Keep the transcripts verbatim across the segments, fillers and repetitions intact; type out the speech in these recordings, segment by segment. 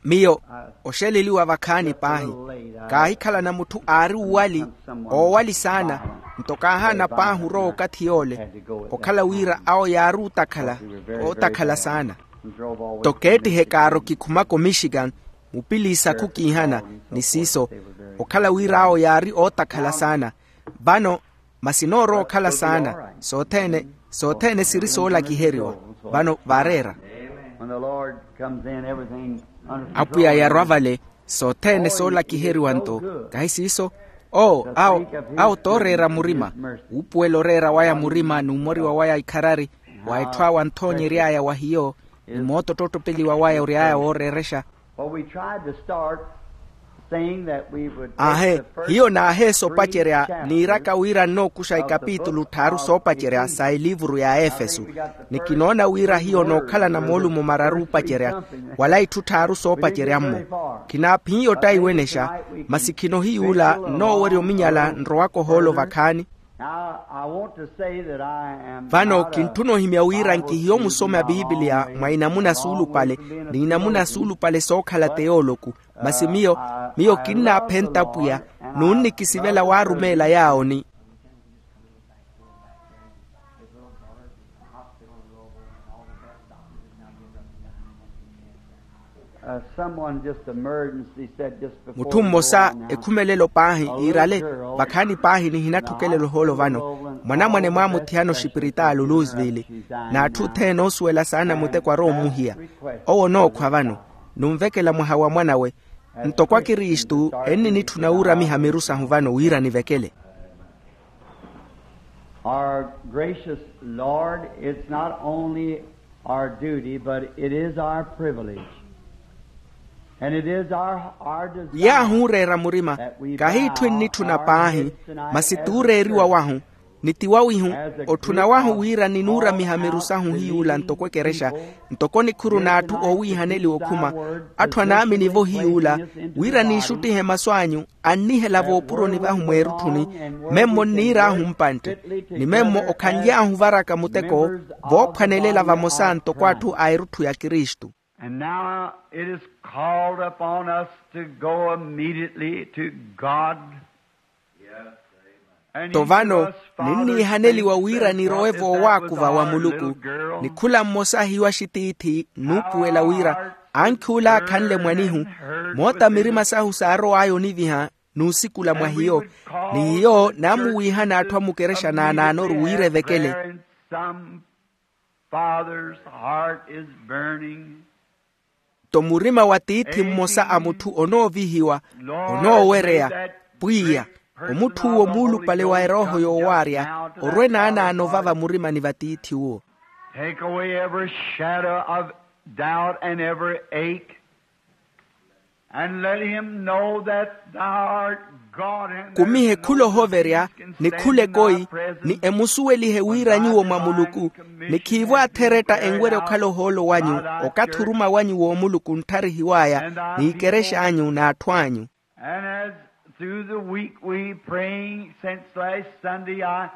Miyo oxeleliwa vakhaani paahi, kaahikhalana mutthu aari uwali, oowali saana. Nto kaahaana paahi orowa okathi yoole, okhala wira awo yaari otakhala, ootakhala saana. Nto keettihe kaaro kikhumaka omixikan, mupiliisakhu kiihana, ni siiso, okhala wira awo yaari ootakhala saana. Vano masi noorowa okhala saana. Sothene, sothene siri soolakiheriwa. Vano vaareera. When the Lord comes in, everything under control. Apwiya yarwa vale, sothene soolakiheriwa nto. Kahi siiso? Oo, awo, awo tooreera murima. Wuupuwela oreera waya murima n'umoriwa waya ikharari, wa etthu awo anthoonyery'aya wa hiyo, ni mooto ttottopeliwa waya ory'aya wooreerexa. Well, we tried to start saying that we would take. Aahe, the first hiyo naaheesa opacerya, niiraka wira nnookuxa ikapitulu tthaaru soopacerya sa eliivuru ya aefeso. Ni kinoona wira hiyo nookhalana moolumo mararu opacerya, wala itthu tthaaru soopacerya-mmo. Khinaaphiya ottaiwenexa, masi khinohiyuula nnoowerya ominyala nrowaka ohoolo vakhaani. Vano kintthuna ohimya wira nkihiya omusoma biipiliya mwa inamuna suulupale, ni inamuna suulupale sookhala teyooloku. Masi miyo, miyo kinnaaphenta pwiya, n'unnikisivela waarumeela yaawoni. Mutthu mmosa ekhumelelo paahi iirale, vakhaani paahi nihinatthukela elohoolo vano, mwanamwane mwaamuthiyana oxipiritaali oluusivili, n'atthu othene oosuwela saana muteko arowa ommuhiya. Owo onookhwa vano, nunvekela mwaha wa mwanawe. Ntoko akristu enninitthuna wuuramiha miru sahu vano wira nivekele. Our gracious Lord, it's not only our duty, but it is our privilege. And it is our, our desire. Yaahu ooreera murima, kahi itthu ennitthuna paahi, masi tuureeriwa wahu, ni ti wawihu, otthuna wahu wira ninuuramiha miru sahu hiyuula ntoko ekerexa, ntoko nikhuru n'atthu oowiihaneliwa okhuma, atthu anaamini-vo hiyuula, wira niixuttihe masu anyu, annihela voopuroni vahu mweerutthuni, memmo nniir'ahu mpantte, ni memmo okhanly'ahu varaka muteko, voophwanelela vamosa ntoko atthu a erutthu ya kristu. And now it is called upon us to go immediately to God. Nto vano ninniihaneliwa wira nirowe voowaakuva wa muluku, ni khula mmosa hiyo axitiithi nnuupuwela wira, ankhi ula aakhanle mwanihu, moota mirima sahu saarow'aya oniviha, n'usikula mwa hiyo, ni hiyo naamuwiihana atthu a mukerexa naanaanoru wira evekele. Father's heart is burning. Nto murima wa tiithi mmosa a mutthu onoovihiwa, onoowereya, pwiya, omutthu uwo muulupale wa erooho yoowaarya, orwe naanaano vava murimani va tiithi-wo. Take away every shadow of doubt and every ache. And let him know that thou art God and there is no disease can stand in thy presence. Kumihe khula ohoverya, ni khula ekoi, ni emusuwelihe wira nyuwo mwa muluku, ni khiivo atheretta enwerya okhala ohoolo wanyu, okathi oruma wanyu w'omuluku onttarihiw'aya, ni ikerexa anyu n'atthu anyu. And as through the week we praying since last Sunday, I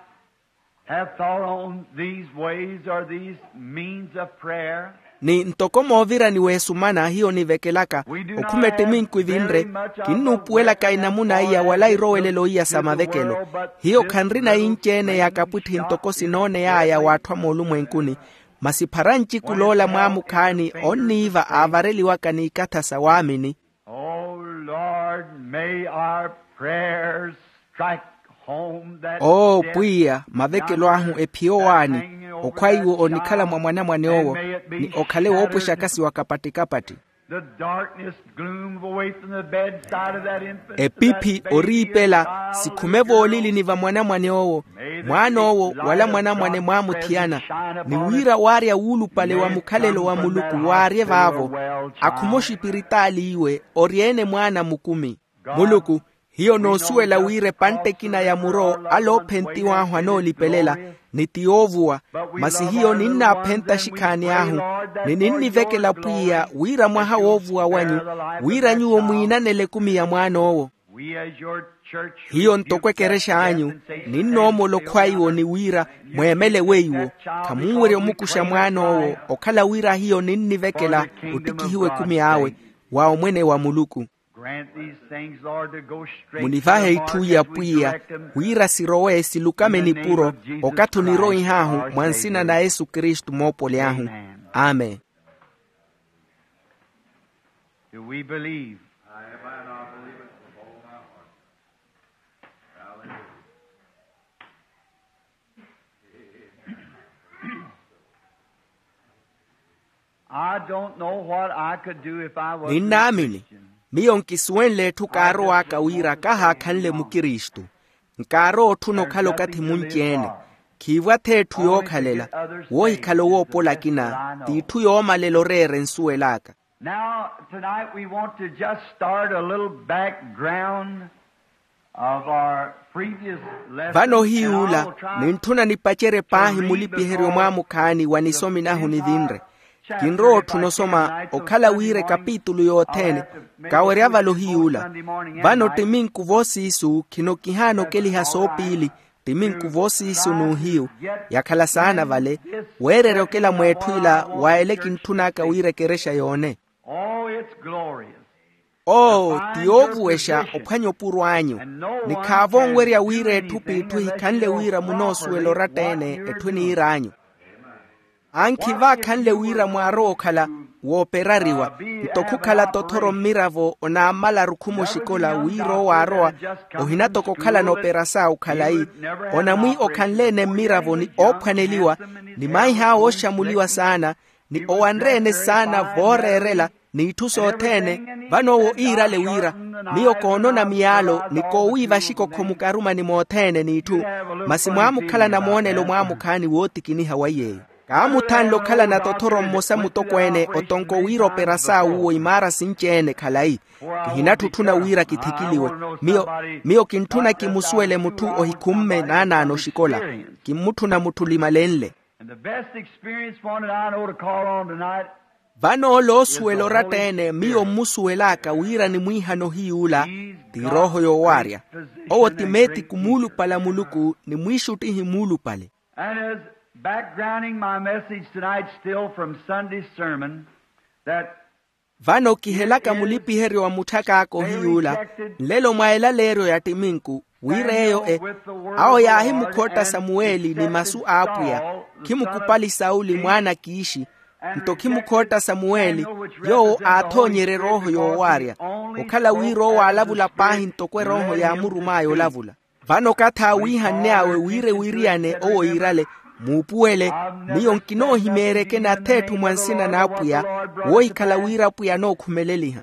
have thought on these ways or these means of prayer. Ni ntoko moovirani w'esumana hiyo nivekelaka, okhuma ettiminku evinre, kinnuupuwelaka enamuna iya wala irowelelo iya sa mavekelo. Hiyo khanrina inci-ene ya kapwitthi ntoko sinooney'aya w'atthu a moolumwenkuni, masi phara ncikuloola mwaamukhaani onniiva aavareliwaka n'ikatha sa waamini. Oh Lord, may our prayers strike home that. Oo pwiya, mavekelo ahu ephiye owaani, okhwaiwo onikhala mwa mwanamwane owo, ni okhale woopwexaka siwa kapatti-kapatti. The darkness gloom away from the bedside of that infant. Epiphi oriipela sikhume voolilini va mwanamwane owo, mwaana owo wala mwanamwane mwaamuthiyana, ni wira waarya wuulupale wa mukhalelo wa muluku waarye vaavo, akhume oxipiritaali iwe oryeene mwaana mukumi. Muluku, hiyo noosuwela wira epantta ekina ya muro ale oophentiw'ahu anoolipelela, ni ti yoovuwa, masi hiyo ninnaaphenta axikhaani ahu, ni ninnivekela pwiya wira mwaha woovuwa wanyu, wira nyuwo mwiinanele ekumi ya mwaana owo. Hiyo ntoko ekerexa anyu, ninnoomola okhwaiwo ni wira mweemele weiwo, khamunwerya omukuxa mwaan'owo, okhala wira hiyo ninnivekela ottikihiwa ekumi awe. wa omwene wa muluku. Munivahe itthu iya pwiya, wira sirowe silukame nipuro, okathi oniroih'ahu mwa nsina na yesu kristu moopoli ahu. Amen. Do we believe? I don't know what I could do if I was a ninnaamini. Miyo nkisuwenle etthu kaarow'aka wira kahaakhanle mukristu. Nkaarowa otthuna okhala okathi munci-ene. Khiivwa-tho etthu yookhalela, woohikhala owoopola akina t'itthu yoomalela oreera ensuwel'aka. Now tonight we want to just start a little background of our previous lesson. Vano ohiyuula nintthuna nipacerye paahi mulipiheryo mwaamukhaani wa nisomi nahu nivinre. Kinrowa otthuna osoma okhala wira ekapitulu yothene. Kawerya vale ohiyuula. Vano ttiminku voosiisu khino kihaana okeliha soopiili. Ttiminku voosiisu n'uhiyu yakhala saana vale, weererya okela mw'etthu ila wa ele kintthun'aka wira ekerexa yoone. Oo ti yoovuwexa ophwanya opuro anyu. Ni khaavo onwerya wira etthu p'itthu ehikhanle wira munoosuwela oratta-ene. Etthu eniir'anyu ankhi vaakhanle wira mwaarowa okhala wooperariwa, nto khukhala tothoro mmiravo onaammalaru khuma oxikola wira owo aarowa. Ohinatoko okhalana operasaawu khalayi. Onamwi okhanle-ene mmiravo ni oophwaneliwa, ni maih'awe ooxamuliwa saana, ni owanre-ene saana vooreerela, n'itthu sothene. Vano owo iirale wira miyo koonona miyaalo ni koowiiva axikokho mukarumani mothene n'itthu. Masi mwaamukhalana moonelo mwaamukhaani wootikiniha wa iy'eyo. Kaamuthanle okhalana tothoro mmosa mutokweene otonko wira operasaawu uwo imaara sinci-ene khalayi. Kihinatthutthuna wira kithikiliwe. Miyo miyo kintthuna kimusuwele mutthu ohikhumme naanaano oxikola. Kimmutthuna mutthu limalenle. And the best experience one that I know to call on tonight. Vano ole oosuwela oratta-ene miyo mmusuwel'aka wira ni mwiihana ohiyuula ti erooho yoowaarya. Owo ti meetiku muulupale a muluku ni mwiixuttihi muulupale. And as backgrounding my message tonight still from Sunday's sermon, that vano kihelaka mulipiheryo wa mutthak'aka ohiyuula nlelo mwa elaleeryo ya ttiminku wira eyo e awo yaahimukhotta samuweli ni masu a apwiya. Khimukupali sauli mwaana a kiixi. Nto khimukhotta samuweli yoowo aathoonyerye erooho yoowaarya okhala wira owo aalavula paahi ntoko erooho yaamurum'aya olavula. Vano okathi aawiihanny'awe wira ewiriyane owo iirale muupuwele. Miyo nkinoohimeeryeke nath'etthu mwa nsina n'apwiya woohikhala wira apwiya anookhumeleliha.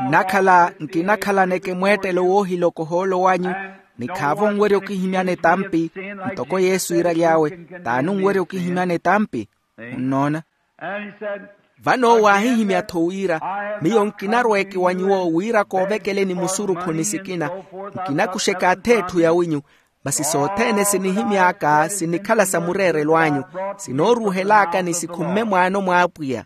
Nnakhala nkinakhalaneke mweettelo woohiloko ohoolo wanyu. Ni khaavo onwerya okihimyana etampi ntoko yesu iiraly'awe t'ani onwerya okihimyana etampi? Munnoona? Vano owo aahihimya-tho wira miyo nkinarweeke wa nyuwo wira koovekeleni musurukhu ni sikina. Nkinakuxeke ath'etthu yawinyu masi sothene sinihimy'aka sinikhala sa mureerelo anyu. Sinooruuhel'aka ni sikhumme mwaano mw'apwiya.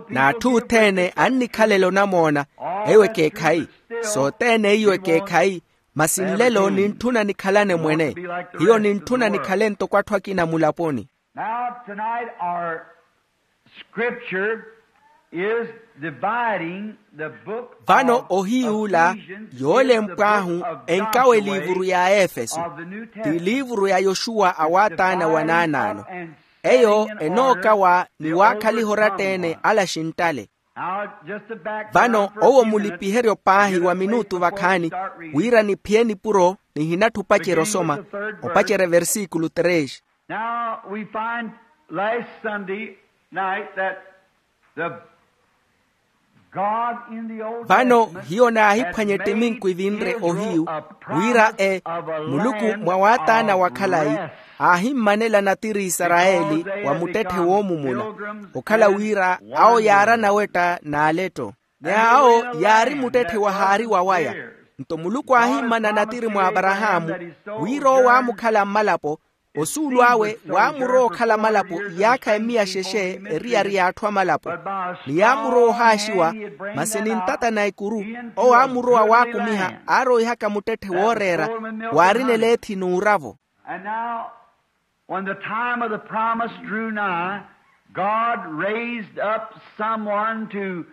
N'atthu othene annikhalela onamoona. Eyo ekeekhayi. Sothene iyo ekeekhayi. Masi nlelo nintthuna nikhalane mwene. Hiyo nintthuna nikhale ntoko atthu akina mulaponi. Now tonight our scripture is dividing the book vano ohiyuula yoolempw'ahu enkawa eliivuru ya aefeso ti eliivuru ya yoxuwa a waataana wa naanaano. Eyo enookawa ni waakhaliha oratta-ene ala axinttale. Vano owo mulipiheryo paahi wa minutu vakhaani wira niphiye nipuro nihinatthu opacerya osoma opacerya versikulu tres. Now we find last Sunday night that the God in the Old Testament vano hiyo naahiphwanya ettiminku evinre ohiyu wira e muluku mwa waataana wa khalayi aahimmanela natiri isarayeli wa muttetthe woomumula okhala wira awo yaarana wetta n'aletto. Ni awo yaari muttetthe wahaari wawaya. Nto muluku aahimmana natiri mwa aparahaamu wira owo aamukhala mmalapo osuulu awe waamurowa okhala malapo iyaakha emmiya xexe eriyari y'atthu amalapo. Ni yaamurowa ohaaxiwa masi ni ntata na ekuru owo aamurowa waakumiha aaroihaka muttetthe wooreera waarina eleethi n'uravo. And now when the time of the promise drew nigh, God raised up someone to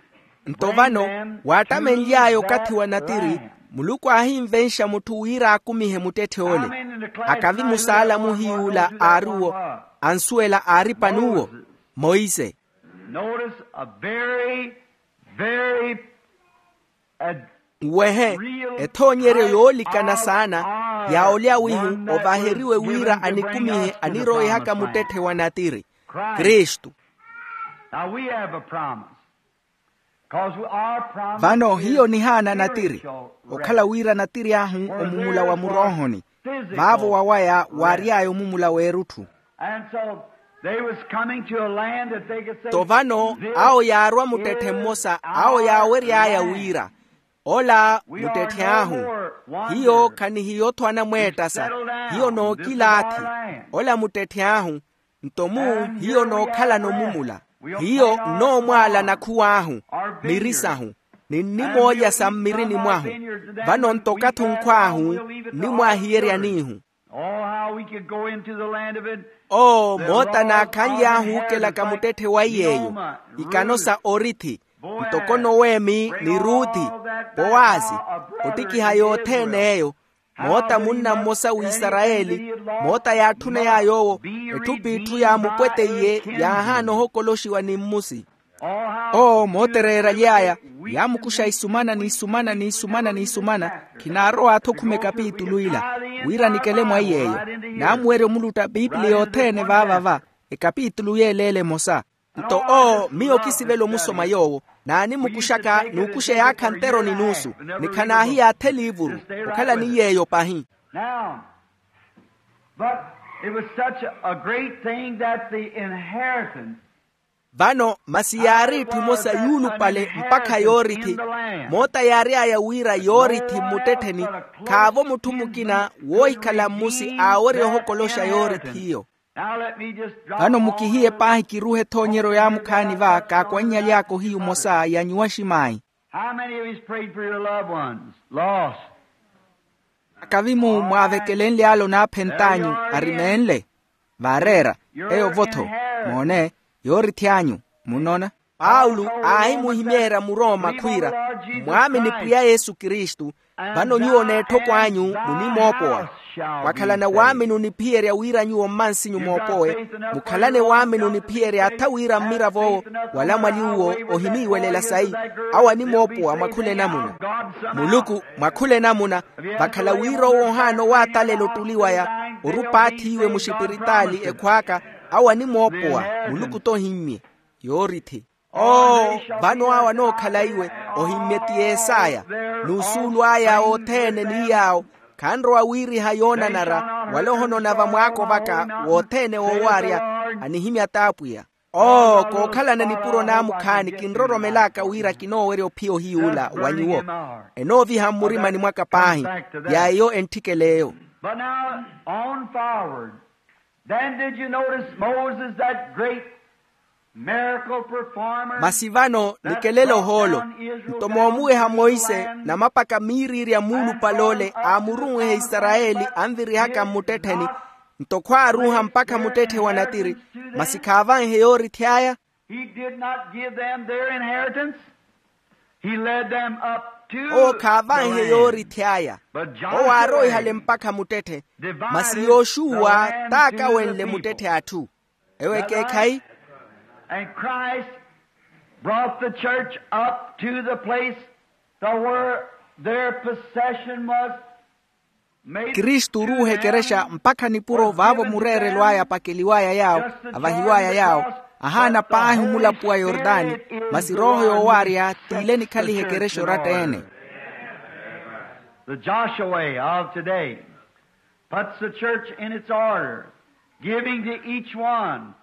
Nto vano, waattamenly'aya okathi wa natiri, muluku aahinvenxa mutthu wira akumihe muttetthe ole. Akavi musaalamu hiy'ula aari-wo, ansuwela aari pani uwo? Monse. Notice a very, very, uh, nwehe, ethoonyeryo yoolikana saana ya olya wihu ovaheriwe wira anikumihe anirowehaka muttetthe wa natiri, kristu. Now we have a promise. Vano hiyo nihaana natiri, okhala wira natiri ahu omumula wa muroohoni, vaavo wawaya waary'aya omumula w'erutthu. Nto vano awo yaarwa muttetthe mmosa awo yaawery'aya wira, ola muttetthe ahu, hiyo khanihiya-otho anamweettasa, hiyo nookilaathi, ola muttetthe ahu. Nto mu hiyo nookhalana omumula, hiyo nnoomwaala nakhuw'ahu, miri sahu, ni nnimoolya sa mmirini mwahu. Vano nto okathi onkhw'ahu nnimwahiyeryanihu. Oo moota naakhanly'ahu ookelaka muttetthe wa iy'eyo, ikano sa orithi, ntoko nowemi ni ruthi, powazi, ottikiha yothene eyo, moota munna mmosa w'isarayeli, moota yaatthuney'aya owo, etthu p'itthu yaamupweteiye, yaahaana ohokoloxiwa ni mmusi. Oo mootereeraly'aya, yaamukuxa isumana n'isumana n'isumana n'isumana, khinaarowa-tho okhuma ekapitulu ila, wira nikele mwa iy'eyo. Naamuwerya omulutta piipili yothene vaavava, ekapitulu y'eleela emosa. Nto oo miyo kisivela omusoma yoowo, naanimukuxaka n'ukuxa eyaakha ntero ni nuusu, ni khanaahiyaathe eliivuru, okhala ni yeeyo pahi. Now, but it was such a great thing that the inheritance. Vano masi yaari etthu emosa yuulupale mpakha yoorithi, moota yaary'aya wira yoorithi mmuttettheni, khaavo mutthu mukina woohikhala mmusi aawerya ohokoloxa yoorithi iyo. Vano mukihiye paahi kiruhe ethoonyeryo yaamukhaani va kaakwannyalyaaka ohiyu omosa ya nyuwa aximaayi. How many of you's prayed for your loved ones lost? Akavi-mu mwaavekelenly'ale onaaphent'anyu arimeenle. Vaareera, eyo-vo-tho, moone, yoorithi anyu. Munnoona, paulo aahimuhimeerya murooma khwiira, mmwaamini pwiya yesu kristu, vano nyuwo n'etthoko anyu munimoopowa. Wakhalana waamini oniphiyerya wira nyuwo mmansinyu moopowe, mukhalane waamini oniphiyerya atha wira mmirav'owo, wala mwali uwo ohiniiwelela sayi, awo animoopowa mwakhula enamuna. Muluku mwakhula enamuna, vakhala wira owo ohaana owaatalela ottuli waya, orupaathi iwe muxipiritaali ekhwaaka, awo animoopowa, muluku t'ohimmye. Yoorithi. Oo, vano awo anookhala iwe, ohimmye ti yesaya, n'usuulu aya othene ni yaawo, khanrowa wiiriha yoonanara, wala ohonona vamwaako vaka wothene woowaarya, anihimya t'apwiya. Oo kookhalana nipuro naamukhaani kinroromel'aka wira kinoowerya ophiya ohiy'ula wa nyuwo, enooviha mmurimani mwaka paahi, ya eyo entthikela eyo. But now on forward. Then did you notice moses that great masi vano nikelelo ohoolo. Nto moomuweha monse namapaka miiriirya muulupale ole aamurunweha isarayeli anvirihaka mmuttettheni. Nto khwaaruuha mpakha muttetthe wa natiri. Masi khaavanhe yoorithi aya. He did not give them their inheritance. He led them up to owo khaavanhe yoorithi aya. Owo aaroihale mpakha muttetthe. Masi yoxuwa taakawenle muttetthe atthu. Ewo ekeekhayi. And christ brought the church up to the place to where their possession was. Kristu oruuha ekerexa mpakha nipuro vaavo mureerelo aya apakeliw'aya yaawo, avahiw'aya yaawo, ahaana paahi omulapo wa yortani. Masi rooho yoowaarya t'ile enikhalihe ekerexa oratta-ene. The joshua of today puts the church in its order, giving to each one.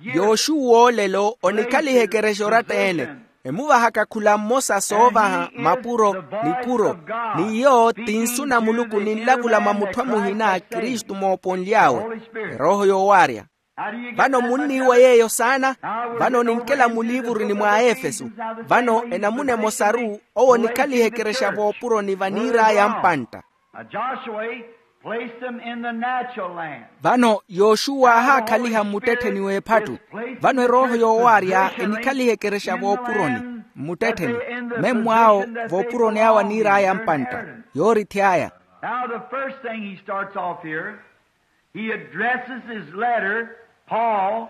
Yoxuwa olelo onikhaliha ekerexa oratta-ene, emuvahaka khula mmosa soovaha mapuro, nipuro. N'iyo ti nsu na muluku ninlavula mwa mutthu amuhina kristu mooponly'awe, erooho yoowaarya. Vano munniiwa yeeyo saana. Vano ninkela muliivuruni mwa aefeso. Vano enamuna emosaru owo onikhaliha ekerexa voopuroni vaniir'aya mpantta. Placed them in the natural land. Vano yoxuwa aahaakhaliha mmuttettheni w'ephattu. Vano erooho yoowaarya enikhaliha ekerexa voopuroni mmuttettheni. Mmemmw'awo voopuroni awo aniir'aya mpantta. Yoorithi aya. Now the first thing he starts off here, he addresses his letter, Paul,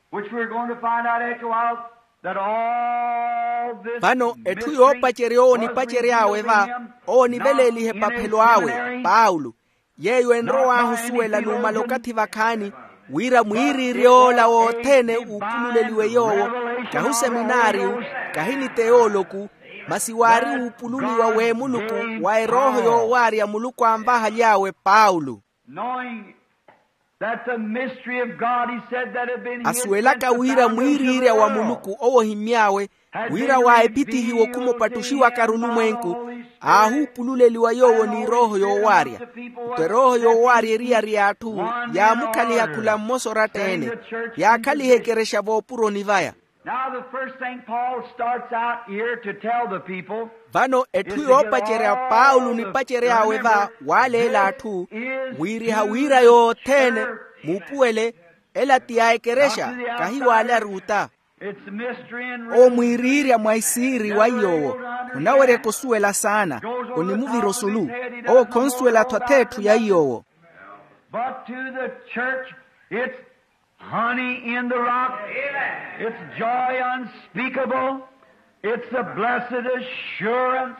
which we're going to find out after a while, that all this. Vano etthu yoopacerya owo onipacery'awe va, owo oniveleeliha epaphelo awe paulo. Yeeyo enrow'ahu osuwela numala okathi vakhaani, wira mwiiriiry'ola wothene uupululeliwe yoowo, kahi oseminaariyu, kahi ni teoloku, masi waari uupululiwa w'emuluku wa erooho yoowaarya muluku anvahaly'awe paulo. Knowing that the mystery of God, he said, that had been hid since the foundation of the world. Asuwelaka wira mwiiriirya wa muluku owo ohimmy'awe, wira waaepitihiwa okhuma opattuxiwaka arulumwenku, aahuupululeliwa yoowo n'irooho yoowaarya. Nto erooho yoowaarya eriyari y'atthu yaamukhaliha khula mmosa oratta-ene, yaakhaliha ekerexa voopuroni vaya. Now the first thing Paul starts out here to tell the people. Vano etthu yoopacerya paulo onipacery'awe va waaleela atthu, wiiriha wira yothene, muupuwele, ela ti ya ekerexa, kahi waale aruuta. Owo mwiiriirya mwa isiiri wa iy'owo, khunaweryaka osuwela saana, onimuvira osulu. Owo khonsuwela-tho ath'etthu ya iy'owo. But to the church, it's honey in the rock. It's joy unspeakable. It's a blessed assurance.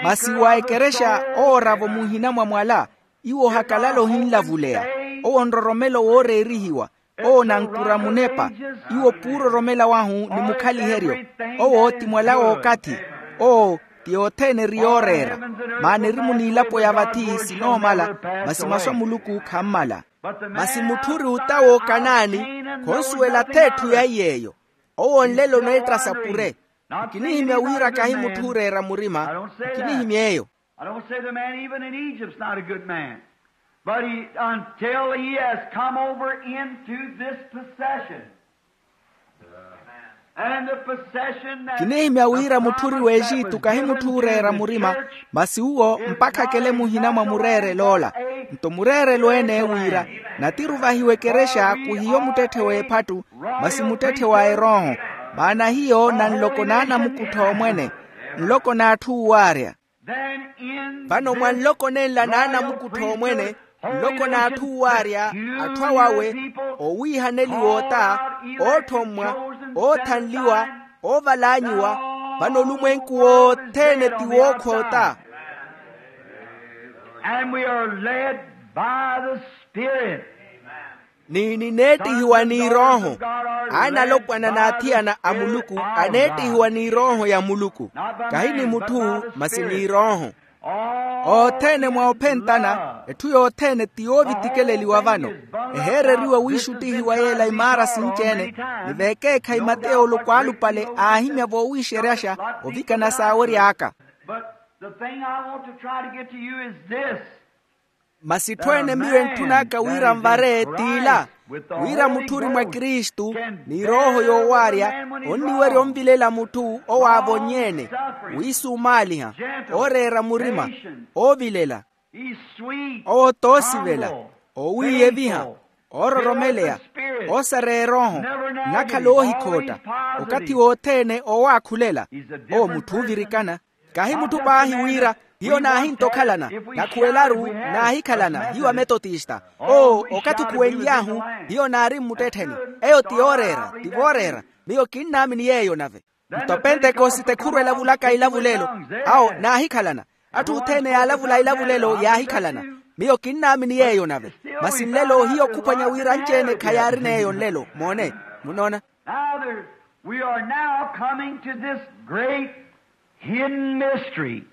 Masi wa ekerexa ooravo muhina mwa mwala, iwo ohakalala ohinlavuleya. Owo nroromelo wooreerihiwa. Owo nankura munepa. Iwo puuroromela wahu ni mukhaliheryo. Owo ti mwala w'okathi. Owo ti othene eri yooreera. Maana eri muniilapo ya vathi sinoomala, masi masu a muluku khammala. Masi mutthu ori otawa okanaani, khonsuwela ath'etthu ya iy'eyo. Owo nlelo oneettasya pure. Nkinihimya wira kahi mutthu ooreera murima. Nkinihimya eyo. I don't say the man even in Egypt's not a good man, but he, until he has come over into this possession. And the possession that kinihimya wira mutthu ori w'exitu kahi mutthu ooreera murima. Masi uwo mpakha akele muhina mwa mureerelo ola. Nto mureerelo ene wira natiruvahiwa ekerexa khuhiyo muttetthe w'ephattu, masi muttetthe wa erooho. Maana hiyo na nloko n'anamukuttho omwene, nloko n'atthu uwaarya. Vano mwa nloko nenla n'anamukuttho omwene, nloko n'atthu uwaarya, atthu awawe, owiihaneliwa ota, oothommwa, oothanliwa, oovalaanyiwa. Vano olumwenku wothene ti wookhoota. And we are led by the Spirit. Ni nineettihiwa n'irooho. Aana alopwana n'athiyana a muluku aneettihiwa n'irooho ya muluku. Kahi ni mutthu, masi n'irooho. Othene mwa ophentana, etthu yothene ti yoovitikeleliwa vano. Eheereriwa wiixuttihiwa yeela imaara sinci-ene. Ni vekeekhayi mateyo oloko alupale aahimya voowiixeryaxa ovikana saawery'aka. But the thing I want to try to get to you is this. Masi etthu ene miyo entthun'aka wira nvare t'ila, wira mutthu ori mwa kristu, ni erooho yoowaarya onniwerya onvilela mutthu owaavonny'ene, wiisumaaliha, ooreera murima, oovilela. Owo t'osivela, oowiiyeviha, oororomeleya, oosareya erooho, nnakhala oohikhootta, okathi wothene oowaakhulela. Owo mutthu oovirikana. Kahi mutthu paahi wira hiyo naahintta okhalana, nakhuwelaru naahikhalana hiyo ametotista. Oo okathi okhuwenly'ahu, hiyo naari mmuttettheni. Eyo ti yooreera, ti vooreera. Miyo kinnaamini yeeyo nave. Nto pentekosite khurwa elavulaka ilavulelo. Awo naahikhalana. Atthu othene yaalavula ilavulelo yaahikhalana. Miyo kinnaamini yeeyo nave. Masi nlelo hiyo khuphwanya wira anci-ene khayaarina eyo nlelo moone. Munoona? Now there, we are now coming to this great hidden mystery.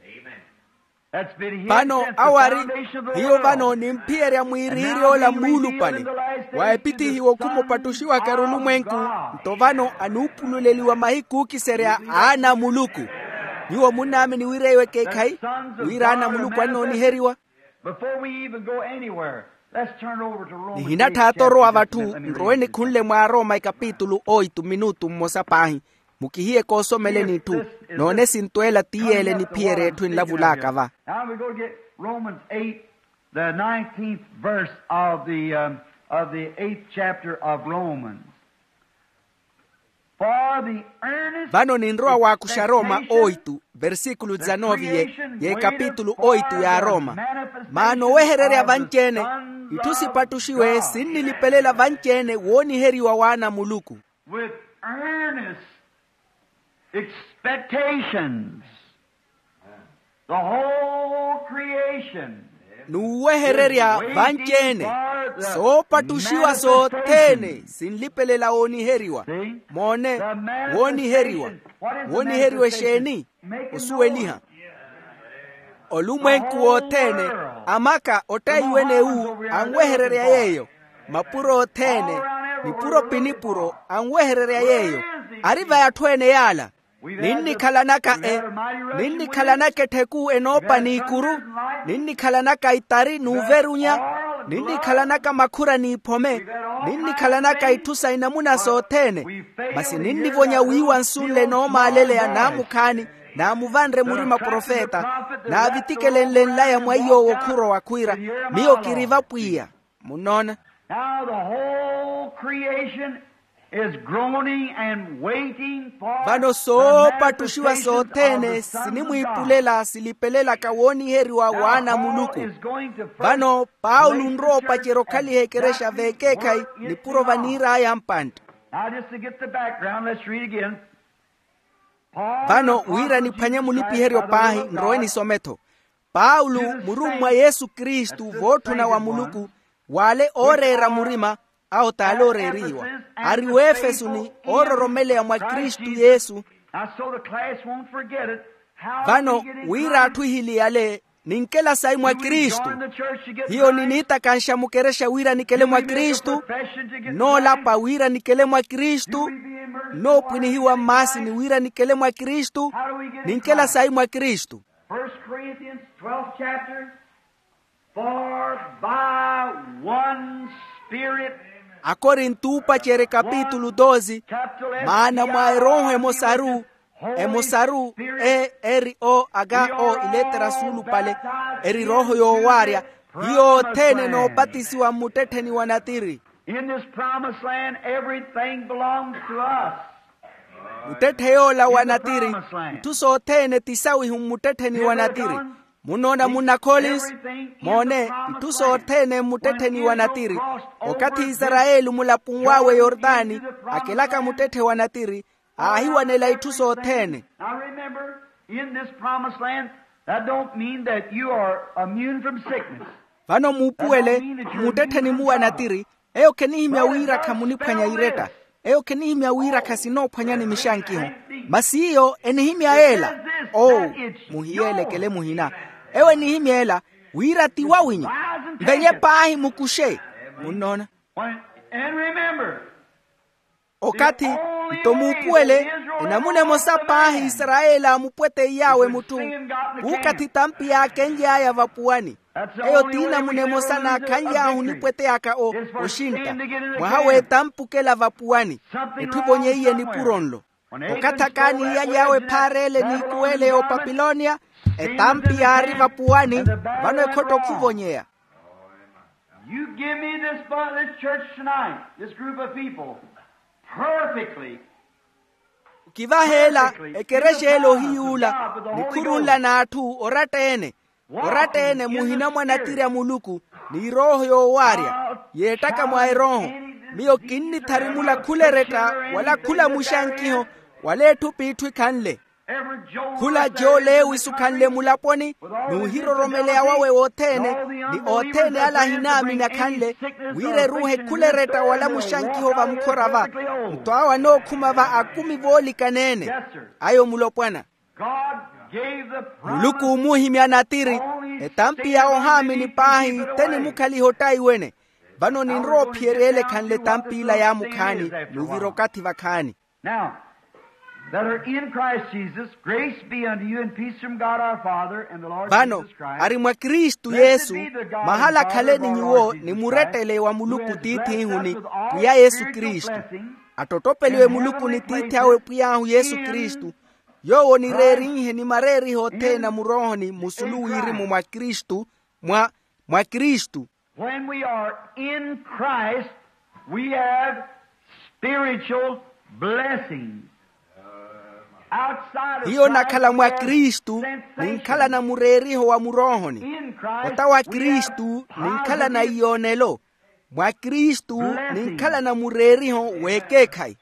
Vano awo ari hiyo vano nimphiyerya mwiiriiry'ola muulupale, wa epithihiwa okhuma opattuxiwaka erulumwenku. Nto vano anuupululeliwa mahiku ookiserya aana a muluku. Nyuwo munnaamini wira eyo ekeekhayi, wira aana a muluku annooniheriwa? Before we even go anywhere, let's turn over to Romans. Nihinatthaatta orowa vatthu nrowe nikhunle mwa aroma ekapitulu oitu minutu mmosa paahi. Mukihiye koosomeleni itthu. Noone sintweela ti yeele niphiyerye etthu enlavulaka va. Now we're going to get Romans eight, the nineteenth verse of the, um, of the eighth chapter of Romans. Vano ninrowa waakuxa roma oitu versikulu dizanovi ye kapitulu oitu ya roma. Maana owehererya vanci-ene itthu sipattuxiwe sinnilipelela vanci-ene wooniheriwa w'ana a muluku. With earnest expectations, the whole creation. N'uwehererya vanci-ene soopattuxiwa sothene sinlipelela wooniheriwa. Moone, wooniheriwa. Wooniheriwa exeeni? Osuweliha. Olumwenku wothene, amaka ottaiwene ewu anwehererya yeeyo. Mapuro othene, nipuro pi nipuro anwehererya yeeyo. Ari vai atthu ene yaala? Ninnikhalanaka e ninnikhalanaka ettheku enoopa n'ikuru. Ninnikhalanaka itari n'uverunya. Ninnikhalanaka makhura n'iphome. Ninnikhalanaka itthu sa inamuna sothene. Masi ninnivonya wiiwa nsu nle noomaaleleya naamukhaani. Naamuvanre murima profeta naavitikelenle nlaya mwa iy'owo khurowa khwiira, miyo kiri vapwiya. Munnoona? Now the whole creation is groaning and waiting for vano soopattuxiwa sothene sinimwiipulela silipelelaka wooniheriwa w'ana a muluku. Vano paulo nrowa opacerya okhaliha ekerexa v'ekeekhayi nipuro vaniir'aya mpantta. Now just to get the background, let's read again. Vano wira niphwanye munipiheryo paahi nrowe nisome-tho. Paulo murummwa yesu kristu vootthuna wa muluku, w'ale ooreera murima awo t'ale ooreerihiwa, ari w'efeso ni oororomeleya mwa kristu yesu. Vano wira atthu ehili yale ninkela sayi mwa kristu. Hiyo niniitakanxa mukerexa wira nikele mwa kristu. Nnoolapa wira nikele mwa kristu. Nnoopwinihiwa mmaasini wira nikele mwa kristu. Ninkela sayi mwa kristu? First Corinthians twelfth chapter. For by one Spirit. Akorinto oopacerye kapitulu doze. Maana mwa erooho emosaru, emosaru e eri o aga o iletera suulupale, eri rooho yoowaarya. Hiyo othene enoopatisiwa mmuttettheni wa natiri. In this promised land everything belongs to us. Muttetthe yoola wa natiri, itthu sothene ti sawihu mmuttettheni wa natiri. Munnoona munna collins? Moone, itthu sothene mmuttettheni wa natiri. Okathi isarayeli mulapuni w'awe yortani akelaka muttetthe wa natiri, aahiwanela itthu sothene. Now remember, in this promised land, that don't mean that you are immune from sickness. Vano muupuwele mmuttettheni-mu wa natiri, eyo khenihimya wira khamuniphwanya iretta. Eyo khenihimya wira khasinoophwanyani mixankiho. Masi iyo enihimya yeela. Oo, muhiyeelekele muhina. Eyo enihimya ela wira ti wawinyu. Mvenye paahi mukuxe. Munnoona? And remember, okathi nto muupuwele enamuna emosa paahi isarayeli aamupweteiy'awe mutthu, kuukathi tampi yaakenly'aya vapuwani. Eyo t'inamuna emosa naakhanly'ahu onipweteyaka oxintta mwaha w'etampi okela vapuwani. Etthu evonyeiye nipuro nlo. Okathi akaani iyaly'awe ephaareele n'ikuweele y'opapilonia, etampi yaari vapuwani. Vano ekhotto khuvonyeya. You give me this, this church tonight, this group of people, perfectly. Okivaheela ekerexa ele ohiyuula nikhurunla n'atthu oratta-ene. Oratta-ene muhina mwa natiri a muluku ni erooho yoowaarya yeettaka mwa erooho. Miyo kinnitharimula khula eretta wala khula muxankiho wala etthu p'itthu ekhanle. Khula jooleewisu khanle mulaponi n'uhiroromeleya wawe wothene ni othene ale ahinaamini akhanle wira eruuhe khula eretta wala muxankiho vamukhora va. Nto awo anookhuma va akumi voolikaneene. Ayo mulopwana. Muluku oomuhimya natiri etampi ya ohaamini paahi te nimukhaliha ottaiwene. Vano ninrowa ophiyerya ele ekhanle etampi ila yaamukhaani n'uvira okathi vakhaani. Now that are in Christ Jesus, grace be unto you and peace from God our Father and the Lord Jesus Christ. Vano ari mwa kristu yesu mahala akhaleni nyuwo ni murettele wa muluku tiithihuni pwiya yesu kristu. Attottopeliwe muluku ni tiithi awe pwiy'ahu yesu kristu. Yoowo onireerinhe ni mareeriho othene a muroohoni musulu wirimu mwa kristu. Mwa mwa kristu. When we are in christ, we have spiritual blessings. Hiyo nakhala mwa kristu, ninkhalana mureeriho wa muroohoni. Ota wa kristu ninkhalana iyoonelo. Mwa kristu ninkhalana mureeriho w'ekeekhayi.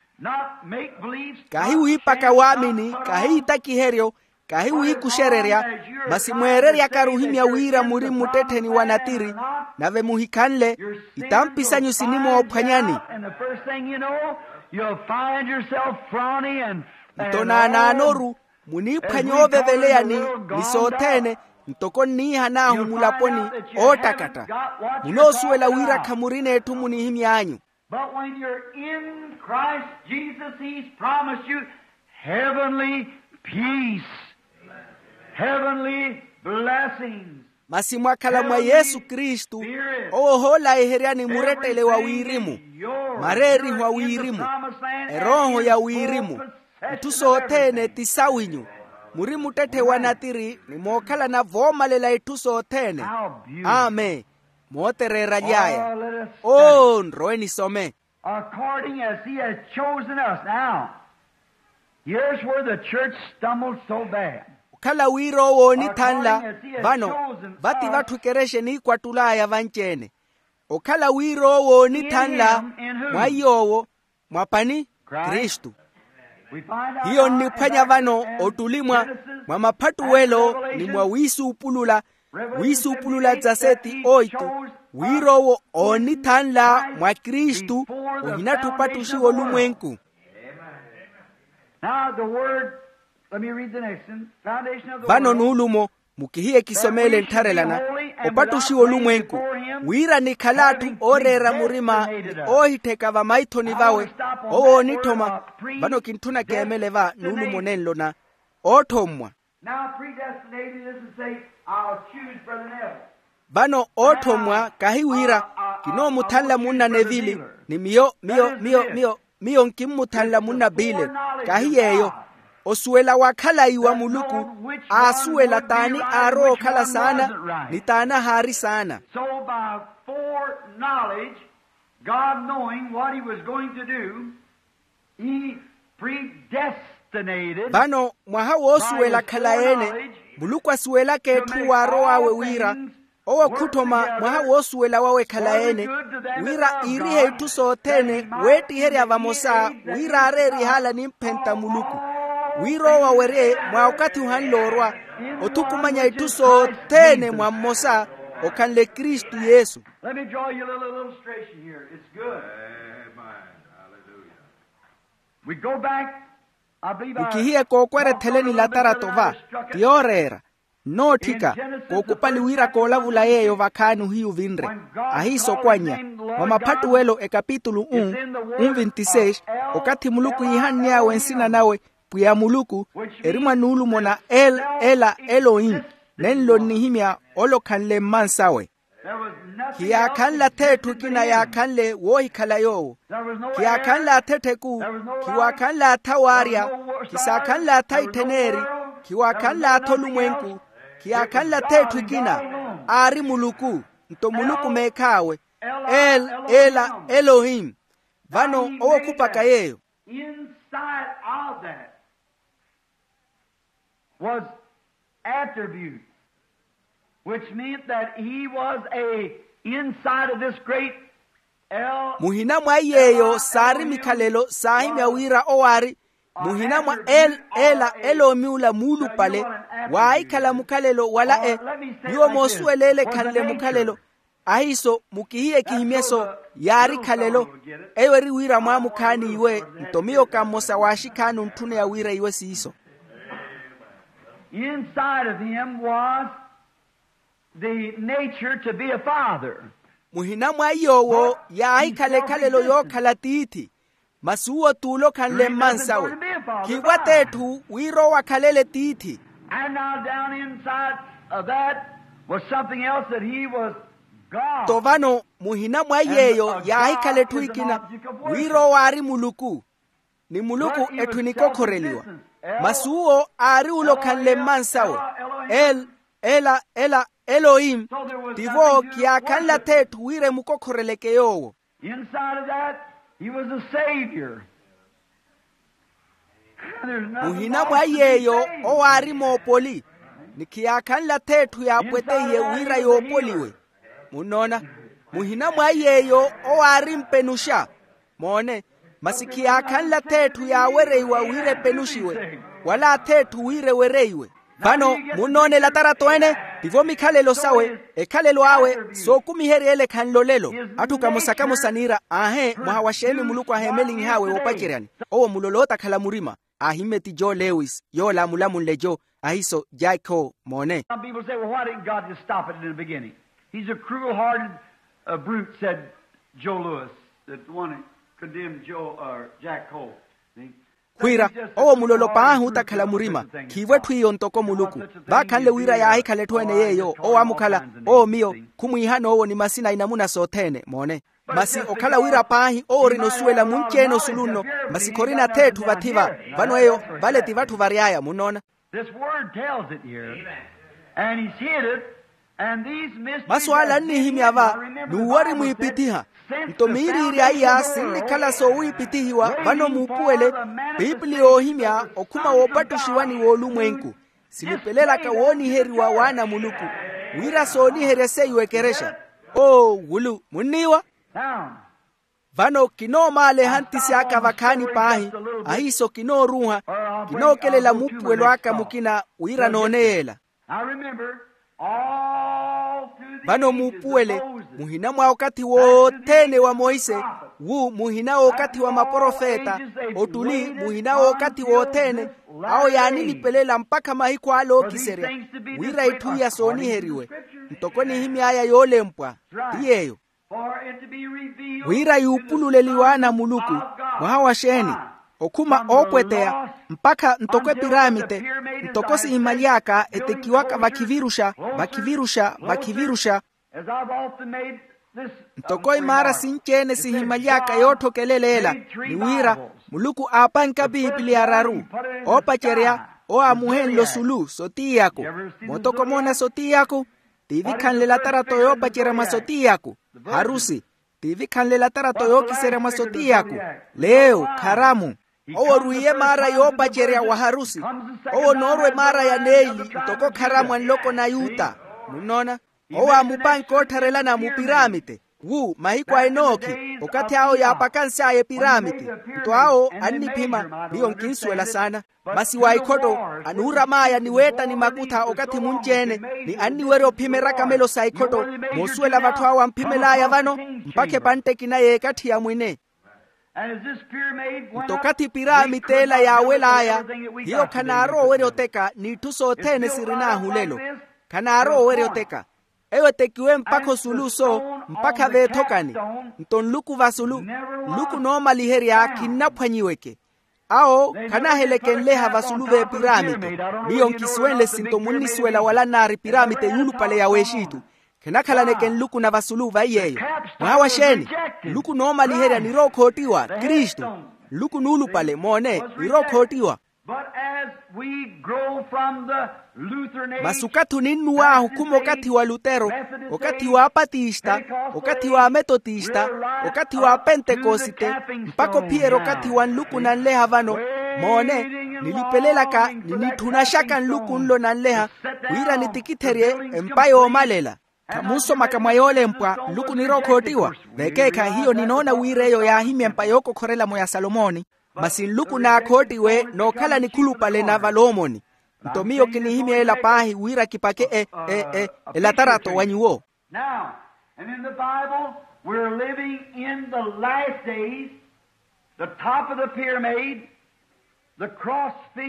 Kahi wiipaka waamini, kahi itakiheryo, kahi wiikuxererya, masi mweereryaka ruhimya wira muri mmuttettheni wa natiri, nave muhikhanle itampi sanyu sinimoophwanyani. Nto naanaanoru muniiphwanya ooveveleyani ni sothene, ntoko nniihan'ahu mulaponi oottakatta. Munoosuwela wira khamurina etthu munihimy'anyu. But when you're in christ jesus he's promised you heavenly peace, heavenly blessings. Masi mwakhala mwa yesu kristu, owo ohoolayiheryani murettele wa wirimu, mareeriho a wirimu, erooho ya wirimu. Itthu sothene ti sawinyu. Muri muttetthe wa natiri ni mookhalana voomalela itthu sothene. Amen. Mootereeraly'aya. Oo nrowe nisome. According as he has chosen us now. Here's where the church stumbled so bad. Okhala wira owo oonithanla. Vano vati vatthu ekerexa eniikwatul'aya vanci-ene. Okhala wira owo oonithanla mwa iy'owo. Mwa pani? Kristu. Hiyo nniphwanya vano ottuli mwa mwa maphattuwelo ni mwa wiisuupulula, wiisuupulula dza seti oitu, wira owo oonithanla mwa kristu. Ohinatthi opattuxiwa olumwenku. Now the word, let me read the next one. Vano nuulumo, mukihiye kisomeele nttharelana. Opattuxiwa olumwenku, wira nikhala atthu ooreera murima ni oohittheka vamaithoni vawe. Owo oonitthoma. Vano kintthuna keemele va nuulumo nenlo na ootthommwa. Now predestinated is to say, I'll choose brother neville. Vano ootthommwa kahi wira kinoomuthanla munna nevili, ni miyo miyo miyo miyo miyo nkimmuthanla munna pile. Kahi yeeyo. Osuwela wa khalayi wa muluku, aasuwela t'ani aarowa okhala saana ni t'ani ahaari saana. So by foreknowledge, god knowing what he was going to do, he predestinated. Vano mwaha woosuwela khalayi-ene, muluku asuwelaka etthu waarow'awe wira owo khutthoma mwaha woosuwela wawe khalayi-ene, wira iirihe itthu sothene weettiherya vamosa, wira aareerihala nimphenta muluku, wira owo awerye mwa okathi ohanle orwa, othukumanya itthu sothene mwa mmosa, okhanle kristu yesu. Let me draw you a little illustration here. It's good. Amen. Hallelujah. We go back, I believe I mukihiye kookweretheleni latarato va, ti yooreera. Nnootthika, kookupali wira koolavula yeeyo vakhaani ohiyu vinre. Ahiisokwanya mwa maphattuwelo ekapitulu um, um vintiseis, okathi muluku iihanny'awe nsina nawe, pwiya muluku, eri mwa nuulumo na el ela elohim, nenlo nnihimya ole okhanle mmansawe. Khiyaakhanle atha etthu ekina yaakhanle woohikhala yoowo. Khiyaakhanle atha ettheku, khiwaakhanle atha waarya, khisaakhanle atha itthen'eri, khiwaakhanle atha olumwenku, khiyaakhanle atha etthu ekina. Aari muluku, nto muluku meekhaawe. El ela elohim. Vano owo okhupaka yeeyo. Inside of that was attributes, which meant that he was a inside of this great el. Muhina mwa iyeeyo saari mikhalelo saahimya wira owaari muhina mwa el ela eloomi ula muulupale. Waahikhala mukhalelo wala e. Nyuwo moosuwela ele ekhanle mukhalelo. Ahiiso mukihiye kihimyeso yaari khalelo. Eyo eri wira mwaamukhaani iwe. Nto miyo ka mmosa w'axikhaani ontthuneya wira iwe siiso. Inside of him was the nature to be a father. Muhina mwa iy'owo yaahikhala ekhalelo yookhala tiithi. Masi uwo t'ule okhanle mmansawe. Khiwata etthu wira owo akhalele tiithi. And now down inside of that was something else that he was god. Nto vano muhina mwa iyeeyo yaahikhala etthu ekina wira owo aari muluku. ni muluku etthu enikokhoreliwa. Masi uwo aari ula okhanle mmansawe, el ela ela elohim. Tivo kiyaakhanle atheetthu wira emukokhoreleke yoowo. Inside of that, he was a savior. Muhina mwa yeeyo owo aari moopoli, ni khiyaakhanle atheetthu yaapweteiye wira yoopoliwe. Munnoona? Muhina mwa yeeyo owo aari mpenuxa. Moone, masi khiyaakhanle atheetthu yaawereiwa wira epenuxiwe, wala atheetthu wira ewereiwe. Vano munnoona elatarato ene, tivo mikhalelo sawe, ekhalelo awe sookumiherya ele khanlolelo. Atthu kamosa-kamosa niira, aahe, mwaha wa xeeni muluku aheemelinh'awe woopaceryani? Owo muloloota akhala murima. Aahimmye ti joe lewis yoola amulamunle joe, ahiso jack ho. Moone. Some people say, "Well, why didn't God just stop it in the beginning? He's a cruel-hearted, uh, brute," said Joe Lewis, that one condemned Joe, uh, Jack Coe. Khwiira, owo mulolo paahi otakhala murima. Khiivo etthu iyo ntoko muluku. Vaakhanle wira yaahikhala etthu ene yeeyo owo amukhala, owo miyo, khumwiihana owo ni masina a inamuna sothene. Moone. Masi okhala wira paahi owo orina osuwela munci-ene osulu nno, masi khorina atheetthu vathi-va. Vano eyo, vale ti vatthu vary'aya. Munnoona? This word tells it here. And he's hid it. And these mysteries, masu ala annihimya va, n'uwo ari mwiipithiha. Nto miiriiri a iya sinnikhala soowiipithihiwa vano muupuwele. Piipili yoohimya okhuma woopattuxiwa ni woolumwenku, silipelelaka wooniheriwa w'ana a muluku, wira sooniherya seiwo ekerexa. Oo wulu munniiwa. Vano kinoomaaleha ntisi aka vakhaani paahi, ahiiso kinooruuha, kinookelela muupuwelo aka mukina wira noone yeela. Vano muupuwele, muhina mwa okathi wothene wa monse, wu muhina w'okathi wa maprofeta, otuli muhina w'okathi wothene, awo yaanilipelela mpakha mahiku ale ookiserya, wira itthu iya sooniheriwe. Ntoko enihimy'aya yoolempwa ti yeeyo. Wira yuupululeliwe ana a muluku. Mwaha wa xeeni? Okhuma oopweteya, mpakha ntoko epiraamite, ntoko sihimaly'aka etekiwaka vakhiviruxa, vakhiviruxa, vakhiviruxa. Ntoko imaara sinci-ene sihimaly'aka yootthokelela ela, ni wira muluku aapanka piipili araru, oopacerya, owo aamuhenle osulu sotiyako. Mootoko moona sotiyako? Tiivikhanle elatarato yoopacerya mwa sotiyako. Harusi. Tiivikhanle elatarato yookiserya mwa sotiyako. Leyo kharamu. Owo orwiiye emaara yoopacerya wa harusi. Owo onoorwa emaara ya neeli, ntoko kharamu a nloko na yuta. Munnoona? Owo aamupanke oottharelana mupiraamite. Wu mahiku a enookhi, okathi awo yaapakansy'aya epiraamite. Nto awo anniphima, miyo nkinsuwela saana. Masi wa ikhotto, anuuram'aya ni weetta ni makutha okathi munci-ene, ni anniwerya ophima erakamelo sa ikhotto. Moosuwela vatthu awo amphimel'aya vano, mpakha epantte ekina y'ekatthi ya mwine. Nto okathi piraamite ela yaawel'aya, hiyo khanaarowa owerya oteka n'itthu sothene sirin'ahu lelo. Khanaarowa owerya oteka. Eyo etekiwe mpakha osulu so, mpakha veethokani. Nto nluku vasulu, nluku noomaliherya khinnaphwanyiweke. Awo khanaahelekenleha vasulu v'epiraamite. Miyo nkisuwenle sinto munnisuwela wala nnaari piraamite yuulupale ya w'exitu. Khanakhalaneke nluku na vasulu vaiy'eyo. Mwaha wa xeeni? Nluku noomaliherya nirowa okhoottiwa kristu. Nluku nuulupale moone nirowa okhoottiwa. But as we grow from the Lutheran age, masi okathi oninnuw'ahu khuma okathi wa lutero, okathi wa apatista, okathi wa ametotista, okathi wa apentekosite, mpakha ophiyerya okathi wa nluku nanleha vano. Moone, nilipelelaka ni nitthunaxaka nluku nlo nanleha, wira nitikitherye empa yoomalela. Khamunsomaka mwa yoolempwa, nluku nirowa okhoottiwa. Vekeekhayi hiyo ninoona wira eyo yaahimya empa yookokhorelamo ya salomoni. Masi nluku naakhoottiwe nookhala nikhulupale na valomoni. Nto miyo kinihimya ela paahi wira kipake e e e elatarato wa nyuwo. Now, and in the Bible, we're living in the last days, the top of the pyramid.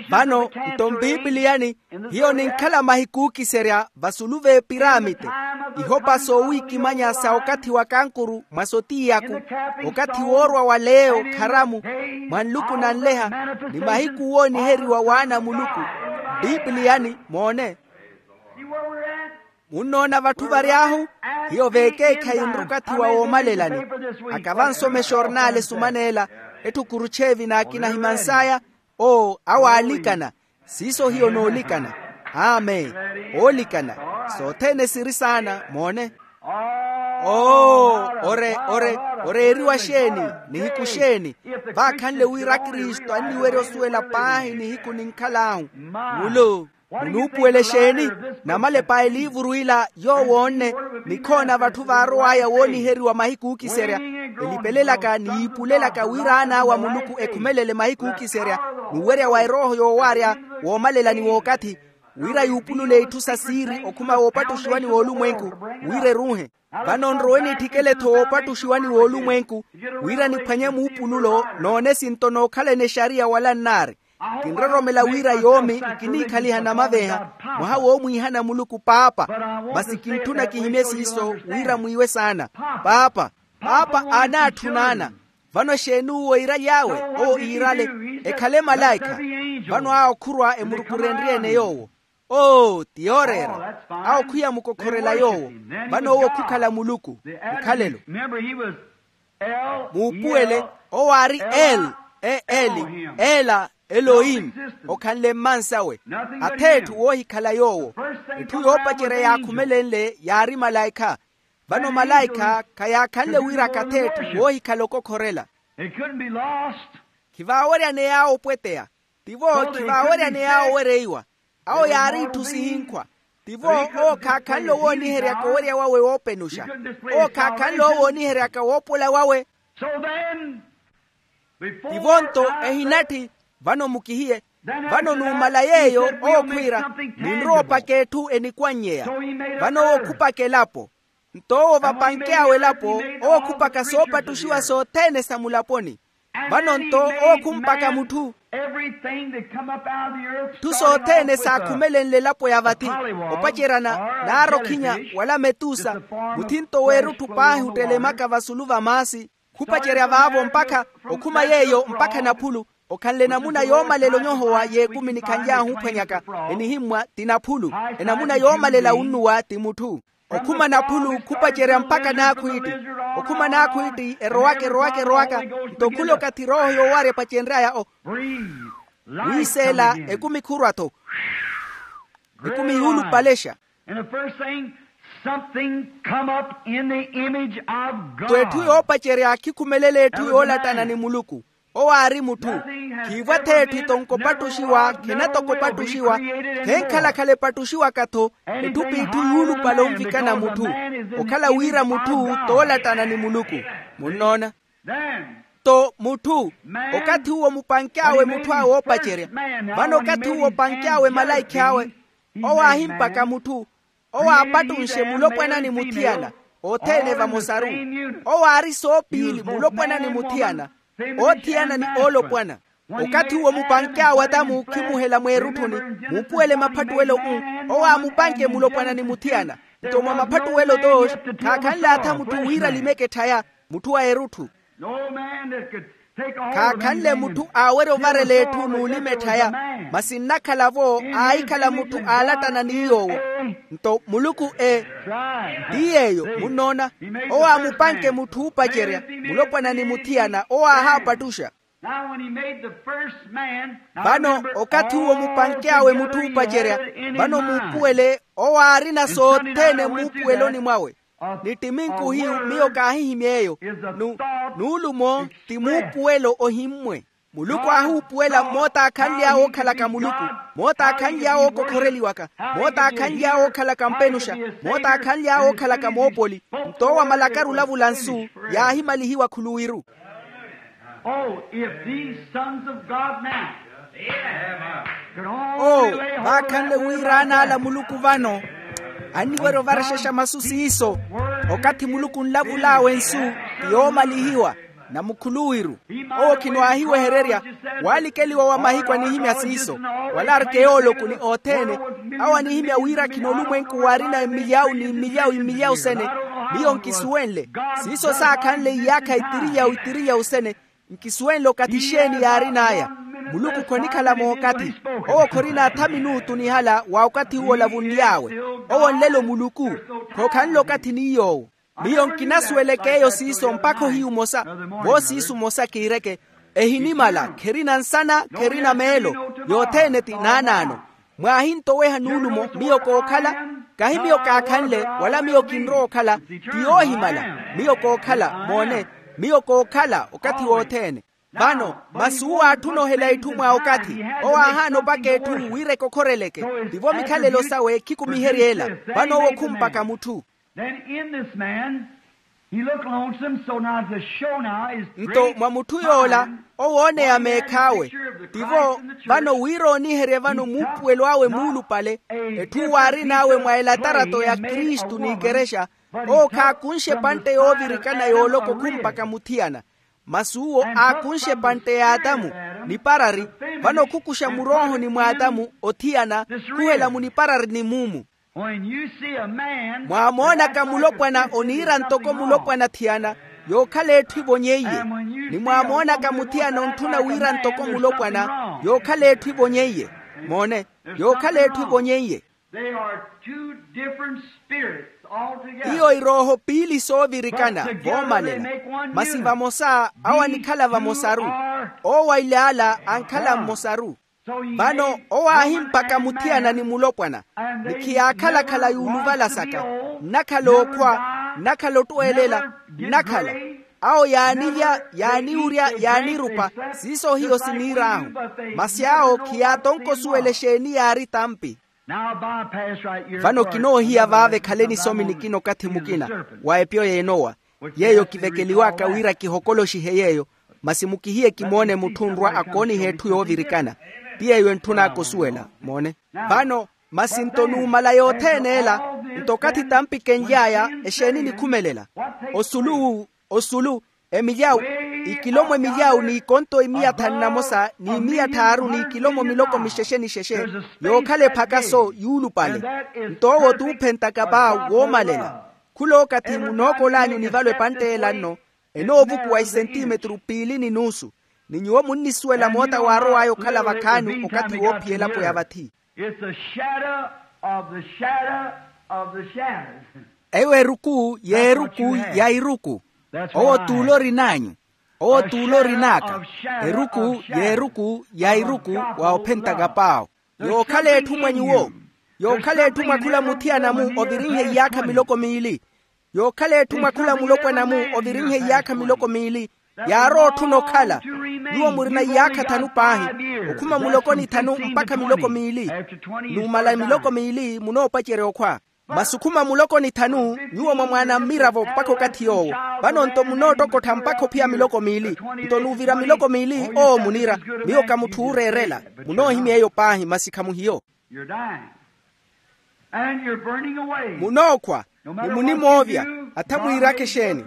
Vano nto mpipiliyani, hiyo ninkhala mahiku ookiserya vasulu v'epiramite, ihopa soowiikimanya sa okathi wa kankuru mwa sotiy'aku, okathi woorwa wa leyo kharamu, mwa nluku nanleha, ni mahiku wooniheriwa w'ana a muluku. Mpipiliyani moone. Munnoona vatthu vary'ahu? Hiyo veekeekhayi nrukathi wa woomalelani. Akava nsomexa orinaale esumaneela, Etthu khurucheevi n'akina ahimans'aya. Oo awo aalikana. Siiso hiyo noolikana. Amen. Oolikana. Sothene siri saana moone. Oo ore ore oreeriwa xeeni? Nihiku xeeni? Vaakhanle wira kristu anniwerya osuwela paahi nihiku ninkhal'ahu. Mulu munuupuwela exeeni? Namalepa a eliivuru ila yoowo onne nikhoona vatthu vaarow'aya wooniheriwa mahiku ookiserya, elipelelaka ni yiipulelaka wira aan'awe a muluku ekhumelele mahiku ookiserya, n'uwerya wa erooho yoowaarya woomalela ni w'okathi, wira yuupulule itthu sa siiri okhuma woopattuxiwani w'olumwenku, wira eruuhe. Vano nrowe nitthikele-tho woopattuxiwani w'olumwenku, wira niphwanye muupululo n'onesinto nookhalana exariya wala nnaari. Kinroromela wira yoomi nkiniikhaliha namaveeha mwaha woomwiihana muluku paapa. Masi kintthuna kihimye siiso wira mwiiwe saana. Paapa, paapa aanaatthuna ana. Vano exeeni uwo iiraly'awe? Owo iirale, ekhale malaikha. Vano awo khurwa emurukurenrye-ene yoowo. Oo ti yooreera. Awo khwiya mukokhorela yoowo. Vano owo khukhala muluku. Mukhalelo. Muupuwele, owo aari el, e eli, ela, elohim. Okhanle mmansawe. Ath'etthu woohikhala yoowo. Etthu yoopacerya yaakhumelenle yaari malaikha. Vano malaikha khayaakhanle wira akatha etthu woohikhala okokhorela. Khivaaweryaneya awo opweteya. Tivo khivaaweryaneya awo owereiwa. Awo yaari itthu sihinkhwa. Tivo owo khaakhanle owooniheryaka owerya wawe woopenuxa. Owo khaakhanle owooniheryaka woopola wawe. Tivo-nto ehinatthi. Vano mukihiye. Vano numala yeeyo owo khwiira, ninrowa opaka etthu enikwanyeya. Vano owo khupaka elapo. Nto owo vapanke awe elapo, owo khupaka soopattuxiwa sothene sa mulaponi. Vano-nto owo khumpaka mutthu. Tthu sothene saakhumelenle elapo ya vathi, opaceryana naarokhinya, wala metusa, muthinto w'erutthu paahi ottelemaka vasulu va maasi. Khupacerya vaavo mpakha, okhuma yeeyo mpakha naphulu. Okhanle enamuna yoomalela onyohowa y'ekumi nikhanly'ahu ophwanyaka, enihimmwa ti naphulu. Enamuna yoomalela wunnuwa ti mutthu. Okhuma naphulu khupacerya mpakha n'akhwiitti. Okhuma n'akhwiitti erowaka erowaka erowaka. Nto khula okathi erooho yoowarya epacenry'aya o wiiseela. Ekumi khurwa-tho. Ekumi yuulupalexa. And the first thing, something come up in the image of God. Nto etthu yoopacerya khikhumelela etthu yoolattana ni muluku. Owo aari mutthu. Khiivwa-tho etthu tonko opattuxiwa khina toko opattuxiwa. Khenkhalakhala epattuxiwaka-tho. Etthu p'itthu yuulupale onvikana mutthu. Okhala wira mutthu toolattana ni muluku. Munnoona? Nto mutthu, okathi uwo mupanke awe mutthu awe oopacerya. Vano okathi uwo opanke awe malaikhi awe, owo aahimpaka mutthu. Owo aapattunxe mulopwana ni muthiyana, othene vamosaru. Owo aari soopiili mulopwana ni muthiyana, oothiyana ni oolopwana. Okathi uwo mupanke awe atamu khimuhela mweerutthuni, muupuwele maphattuwelo-u. Owo aamupanke mulopwana ni muthiyana. Nto mwa maphattuwelo-to, khaakhanle atha mutthu wira alimeke etthaya. Mutthu wa erutthu. Khaakhanle mutthu aawerya ovarela etthu n'ulima etthaya. Masi nnakhala-vo aahikhala mutthu aalattana ni yoowo. Nto muluku e ti yeeyo munnoona. Owo aamupanke mutthu oopacerya, mulopwana ni muthiyana owo aahaapattuxa. Vano okathi uwo mupanke awe mutthu oopacerya, vano muupuwele owo aarina sothene muupuweloni mwawe. Ni ttiminku hiyu miyo kaahihimya eyo. Nuulumo ti muupuwelo ohimmwe. Muluku aahuupuwela mootaakhanly'awe ookhalaka muluku, mootaakhanly'awe ookokhoreliwaka, mootaakhanly'awe ookhalaka mpenuxa, mootaakhanly'awe ookhalaka moopoli. Nto owo amalakaru olavula nsu, yaahimalihiwa khuluwiru. Oh, if these sons of God now could only lay hold of that word of God. Oo vaakhanle wira aana ala muluku vano anniwerya ovarexexa masu siiso. Okathi muluku onlavul'awe nsu ti yoomalihiwa, na mukhuluwiru. Owo khino aahiwehererya waalikeliwa wa mahiku anihimya siiso, wala arkeyooloku ni othene. Awo anihimya wira khino olumwenku waarina mmilyawu ni mmilyawu mmilyawu sene. Miyo nkisuwenle siiso saakhanle iyaakha itiriyawu itiriyawu sene. Nkisuwenle okathi xeeni yaarin'aya. Muluku khonikhala mookathi. Owo khorina atha minuutu nihala wa okathi uwo olavunly'awe. Owo nlelo muluku. Khookhanle okathi ni yoowo. Miyo nkinasuweleke eyo siiso mpakha ohiyu omosa. Vo siiso omosa kiireke. Ehinimala, kherina nsana, kherina meelo. Yothene ti naanaano. Mwaahintoweha nuulumo, miyo kookhala. Kahi miyo kaakhanle, wala miyo kinrowa okhala. Ti yoohimala. Miyo kookhala, moone. Miyo kookhala okathi wothene. Vano masi uwo aatthuna ohela itthu mwa okathi. Owo aahaana opaka etthu wira ekokhoreleke. Tivo mikhalelo sawe khikumiherye ela. Vano owo khumpaka mutthu. Then in this man, he looked lonesome, so now to show now is nto mwa mutthu yoola, owooneya meekhaawe. Tivo vano wira ooniherye vano muupuwelo awe muulupale. Etthu waarin'awe mwa elatarato ya kristu n'ikerexa. Owo khaakunxe epantte yoovirikana yooloko khumpaka muthiyana. Masi uwo aakunxe epantte y'atamu, niparari. Vano khukuxa muroohoni mw'atamu othiyana, khuhela muniparari ni muumu. Mwaamoonaka mulopwana oniira ntoko mulopwana thiyana, yookhala etthu ivonyeiye. Ni mwaamoonaka muthiyana ontthuna wira ntoko mulopwana, yookhala etthu ivonyeiye. Moone, yookhala etthu ivonyeiye. Iyo irooho piili soovirikana voomalela. Masi vamosa awo anikhala vamosaru. Owo ailyaala ankhala mmosaru. Vano owo aahimpaka muthiyana ni mulopwana. Ni khiyaakhala-khala yuuluvala saka. Nnakhala okhwa, nnakhala ottweelela, nnakhala. Awo yaanilya, yaaniwurya, yaanirupa. Siiso hiyo siniir'ahu. Masi awo khiyaatonka osuwela exeeni yaari tampi. Vano kinoohiya vaava ekhale nisomi nikina okathi mukina wa epyo y'enowa, yeeyo kivekeliwaka wira kihokoloxihe yeeyo. Masi mukihiye kimoone mutthu onrwa akooniha etthu yoovirikana. Ti yeeyo entthun'aka osuwela. Moone. Vano masi nto numala yothene ela, nto okathi tampi kenly'aya, exeeni nikhumelela? Osulu osulu, emilyawu, ikilomo emilyawu n'ikonto imiya thanu na mosa n'imiya thaaru n'ikilomo miloko mixexe-nixexe. Yookhala ephakaso yuulupale. Nto owo t'uphentaka paawu woomalela. Khula okathi munookol'anyu nivalo epantte ela nno, enoovukuwa isentimetru piili ni nuusu. Ni nyuwo munnisuwela moota waarow'aya okhala vakhaani okathi woophiya elapo ya vathi. It's a shadow of the shadow of the shadows. Eyo eruku y'eruku ya iruku. Owo t'ule orin'anyu. Owo t'ule orin'aka. Eruku y'eruku ya iruku wa ophentaka paawo. Yookhala etthu mwa nyuwo. Yookhala etthu mwa khula muthiyana-mu ovirinhe iyaakha miloko miili. Yookhala etthu mwa khula mulopwana-mu ovirinhe iyaakha miloko miili. Yaarowa otthuna okhala. Nyuwo murina iyaakha thanu paahi, okhuma muloko ni thanu mpakha miloko miili. Numala miloko miili munoopacerya okhwa. Masi okhuma muloko ni thanu nyuwo mwa mwaana mmiravo mpakha okathi yoowo. Vano nto munoottokottha mpakha ophiya miloko miili. Nto nuuvira miloko miili owo muniira. Miyo ka mutthu ooreerela. Munoohimya eyo paahi masi khamuhiyo. Munookhwa. Ni munimoovya. Atha mwiiraka exeeni.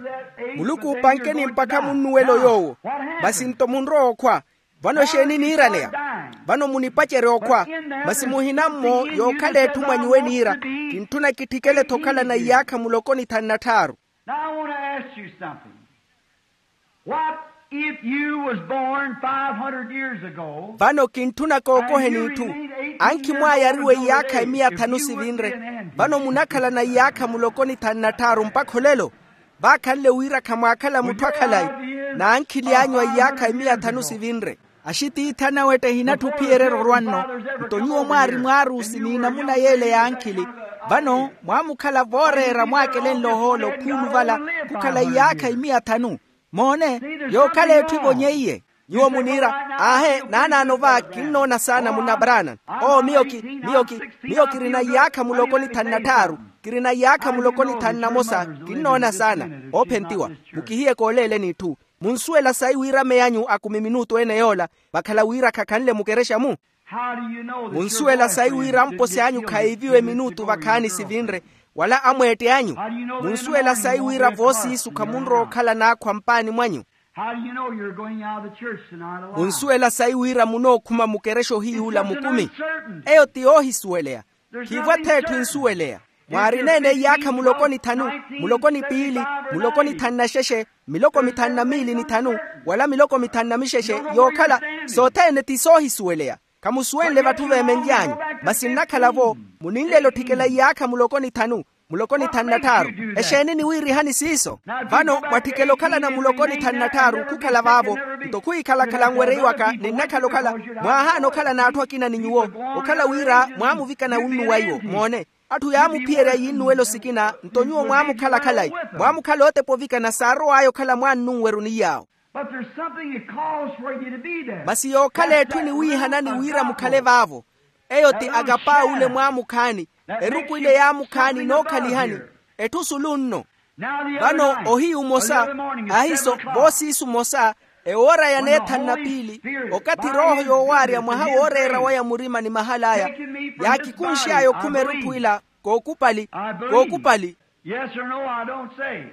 Muluku oopankeni mpakha munnuwelo yoowo. Masi nto munrowa okhwa. Vano exeeni niiraneya? Vano munipacerya okhwa. Masi muhina-mmo yookhala etthu mwa nyuwo eniira. Kintthuna kitthikele-tho okhalana iyaakha muloko ni thanu na tthaaru. Now I want to ask you something. What if you was born five hundred years ago? Vano kintthuna kookoheni itthu. Ankhi mwaayariwe iyaakha emiya thanu sivinre. Vano munakhalana iyaakha muloko ni thanu na tthaaru mpakha olelo. Vaakhanle wira khamwaakhala mutthu akhalayi. N'ankhili anyu a iyaakha emiya thanu sivinre. Axitiithi anawetthe ehinatthu ophiyererya orwa nno. Nto nyuwo mwaari mwaarusi n'inamuna yeele y'ankhili. Vano mwaamukhala vooreera mwaakelenle ohoolo khuuluvala. Khukhala iyaakha imiya thanu. Moone. Yookhala etthu ivonyeiye. Nyuwo muniira, aahe naanaano va kinnoona saana munna brana. Oo miyo ki miyo ki miyo kirina iyaakha muloko ni thanu na tthaaru. Kirina iyaakha muloko ni thanu na mosa. Kinnoona saana. Oophentiwa. Mukihiye kooleeleni itthu. Munsuwela sayi wira meyanyu akumi minutu ene yoola vakhala wira khakhanle mukerexa-mu? Munsuwela sayi wira mposi anyu khayiiviwe minutu vakhaani sivinre, wala amweette anyu? Munsuwela sayi wira voosiisu khamunrowa okhala naakhwa mpaani mwanyu? Munsuwela sayi wira munookhuma mukerexa ohiyuula mukumi? Eyo ti yoohisuweleya. Khiivo ath'etthu ensuweleya. Mwaarina-ene iyaakha muloko ni thanu, muloko ni piili, muloko ni thanu na xexe, miloko mithanu na miili ni thanu, wala miloko mithanu na mixexe, yookhala sothene ti soohisuweleya. Khamusuwenle vatthu veemenly'anyu. Masi nnakhala-vo, muninlela otthikela iyaakha muloko ni thanu. Muloko ni thanu na tthaaru. Exeeni niwiirihani siiso? Vano mwatthikela okhalana muloko ni thanu na tthaaru khukhala vaavo. Nto khwiikhalakhala nwereiwaka ninnakhala okhala, mwaahaana okhala n'atthu akina ni nyuwo, okhala wira mwaamuvikana wunnu wa iwo moone. Atthu yaamuphiyerya yiinnuwelo sikina nto nyuwo mwaamukhala khalayi, mwaamukhala otepa ovikana saarow'aya okhala mwaannu nweruni yaawo. But there's something that calls for you to be there. Masi yookhala etthu eniwiihanani wira mukhale vaavo. Eyo ti akapaaule mwaamukhaani. Eruku ile yaamukhaani nookhalihani. Etthu sulu nno. Vano ohiyu mmosa, ahiso voosiisu mmosa, ewoora ya neethanu na piili, okathi rooho yoowaarya mwaha wooreera waya murima ni mahal'aya, yaakikunx'aya okhuma erutthu ila, kookupali, kookupali. Yes or no, I don't say.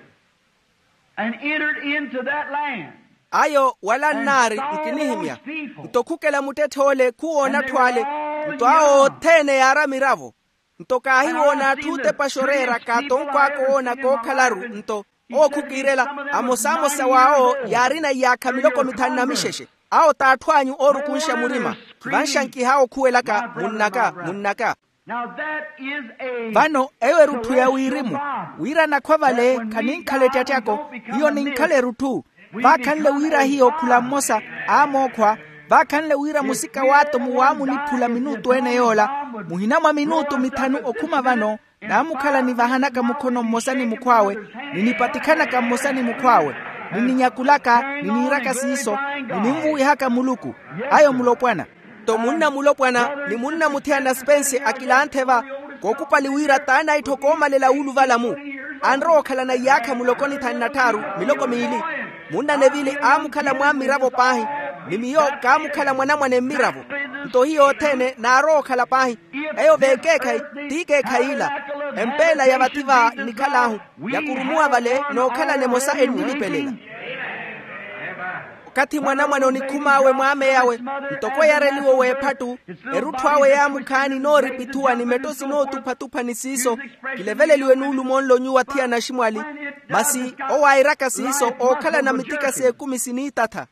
And entered into that land. Ayo wala nnaari nkinihimya. Nto khukela muttetth'ole khuwoona atthu ale. Nto awo othene yaari amiravo. Nto kaahiwoona atthu otepaxa oreera kaatonko aka owoona kookhalaru. Nto owo khukiirela, amosamosa w'awo yaarina iyaakha miloko mithanu na mixexe. Awo t'atthu anyu oorukunxa murima. Khivanxa nkihaawo okhuwelaka munn'aka munn'aka. Vano eyo erutthu ya wirimu, wira nakhwa vale khaninkhala ettattyako. Hiyo ninkhala erutthu. Vaakhanle wira hiyo khula mmosa aamookhwa. Vaakhanle wira musika w'atomu waamuniphula minutu ene yoola. Muhina mwa minutu mithanu okhuma vano, naamukhala nivahanaka mukhono mmosa ni mukhw'awe, ninipatikhanaka mmosa ni mukhw'awe, nininyakulaka niniiraka siiso, nininvuwihaka muluku. Ayo mulopwana. Nto munna mulopwana ni munna muthiyana spense akilanthe va, kookupali wira t'anaitthoko oomalela wuuluvala-mu. Anrowa okhalana iyaakha muloko ni thanu na tthaaru, miloko miili. Munna nevili aamukhala mwa mmiravo paahi, ni miyo kaamukhala mwanamwane mmiravo. Nto hiyo othene naarowa okhala paahi. Eyo v'ekeekhayi, t'ikeekhayi ila. Empeela ya vathi va nnikhal'ahu, yakurumuwa vale nookhalana emosa ennilipelela. Okathi mwanamwane onikhum'awe mw'amey'awe, ntoko eyareliwe w'ephattu, erutthu awe yaamukhaani nooripithuwa ni metto sinootuphatupha ni siiso, kileveleliwe nuulumo nlo nyuwo athiyana aximwali. Masi owo airaka siiso ookhalana mitika s'ekumi siniitatha.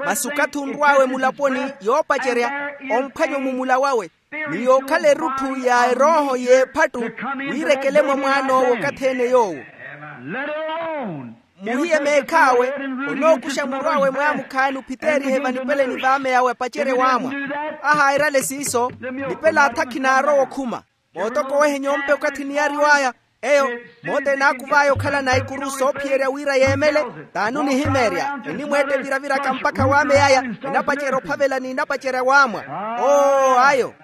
Masi okathi onrw'awe mulaponi yoopacerya, omphwanya omumula wawe, ni yookhala erutthu ya erooho y'ephattu, wiirekele mwa mwaan'owo okathi-ene yoowo. Muhiye meekh'awe, onookuxa murw'awe mwaamukhaani ophiteerihe vanipeleni v'amey'awe apacerye waamwa. Ahaayirale siiso, nipel'athi akhinaarowa okhuma. Mootokowehe nyompe okathi niyariw'aya. Eyo, moota enaakuv'aya okhalana ikuru soophiyerya wira yeemele. T'anunihimeerya enimweetta eviraviraka mpakha w'amey'aya, enapacerya ophavela n'inapacerya waamwa. Oo ayo.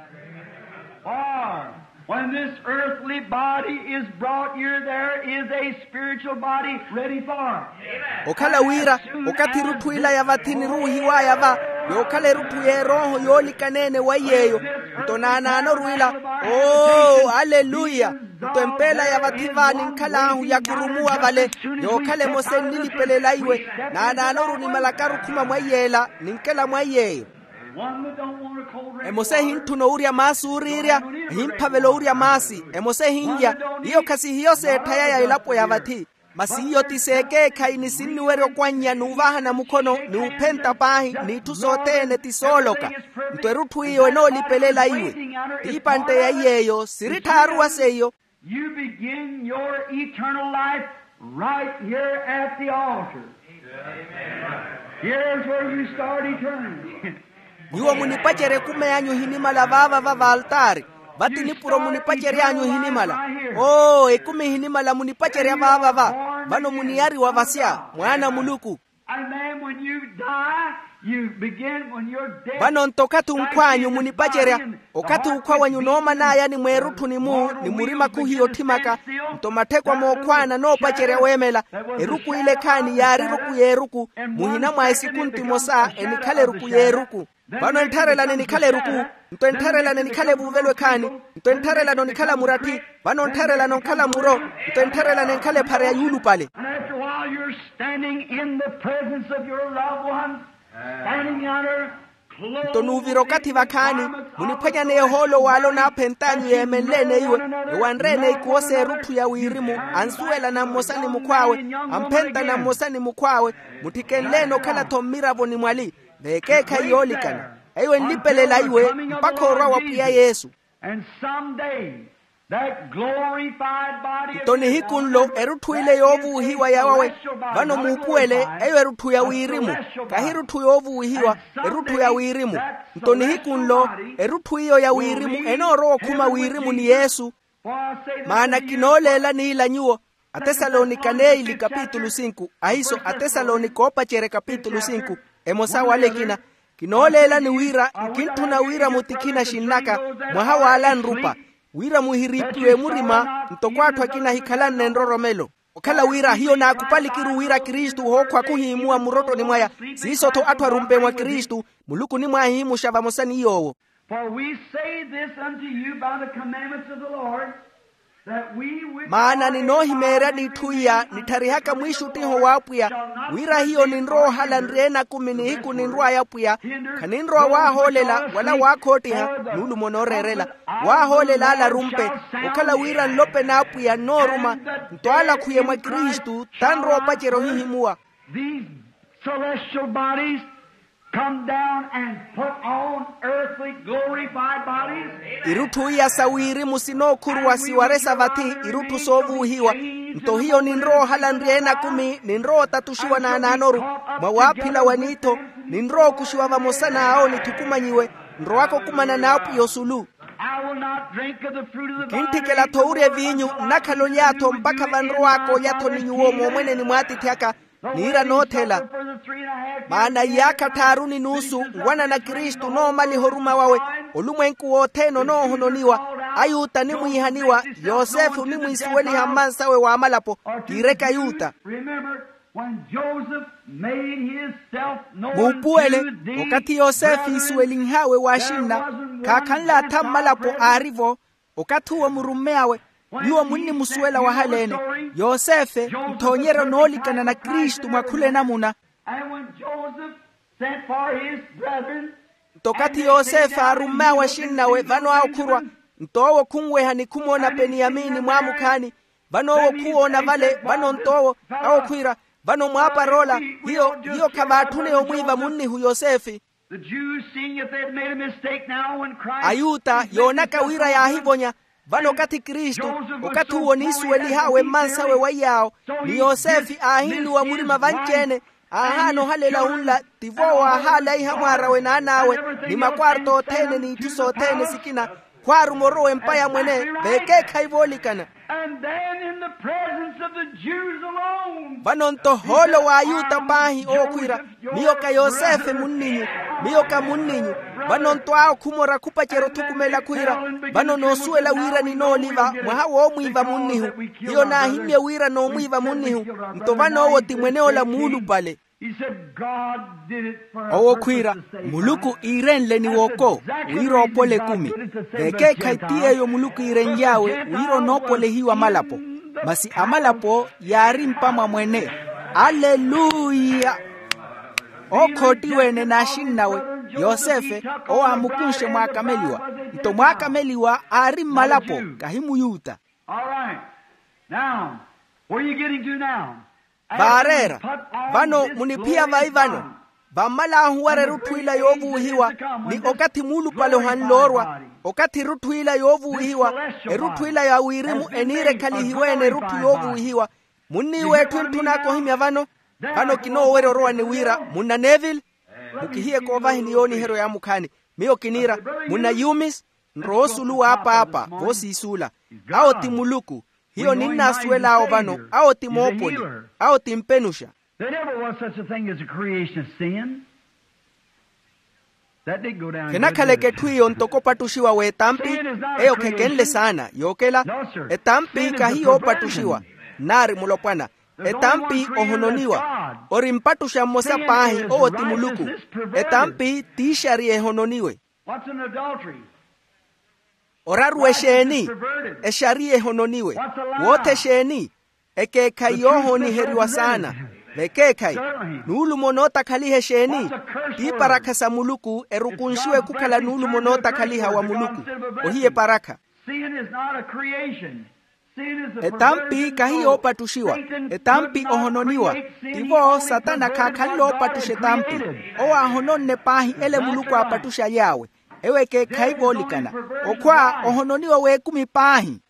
When this earthly body is brought here, there is a spiritual body ready for it. Okhala wira, okathi erutthu ila ya vathi niruuhiw'aya va, yookhala erutthu y'erooho yoolikana-ene wa iy'eyo. Nto naanaanoru ila. Oo aleluya. Nto empeela ya vathi va ninkhal'ahu yakhurumuwa vale, yookhala emosa ennilipelela iwe. Naanaanoru nimalakaru khuma mwa iy'ela ninkela mwa iy'eyo. Emosa ehintthuna owurya maasi ooriirya, ehimphavela owurya maasi. Emosa ehinlya. Iyo khasihiyo seetthaya ya elapo ya vathi. Masi iyo ti seekeekhayi ni sinniwerya okwannya n'uvahana mukhono, n'uphenta paahi, n'itthu sothene ti sooloka. Nto erutthu iyo enoolipelela iwe. T'ipantte ya iy'eyo siri tthaaruwa seiyo. You begin your eternal life right here at the altar. Here's where you start eternity. Nyuwo munipacerya ekumi anyu ehinimala vaava va valtaari. Vati nipuro munipacery'anyu ehinimala. Oo ekumi ehinimala munipacerya vaava va. Vano muniyariwa vasya mwaana a muluku. And then when you die, you begin when you're dead. Vano nto okathi onkhw'anyu munipacerya. Okathi okhwa wenyu nooman'aya ni mweerutthuni-mu ni murima khuhiya otthimaka. Nto matthekw'a mookhwaana noopacerya weemela. Eruku ile ekhaani yaari eruku y'eruku. Muhina mwa esikuntu emosa enikhala eruku y'eruku. Vano enttharelani enikhala eruku. Nto enttharelani enikhala evuuvelo ekhaani. Nto enttharelani onikhala muratthi. Vano enttharelani onkhala muro. Nto enttharelani enkhala ephara ya yuulupale. And after a while you're standing in the presence of your loved ones, standing yonder. Nto nuuvira okathi vakhaani, muniphwanyaneya ohoolo w'ale onaaphent'anyu yeemenle-ene iwe, ewanre-ene ikuwo s'erutthu ya wirimu. Ansuwelana mmosa ni mukhw'awe, amphentana mmosa ni mukhw'awe. Mutthikenle-ene okhala-tho mmiravo ni mwali. V'ekeekhayi yoolikana. Eyo enlipelela iwe mpakha orwa wa pwiya yesu. And some day That glorified body of nto nihiku nlo erutthu ile yoovuwihiwa yawawe. Vano muupuwele, eyo erutthu ya wirimu. Kahi erutthu yoovuwihiwa, erutthu ya wirimu. Nto nihiku nlo erutthu iyo ya wirimu enoorowa okhuma wirimu ni yesu. Maana kinooleela niila nyuwo, atesalonika neili kapitulu sinku, ahiso atesalonika oopacerya kapitulu sinku, emosa wala ekina. Kinooleelani wira nkintthuna wira mutikhina xinnaka mwaha w'ala nrupa, wira muhiriipiwe murima ntoko atthu akina ahikhalanne nroromelo. Okhala wira hiyo naakupalikiru wira kristu ohookhwa khuhiimuwa murottoni mwaya, siiso-tho atthu arumpe mwa kristu, muluku onimwaahihimuxa vamosa ni yoowo. For we say this unto you by the commandments of the Lord, that we which maana are ninoohimeeryani itthu iya nittarihaka mwiixuttiho w'apwiya, wira hiyo ninrowa ohala nri ena akumi nihiku ninrw'aya apwiya, khaninrowa waahoolela wala waakhoottiha nuulumo nooreerela, waahoolela ala arumpe, okhala wira nlope n'apwiya nnooruma, nto ala akhwiye mwa kristu tanrowa opacerya ohihimuwa. These celestial bodies come down and put on earthly glorified bodies. Irutthu iya sa wirimu sinookhurwa siwaresa vathi irutthu soovuwihiwa. Nto hiyo ninrowa ohala nri ena akumi ninrowa otatuxiwa naanaanoru, mwa waaphila wa niitho ninrowa okuxiwa vamosa n'awo nithukumanyiwe, nrowaka okumana n'apwiya osulu. I will not drink of the fruit of the vine. Kintthikela-tho owurya eviinyu nnakhala oly'atho mpakha vanrowaaka olya-tho ni nyuwo moomweneni mw'atiithi aka. Niira noothela. Maana iyaakha tthaaru ni nuusu nwanana kristu noomaliha oruma wawe, olumwenku wothene onoohononiwa, ayuta animwiihaniwa, yosefe onimwiisuweliha mmansawe w'amalapo, kiireke ayuta. Remember, when Joseph made himself known muupuwele to thee, okathi yosefe iisuwelinhaawe w'axinna, khaakhanle atha mmalapo aari-vo. Okathi uwo murummeyawe, nyuwo munnimusuwela wahaleene. Yosefe, nthoonyeryo noolikana na kristu mwa khula enamuna. And when Joseph sent for his brethren, nto okathi yosefe aarummeyawe axinnawe vano aakhurwa, nto owo khunweha ni khumoona peniyamini mwaamukhaani. Vano owo khuwoona vale vano nto owo, awo khwiira, vano mwaapar'ola, hiyo hiyo khavaatthuneya omwiiva munnihu yosefe. The Jews, seeing that they had made a mistake now, when Christ ayuta yoonaka wira yaahivonya. Vano okathi kristu, okathi uwo niisuwelih'awe mmansawe waiy'awo, ni yosefe aahiinuwa murima vanci-ene, aahaana ohalela unla, tivo waahaalaiha mwaar'awe n'an'awe, ni makwarto othene n'itthu sothene sikina, khwaaruma orowa empa ya mwene, veekeekhayi voolikana. And then in the presence of the Jews alone, vano nto hoolo w'ayuta paahi owo khwiira, miyo ka yosefe munninyu, miyo ka munninyu. Vano nto awo khumora khupacerya othukumela khwiira, vano noosuwela wira ninooliva mwaha woomwiiva munnihu. Hiyo naahimmye wira noomwiiva munnihu. Nto vano owo ti mwene'ola muulupale. Owo khwiira, muluku iirenle ni woko wira oopole ekumi. Vekeekhayi ti yeeyo muluku iirenly'awe wira onoopolehiwa amalapo. Masi amalapo yaari mpa mwa mwene. Aleluya. Ookhoottiwe-ene n'axinnawe, yosefe, owo aamukunxe mwaakameliwa. Nto mwaakameliwa aari mmalapo, kahi muyuta. All right. Now, where are you getting to now? Vaareera. Vano muniphiya vai vano? Vammal'ahu wara erutthu ila yoovuwihiwa, ni okathi muulupale ohanle orwa. Okathi erutthu ila yoovuwihiwa, erutthu ila ya wirimu eniire ekhalihiwe-ene erutthu yoovuwihiwa. Munniiwa etthu entthun'aka ohimya vano? Vano kinoowerya orowa ni wira munna neville, mukihiye koovahini yooniheryo yaamukhaani. Miyo kiniira, munna yumis, nrowa osulu w'apaapa voosiisuula. Awo ti muluku. Hiyo ninnaasuwel'awo vano, awo ti moopoli. Awo ti mpenuxa. There never was such a thing as a creation of sin. That didn't go down good, did it? Khenakhaleke etthu iyo ntoko opattuxiwa w'etampi. Eyo khekenle saana yookela. Etampi kahi yoopattuxiwa. Nnaari mulopwana. Etampi ohononiwa. Ori mpattuxa mmosa paahi, owo ti muluku. Etampi t'ixariya ehononiwe. Oraru exeeni? Exariya ehononiwe. Wootha exeeni? Ekeekhayi yoohooniheriwa saana. Vekeekhayi. Nuulumo nootakhaliha exeeni? T'iparakha sa muluku erukunxiwe khukhala nuulumo nootakhaliha wa muluku. Ohiya eparakha. Etampi kahi yoopattuxiwa. Etampi ohononiwa. Tivo satana khaakhanle oopattuxa etampi. Owo aahononne paahi ele muluku aapattuxaly'awe. Ewo ekeekhayi voolikana. Okhwa ohononiwa w'ekumi paahi.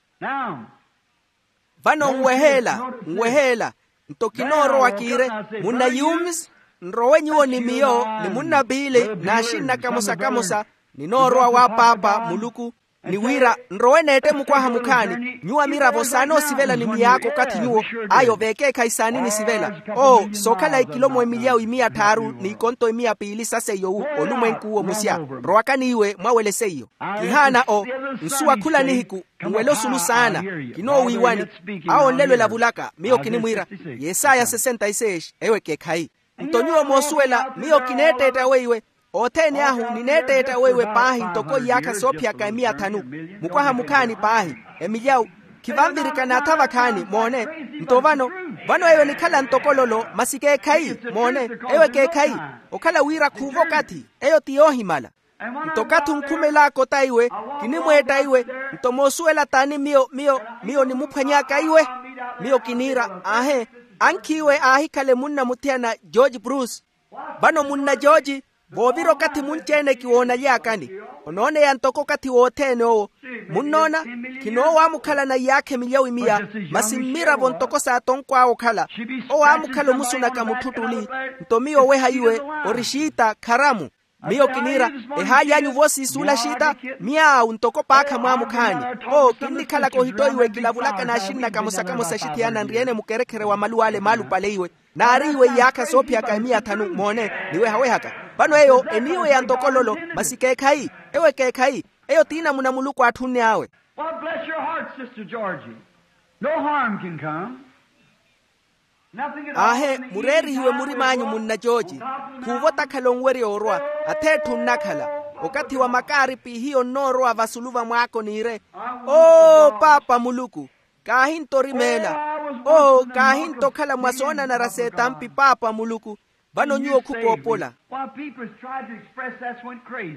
Vano nweheela, nweheela. Nto kinoorowa kiire, munna yumis, nrowe nyuwo ni miyo ni munna piili n'axinna kamosa kamosa, ninoorowa wa paapa muluku, ni wira nrowe neette mukwaha mukhaani nyuwo amiravo saanoosivela ni miyaakha okathi nyuwo, ayo veekeekhayi saani nisivela. Oo sookhala ekilo mwemilyawu imiya tthaaru n'ikonto imiya piili sa seiyo wu olumwenku uwo musya. Rowakani iwe mwawele seiyo. Kihaana o nsuwa khula nihiku nwele osulu saana. Kinoowiiwani. Awo nlelo elavulaka miyo kinimwiira. Yesaya sesenta e seis eyo ekeekhayi. Nto nyuwo moosuwela miyo kineetteetta weiwe. Othene ahu nineetteetta weiwe paahi ntoko iyaakha soophiyaka emiya thanu. Mukwaha mukhaani paahi emilyawu. Khivanvirika naatha vakhaani moone. Nto vano, vano eyo enikhala ntoko lolo masi keekhayi. Moone, eyo ekeekhayi. Okhala wira khuuva okathi eyo ti yoohimala. Nto okathi onkhumel'aka ota iwe, kinimweetta iwe. Nto moosuwela t'ani miyo miyo miyo nimuphwany'aka iwe? Miyo kiniira aahe, ankhi iwe aahikhale munna muthiyana george bruce. Vano munna george, voovira okathi munci-ene kiwoonaly'akani. Onooneya ntoko okathi wothene owo. Munnoona, khinoowaamukhalana iyaakha emilyawi miya, masi mmiravo ntoko saatonkw'awe okhala. Owo aamukhala omusunaka mutthu tuli. Nto miyo oweha iwe, ori xiita kharamu. Miyo kiniira, ehaali anyu voosiisuula xiita. Miyaawu ntoko paakha mwaamukhaani. Oo kinnikhalaka ohittoiwe kilavulaka n'axinnaka mosakamosa axithiyana nri-ene mukerekhere wa maluw'ale maalupale iwe. Naari iwe iyaakha soophiyaka emiya thanu moone, niwehawehaka. Vano eyo eniiweya ntoko lolo. Masi keekhayi. Ewo ekeekhayi. Eyo ti namuna muluku aatthunne awe. Well, bless your heart, sister georgie. No harm can come. Aahe, mureerihiwe murim'anyu munna jooji. Khuuva otakhala onwerya orwa. Atheetthu nnakhala. Okathi wa makaaripi hiyo nnoorowa vasulu va mwaako niire. Oo paapa muluku, kaahinto orimeela. Oo kaahinto okhala mwa soonanara s'etampi paapa muluku. Vano nyuwo khukoopola.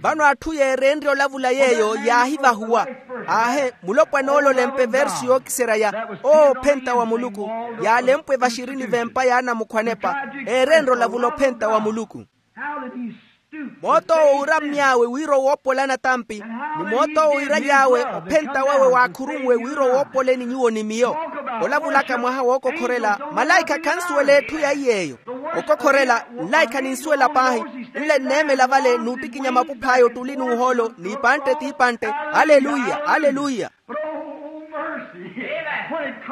Vano atthu yeereenrye olavula yeeyo yaahivahuwa. Aahe, mulopwana ole olempe versu yookiserya ya oophenta wa muluku, yaalempwe vaxirini v'empa y'anamukhwanepa. Eereenrye olavula ophenta wa muluku. Moot'owo uurammy'awe wira owoopolana tampi, ni moot'owo iiraly'awe ophenta wawe waakhurunwe wira owoopoleni nyuwo ni miyo. Olavulaka mwaha wookokhorela, malaikha khansuwela etthu ya iy'eyo. Okokhorela, nlaikha ninsuwela paahi. Nle nneemela vale n'uttikinya mapuph'aya ottuli n'uhoolo n'ipantte t'ipantte. Aleluya, aleluya.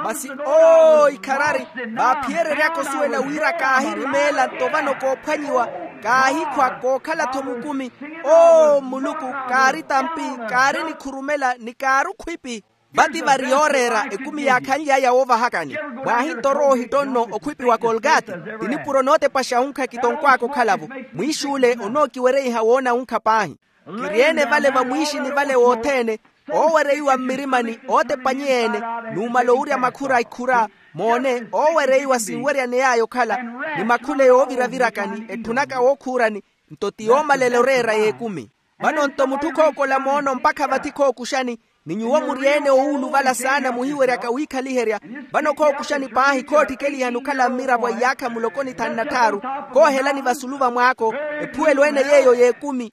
Masi oo ikharari, vaaphiyereryaka osuwela wira kaahirimeela nto vano koophwanyiwa, kaahikhwa kookhala-tho mukumi. Oo muluku, kaari tampi, kaari nikhurumela ni kaari okhwipi. Vati vari yooreera ekumi yaakhanly'aya woovahakani. Mwaahinto orowa ohitto nno okhwipi wa kolgati. Ti nipuro nootepaxa wunkha kitonkw'aka okhala-vo. Mwiix'ule onookiwereiha woona wunkha paahi. Kiri-ene vale vamwiixini vale wothene, oowereiwa mmirimani ootepanyeya-ene, numala owurya makhura a ikhura. Moone, oowereiwa sinweryane y'aya okhala, ni makhule yooviravirakani etthunaka wookhuurani. Nto ti yoomalela oreera y'ekumi. Vano nto mutthu khookola moono mpakha vathi khookuxani, ni nyuwo muri-ene oowuluvala saana muhiweryaka wiikhaliherya. Vano khookuxani paahi khoottikelihani okhala mmiravo a iyaakha muloko ni thanu na tthaaru, koohelani vasulu va mwaako, ephuwelo-ene yeeyo y'ekumi.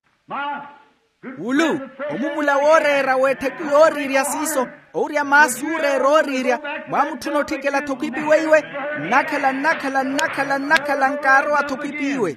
Wulu, omumula wooreera w'ettheku yooriirya siiso, owurya maasu ooreera ooriirya, mwaamutthuna otthikela-tho khwipi weiwe. Nnakhala nnakhala nnakhala nnakhala nkaarowa-tho khwipi iwe.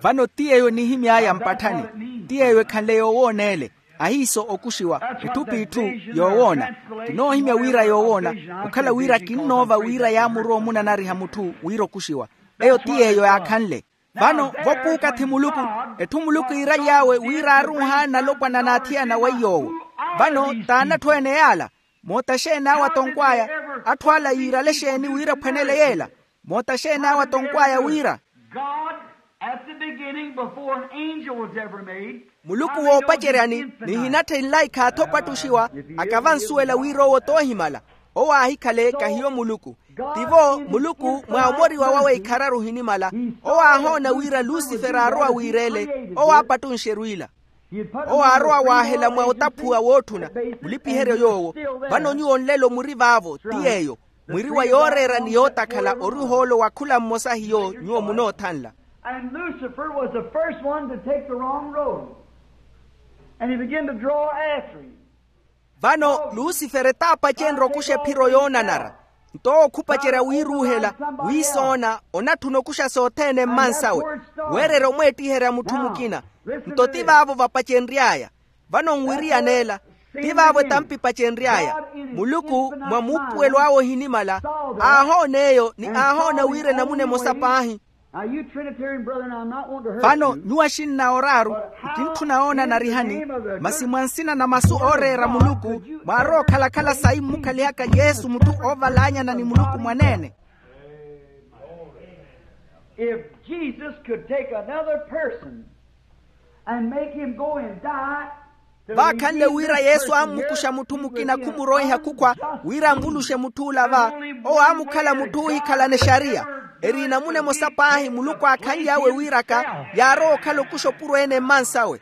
Vano ti yeeyo enihimy'aya mpatthani, ti yeeyo ekhanle yoowooneele. Ahiiso okuxiwa etthu p'itthu yoowoona. Kinoohimya wira yoowoona, okhala wira kinnoova wira yaamurowa omunanariha mutthu wira okuxiwa. Eyo ti yeeyo yaakhanle. Vano vopuukathi muluku, etthu muluku iiraly'awe wira aaruuha nalopwana n'athiyana weiy'owo. Vano t'anatthu ene yaala. Moota exeeni awo atonkw'aya? Atthu ala yiirale exeeni wira ephwanele yeela? Moota exeeni awo atonkw'aya wira? God, at the beginning, before an angel was ever made, muluku woopaceryani, nihinatthe nlaikha athopattuxiwa, akavansuwela wira owo t'ohimala. Owo aahikhale kahiyo muluku. Tivo muluku mwa omoriwa wawe ikhararu ohinimala. Owo aahoona wira lusifere aarowa wiireele. Owo aapattunxe erwiila. Owo aarowa waahela mwa otaphuwa wootthuna. Mulipiheryo yoowo. Vano nyuwo nlelo muri vaavo ti yeeyo. Mwiri wa yooreera ni yootakhala ori ohoolo wa khula mmosa hiyo nyuwo munoothanla. And Lucifer was the first one to take the wrong road. And he began to draw after him. Vano lusifere t'apacenrye okuxa ephiro yoonanara. Nto owo khupacerya wiiruuhela, wiisoona, onatthuna okuxa sothene mmansawe, weererya omweettiherya mutthu mukina. Nto ti vaavo vapacenry'aya. Vano nwiriyan'ela, ti vaavo etampa ipacenry'aya. Muluku mwa muupuwelo awe ohinimala aahoona eyo ni aahoona wira enamuna emosa paahi. Vano nyuwo axinna oraaru, nkintthuna oona narihani, masi mwa nsina na masu ooreera muluku, mwaarowa okhalakhala sayi mmukhalihaka yesu mutthu oovalaanyana ni muluku mwaneene. If Jesus could take another person and make him go and die, vaakhanle wira yesu ammukuxa mutthu mukina khumuroiha khukhwa, wira anvuluxe mutth'ula va, owo aamukhala mutthu oohikhalana exariya. Eri enamuna emosa paahi muluku aakhanly'awe wiiraka, yaarowa okhala okuxa opuro-ene mmansawe.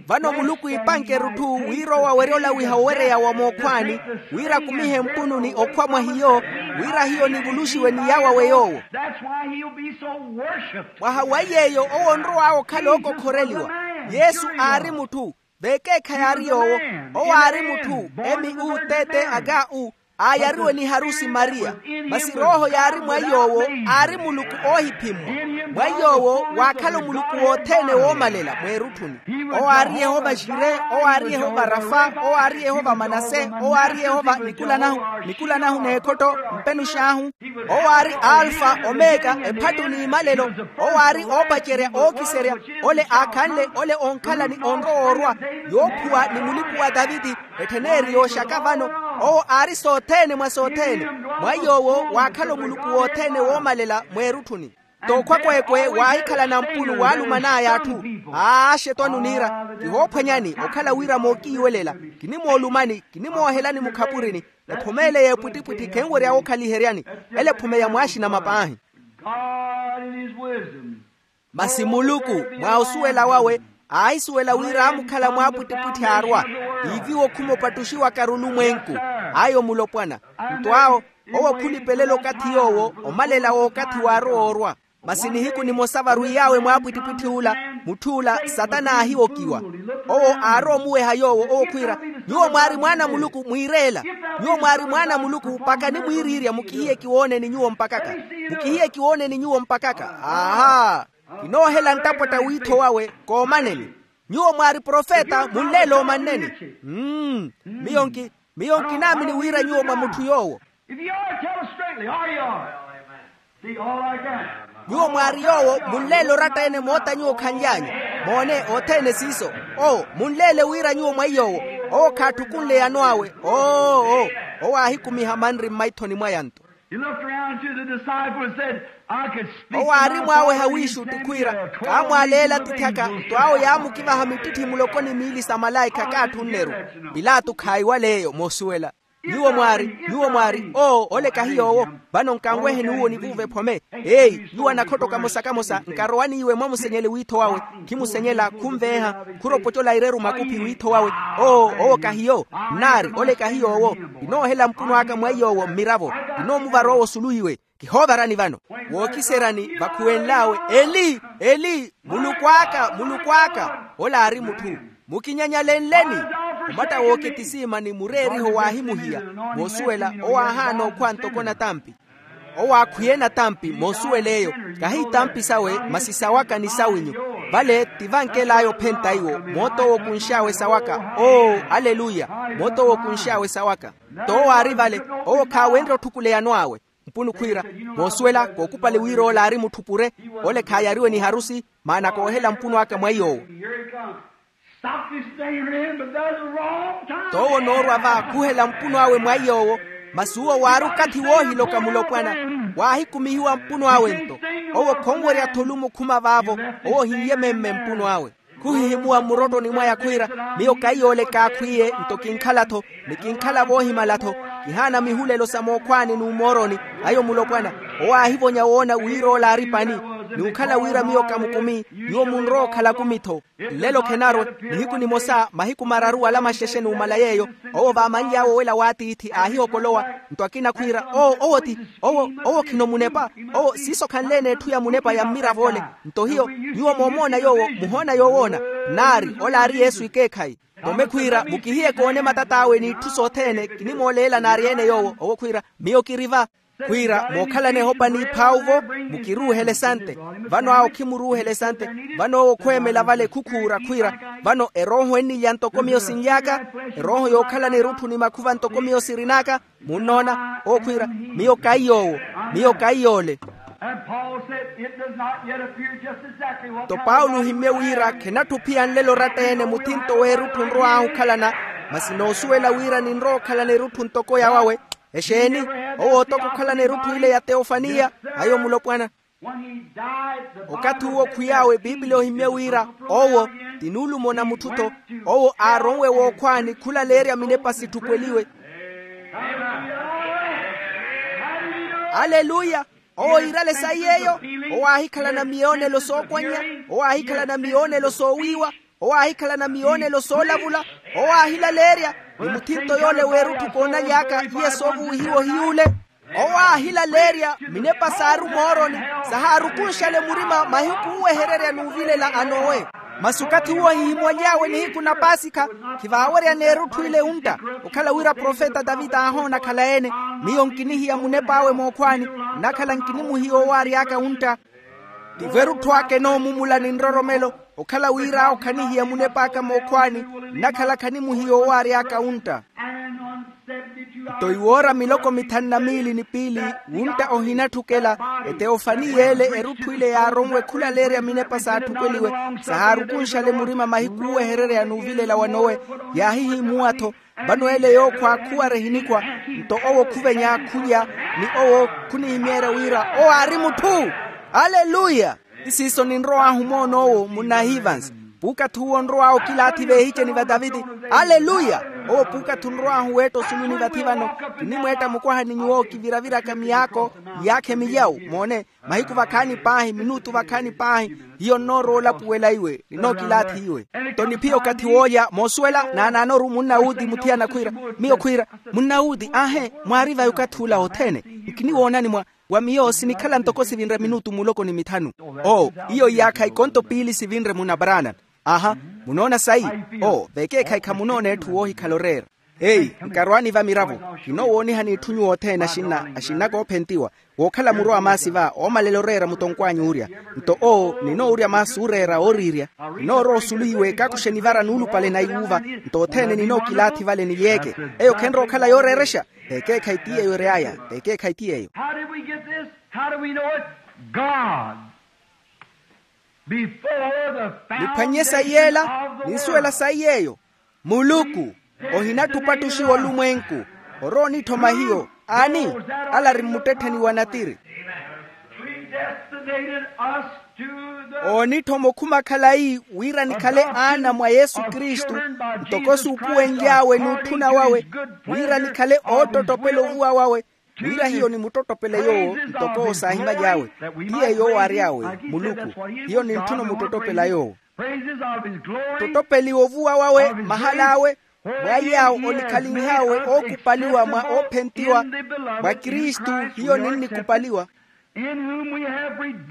Vano muluku iipanke erutthu wira owo awerye olawiha owereya wa mookhwaani, wira akumihe mpununi okhwa mwa hiyo, wira hiyo nivuluxiwe ni yaawawe yoowo. Mwaha wa yeeyo owo onrow'awe okhala ookokhoreliwa. Yesu aari mutthu, vekeekhayi aari yoowo. Owo aari mutthu, m u t t h u, aayariwe ni harusi mariya. Masi rooho yaari mwa yoowo, aari muluku oohiphimmwa. Mwa yoowo waakhala omuluku wothene woomalela mweerutthuni. Owo aari yehova jire, owo aari yehova rafa, owo aari yehova manase, owo aari yehova nikulanahu, nikulanahu n'ekhotto, mpenux'ahu. Owo aari alfa omeka, ephattu n'imalelo. Owo aari oopacerya ookiserya, ole aakhanle ole onkhala ni onrowa orwa, yoophuwa ni mulipu wa taviti, etthen'eri yooxaka vano. Owo aari sothene mwa sothene. Mwa yoowo waakhala omuluku wothene woomalela mweerutthuni. T'okhwa kweekwe waahikhalana mpunu waaluman'aya atthu. Aaxetwani oniira, kihoophwanyani okhala wira mookiiwelela, kinimoolumani, kinimoohelani mukhapurini. Ephome ele y'epwittipwitthi khenwerya wookhaliheryani. Ele ephome ya mwaaxinama paahi. Masi muluku mwa osuwela wawe aahisuwela wira aamukhala mwaapwittipwitthi aarwa, iiviwa okhuma opattuxiwaka arulumwenku. Ayo mulopwana. Nto awo, owo khulipelela okathi yoowo omalela w'okathi waarowa orwa. Masi nihiku nimosa varwiy'awe mwaapwittipwitthi ula, mutth'ula satana aahiwokiwa. Owo aarowa omuweha yoowo owo khwiira, nyuwo mwaari mwaana a muluku mwiireela. Nyuwo mwaari mwaana a muluku mpakha nimwiiriirya mukihiye kiwooneni nyuwo mpakaka. Mukihiye kiwooneni nyuwo mpakaka. Aaha. Kinoohela nttapwatta wiitho wawe. Koomaneni. Nyuwo mwaari profeta munleele oomanneni. Mmm. Miyo nki miyo nkinaamini wira nyuwo mwa mutthu yoowo. Nyuwo mwaari yoowo munleele oratta-ene moota nyuwo khanly'anyu. Moone othene siiso. Owo munleele wira nyuwo mwa iyoowo. Owo khaattukunle eyano awe. Oo. Owo aahikumiha manri mmaithoni mwaya nto. Owo aari mwaaweha wiixutti khwiira, kaamwaaleela atithyaka nto awo yaamukivaha mittitthi muloko ni miili sa malaikha kaatthunneru. Pilato khaayiwal'eyo moosuwela. Nyuwo mwaari nyuwo mwaari oo ole kahi yoowo. Vano nkanweheni uwo nivuuve ephome. Eyi nyuwo anakhottoka mosa kamosa nkarowani iwe mwamusenyele wiitho wawe. Khimusenyela khunveeha. Khuropocola ireru makuphi wiitho wawe. Oo owo kahiyo. Nnaari ole kahiyo owo. Kinoohela mpuno aka mwa iyoowo mmiravo. Kinoomuvara owo osulu iwe. Kihoovarani vano. Wookiseryani vakhuwenl'awe eli eli muluku aka muluku aka. Ole aari mutthu. Mukinyanyalenleni. Omatta w'oketisiimani mureeriho waahimuhiya. Moosuwela owo aahaana okhwa ntoko natampi. Owo aakhwiye natampi moosuwel'eyo. Kahi itampi sawe masi sawaka ni sawinyu. Vale ti vankel'aya ophenta iwo. Moot'owo okunx'awe sawaka oo aleluya. Moot'owo okunx'awe sawaka. T'owo aari vale. Owo khaawenrye otthukula eyano awe. Mpunu khwiira moosuwela kookupali wira ole aari mutthu pure. Ole khaayariwe ni harusi. Maana koohela mpunu aka mwa iy'owo. T'owo onoorwa va khuhela mpuno awe mwa iy'owo. Masi uwo waari okathi woohiloka mulopwana. Waahikumihiwa mpuno awe nto. Owo khonwerya-tho olumo okhuma vaavo. Owo ohin'ye memme mpuno awe. Khuhihimuwa mmurottoni mwaya khwiira, miyo kaiy'ole kaakhwiye nto kinkhala-tho. Ni kinkhala voohimala-tho. Kihaana mihulelo sa mookhwaani n'umooroni. Ayo mulopwana. Owo aahivonya woona wira ole aari pani. N'ukhala wira miyo kamukumi. Nyuwo munrowa okhala akumi-tho. Nlelo khenarwe. Nihiku nimosa mahiku mararu wala maxexe numala yeeyo. Owo vaamanly'awe owela w'atiithi aahihokolowa. Nto akina khwiira oo owo ti owo owo khino munepa. Owo siiso khanle-ene etthu ya munepa ya mmirav'ole. Nto hiyo nyuwo moomoona yoowo muhoona yoowoona. Nnaari ole aari yesu ekeekhayi. Tome khwiira mukihiye koone matat'awe n'itthu sothene kinimooleela naari-ene yoowo owo khwiira, miyo kiri va. Khwiira mookhalana ehopa n'iphaawu-vo, mukiruuhele esante. Vano awo khimuruuhele esante. Vano owo khweemela vale khukhuura khwiira, vano erooho ennilya ntoko miyo sinly'aka. Erooho yookhalana erutthu ni makhuva ntoko miyo sirin'aka. Munnoona owo khwiira, miyo kaiy'owo. Miyo kaiy'ole. Nto paulo ohimmye wira khenatthuphiya nlelo oratta-ene muthinto w'erutthu nrow'ahu okhalana. Masi noosuwela wira ninrowa okhalana erutthu ntoko yawawe. Exeeni? Owo otoka okhalana erutthu ile ya teofaniya. Ayo mulopwana. Okathi uwo khwiy'awe bibiliya ohimmye wira owo ti nuulumona mutthu-tho. Owo aaronwe wookhwaani khulaleerya minepa sitthukweliwe. Aleluya. Owo iirale sayi yeeyo. Owo aahikhalana miyoonelo sookwannya. Owo aahikhalana miyoonelo soowiiwa. Owo aahikhalana miyoonelo soolavula. Owo aahilaleerya ni muthinto yoole w'erutthu koonaly'aka iye soovuwihiwa ohiy'ule. Owo aahilaleerya minepa saaru mooroni, sahaarukunxale murima mahiku oowehererya n'uvilela a nowe. Masi okathi uwo ahihimwaly'awe nihiku na paasikha, khivaaweryana erutthu ile ontta. Okhala wira profeta tavita aahoona akhala-ene, miyo nkinihiya munep'awe mookhwaani, nnakhala nkinimuhiya owo aary'aka ontta. Tivo erutthu aka enoomumula ni nroromelo. Okhala wira awo khanihiya munep'aka mookhwaani, nnakhala khanimuhiya owo aary'aka ontta. Nto iwoora miloko mithanu na miili ni piili, wuntta ohinatthukela, eteofaniya ele erutthu ile yaaronwe khulaleerya minepa saatthukeliwe, sahaarukunxale murima mahiku oowehererya n'uvilela wa nowe. Yaahihimuwa-tho. Vano ele yookhwa khuwara ehinikhwa. Nto owo khuvenya khulya, ni owo khunihimeerya wira owo aari mutthu. Aleluya. Isiiso ninrow'ahu moon'owo munnahivansi. Puukathi uwo nrow'awe okilaathi veehiceni va taviti. Aleluya. Owo puukathi onrow'ahu weetta osuluni vathi vano. Kinimweetta mukwaha ni nyuwo kiviraviraka miyaakho, miyaakha emilyawu moone. Mahiku vakhaani paahi minutu vakhaani paahi. Hiyo nnoorowa olapuwela iwe ninookilaathi iwe. Nto niphiya okathi woolya moosuwela naanaanoru munnawuuti muthiyana khwiira. Miyo khwiira, munnawuuti aahe mwaari vayi okathi ula othene. Nkiniwoonani mwa wa miyo sinikhala ntoko sivinre minutu muloko ni mithanu. Oo, iyo iyaakha ikonto piili sivinre munna branham. Aha. Munoona sayi? Oo, vekeekhayi khamunoona etthu woohikhala oreera. Eyi, nkarwaani va miravo. Kinoowoonihani itthu nyuwo othene axinna axinna koophentiwa, wookhala muro a maasi va oomalela oreera mutonkw'anyu orya. Nto oo ninoorya maasi ooreera ooriirya. Ninoorowa osulu iwe kakuxe nivara nuulupale na iwuuva. Nto othene ninookilaathi vale ni yeeke. Eyo khenrowa okhala yooreerexa. Vekeekhayi ti yeeyo ery'aya. Vekeekhayi ti yeeyo. How did we get this? How do we know it? God. Niphwannye sayi yeela. Ninsuwela sayi yeeyo. Muluku. Ohinatthupa ttuxiwa olumwenku. Orowa onitthoma hiyo. Aani? Ala ari mmuttettheni wa natiri. Predestinated us to the oonitthoma okhuma khalayi wira nikhale aana mwa yesu kristu. Ntoko suupuwenly'awe n'utthuna wawe wira nikhale oottottopela ovuwa wawe. Wira hiyo nimuttottopela yoowo ntoko owo saahimaly'awe. Ti yeeyo owo aary'awe muluku. Hiyo nintthuna omuttottopela yoowo. Ttottopeliwa ovuwa wawe mahal'awe. Mwa iy'awo onikhalinh'awe ookupaliwa mwa oophentiwa mwa kristu. Hiyo ninnikupaliwa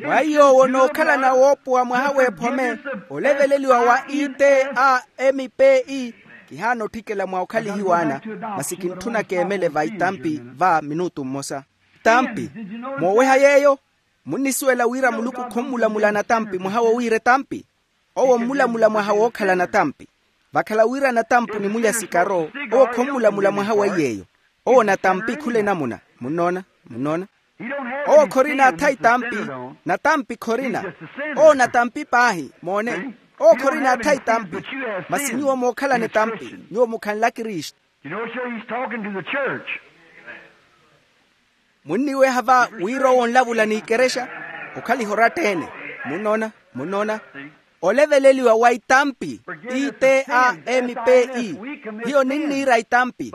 mwa iy'owo nookhalana woopowa mwaha w'ephome. Oleveleliwa wa i t a m p e. Kihaana otthikela mwa okhalihiwa ana masi kintthuna keemele va itampi va minutu mmosa. Tampi. Mooweha yeeyo. Munnisuwela wira muluku khommulamula natampi mwaha wowiira etampi. Owo ommulamula mwaha wookhala natampi. Vakhala wira natampi onimulya sikaro. Owo khommulamula mwaha wa iy'eyo. Owo natampi khula enamuna. Munnoona? Munnoona? Owo khorina atha itampi. Natampi khorina. Owo natampi paahi moone. Owo khorina atha itampi. Masi nyuwo mookhalana etampi nyuwo mukhanla kristu. You know, sure, he's talking to the church. Munniweha va wira owo onlavula n'ikerexa. Okhaliha oratta-ene. Munnoona? Munnoona? Oleveleliwa wa itampi. I t a m p e. Hiyo ninniira itampi.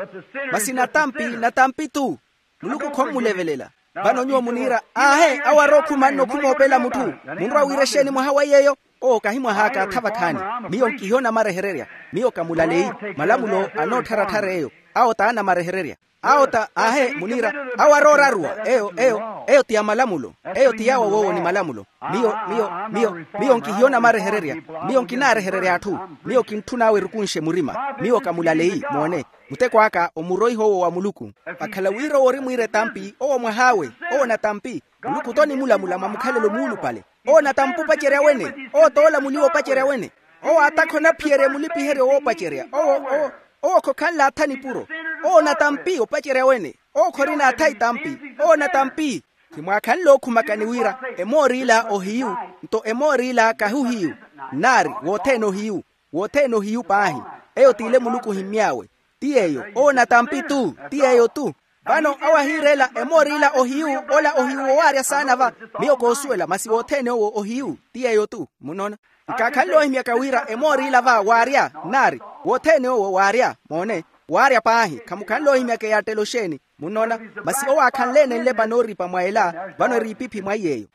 Masi natampi natampi-tho. Muluku khommulevelela. Vano nyuwo muniira aahe awo arookhuma nno khumoopela mutthu. Munrowa wiira exeeni mwaha wa iy'eyo? Owo kahi mwah'aka atha vakhaani. Miyo nkihi onamarehererya. Miyo kamulaleyi. Malamulo anoottharatthara eyo. Awo t'anamarehererya. Awo ta aahe muniira. Awo arooraruwa eyo eyo eyo ti ya malamulo. Eyo ti yawo woowo ni malamulo. Miyo miyo miyo miyo nkihiyona marehererya. Miyo nkinaarehererya atthu. Miyo kintthun'awe erukunxe murima. Miyo kamulaleyi moone. Muteko aka omuroiha owo wa muluku. Vakhala wira owo orimwiira etampi owo mwah'awe. Owo natampi. Muluku tonimulamula mwa mukhalelo muulupale. Owo natampi opacerya wene. Owo toolamuliwa opacerya wene. Owo atakha onaphiyerya mulipiheryo woopacerya owo owo owo khokhanle atha nipuro. Owo natampi opacerya wene. Owo khorina atha itampi. Owo natampi. Khimwaakhanle okhumakani wira emoor'ila ohiyu nto emoor'ila kahi ohiyu. Nnaari wothene ohiyu. Wothene ohiyu paahi. Eyo t'ile muluku ohimmy'awe. Ti yeeyo owo natampi tu. Ti yeeyo tu. Vano awo ahiireela emoor'ila ohiyu. Ola ohiyu wowaarya saana va. Miyo koosuwela masi wothene owo ohiyu. Ti yeeyo tu. Munnoona? Nkaakhanle oohimyaka wira emoor'ila va waarya. Nnaari wothene owo waarya moone. Waarya paahi khamukhanle oohimyaka eyaattela oxeeni. Munnoona? Masi owo aakhanle-ene nlepa nooripa mwa ela. Vano eri ipiphi mwa iy'eyo.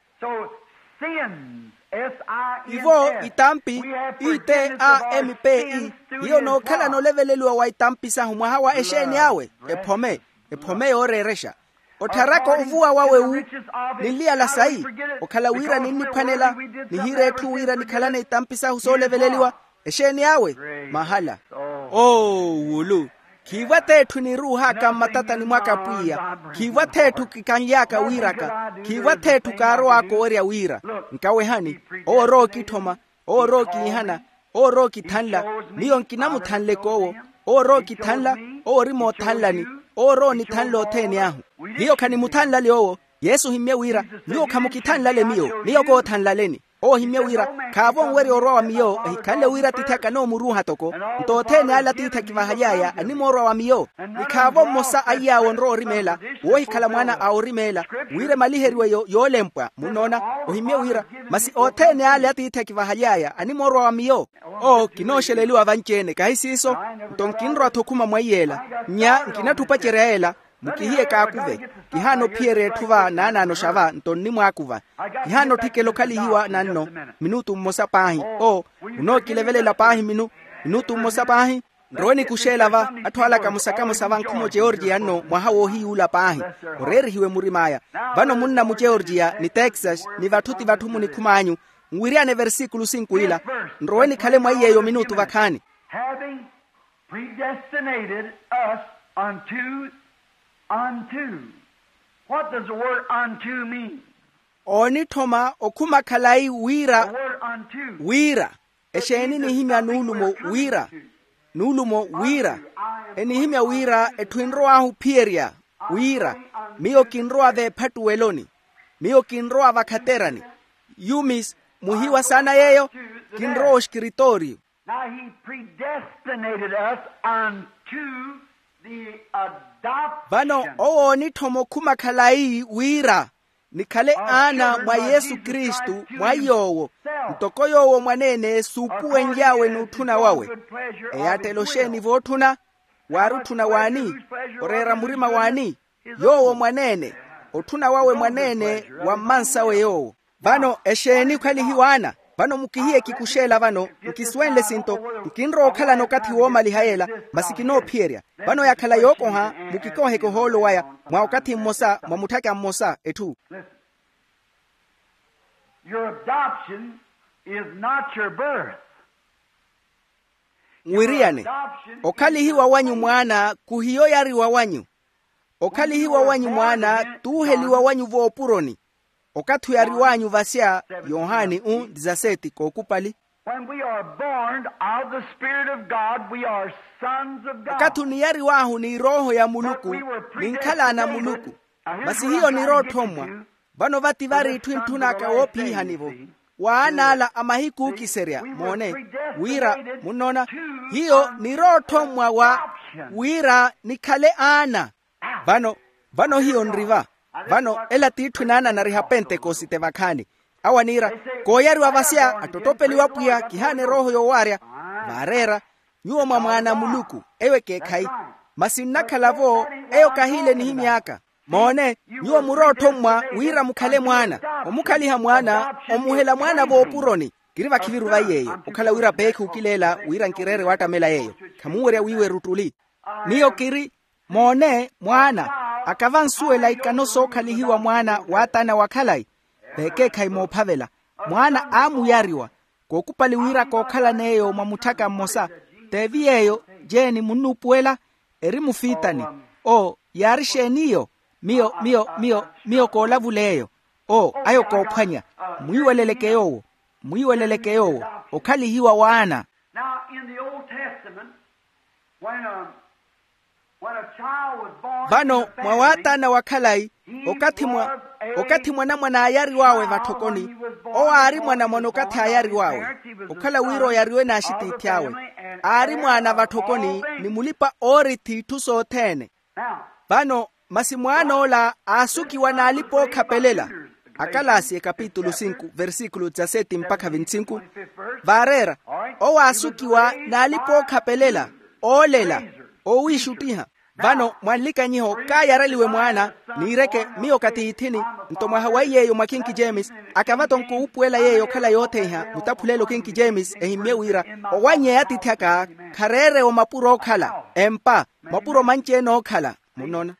Ivo itampi. Itampi hiyo nookhalana oleveleliwa wa itampi sahu mwaha wa exeeni awe. Ephome. Ephome yooreerexa. Ottharaka ovuwa wawe wu. Ninliyala sayi. Okhala wira ninniphwanela. Nihiira etthu wira nikhalane itampi sahu sooleveleliwa. Exeeni awe. Mahala. Oo wulu. Khiivwa t'etthu eniruuhaka mmatatani mwaka pwiya. Khiivwa t'etthu kikanly'aka wiiraka. Khiivwa t'etthu kaarow'aka owerya wira. Nkawehani. Owo orowa okitthoma. Owo orowa okiihana. Owo orowa okithanla. Miyo nkinamuthanleke owo. Owo orowa okithanla. Owo ori moothanlani. Owo orowa onithanla othene ahu. Hiyo khanimuthanlale owo. Yesu ohimmye wira nyuwo khamukithanlale miyo miyo koothanlaleni. Owo ohimmye wira khaavo onwerya orwa wa miyo ehikhanle wira atiithi akanomuruuha toko. Nto othene ale atiithi akivahaly'aya animoorwa wa miyo. Ni khaavo mmosa a iy'awe onrowa orimeela woohikhala mwaana a orimeela wira emaliheriwe yoolempwa munnoona. Ohimmye wira masi othene ale atiithi akivahaly'aya animoorwa wa miyo. Oo kinooxeleliwa vanci-ene kahi siiso. Nto nkinrowa-tho okhuma mwa iy'ela nnya nkinatthi opacerya ela. Mukihiye kaakuve. Kihaana ophiyerya etthu va naanaanoxa va nto nnimwaakuva. Kihaana otthikela okhalihiwa nanno minutu mmosa paahi. Oo munookilevelela paahi minutu mmosa paahi. Nrowe nikuxeela va atthu ala kamosa kamosa va nkhumo georgiya nno mwaha woohiyuula paahi. Oreerihiwe murim'aya. Vano munna mugeorgiya ni texas ni vatthu ti vatthu munikhum'anyu. Nwiriyane versikulu sinku ila. Nrowe nikhale mwa iy'eyo minutu vakhaani. Predestinated us unto, unto. What does the word unto mean? Oonitthoma okhuma khalayi wira. The word unto. Wira. Exeeni enihimya nuulumo wira? Nuulumo wira. Enihimya wira etthu enrow'ahu ophiyerya. Wira miyo kinrowa veephattuweloni. Miyo kinrowa vakhaterani. Yumis muhiwa saana yeeyo. Kinrowa oxikiritooriyo. Now he predestinated us unto the adoption. Vano owo oonitthoma okhuma khalayi wira nikhale aana mwa yesu kristu mwa yoowo. Ntoko yoowo mwaneene suupuwenly'awe n'utthuna wawe. Eyaattela oxeeni vootthuna? Waari otthuna w'ani? Oreera murima w'ani? Yoowo mwaneene. Otthuna wawe mwaneene wa mmansawe yoowo. Vano exeeni okhalihiwaana? Vano mukihiye kikuxeela vano. Nkisuwenle sinto nkinrowa okhalana okathi woomaliha yeela. Masi kinoophiyerya. Vano yakhala yookoha mukikoheke ohoolo waya mwa okathi mmosa mwa mutthaka mmosa etthu. Your adoption is not your birth. Nwiriyane. Okhalihiwa wanyu mwaana khuhiyo oyariwa wanyu. Okhalihiwa wanyu mwaana t'uheliwa wanyu voopuroni. Okathi oyariw'anyu vasya yohani u disaseti kookupali. When we are born of the spirit of god we are sons of god. Okathi oniyariw'ahu ni erooho ya muluku ninkhala ana a muluku. Masi hiyo nirootthommwa. Vano vati vari itthu intthun'aka woophiihani-vo w'aan'ala a mahiku ookiserya moone. Wira munnoona hiyo nirootthommwa wa wira nikhale aana. Vano vano hiyo nri va. Vano ela t'itthu naananariha pentekosite vakhaani. Awo aniira kooyariwa vasya attottopeliwa pwiya kihaana erooho yoowaarya. Vaareera nyuwo mwa mwaana a muluku eyo ekeekhayi. Masi nnakhala-vo eyo kahiile enihimy'aka. Moone nyuwo murootthommwa wira mukhale mwaana. Omukhaliha mwaana omuhela mwaana voopuroni. Kiri vakhiviru vayi yeeyo okhala wira peekhi okileela wira nkireere waattamela yeeyo. Khamunwerya wiiwa eruttuli. Miyo kiri Moone mwaana, akavansuwela ikano sookhalihiwa mwaana w'ataana wa khalayi. Veekeekhayi moophavela, mwaana aamuyariwa, kookupali wira kookhalan'eyo mwa mutthaka mmosa. T'evi yeeyo jeeni munnuupuwela? Eri mufiitani. Oo, yaari xeeni iyo? Miyo miyo miyo miyo koolavul'eyo. Oo, ayo koophwanya. Mwiiweleleke yoowo. Mwiiweleleke yoowo. Okhalihiwa w'aana. Now, in the Old Testament, when a, when a child was born in the family, vano mwa waataana wa khalayi, he okathi mwa was a okathi mwanamwana aayariw'awe vatthokoni, child when he was born, owo aari mwanamwana okathi aayariw'awe. Okhala wira oyariwe n'axitiithi awe, aari mwana vatthokoni ni mulipa-oorithi itthu sothene. Vano masi mwaan'ola aasukiwa n'alipa-ookhapelela, akalaasi ekapitulu sinku versikulu dizaseti mpakha vintsinku. Vaareera, owo aasukiwa n'alipa-ookhapelela, oolela, oowiixuttiha. Vano mwa nlikanyiho kaayareliwe mwaana, niireke miyo katiithini, nto mwaha wa iy'eyo mwa kinki james, akava-tho nkowuupuwela yeeyo okhala yootheiha mutaphulelo kinki james ehimmye wira, owannyeya atiithi aka khareere-wo mapuro ookhala, empa, mapuro manci-ene ookhala. Munnoona?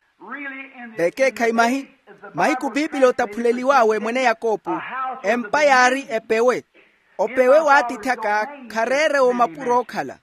Veekeekhayi mahi mahiku piipili otaphuleliw'awe mwene yakopu, empa yaari epewe. Opewe w'atiithi aka khareere-wo mapuro ookhala.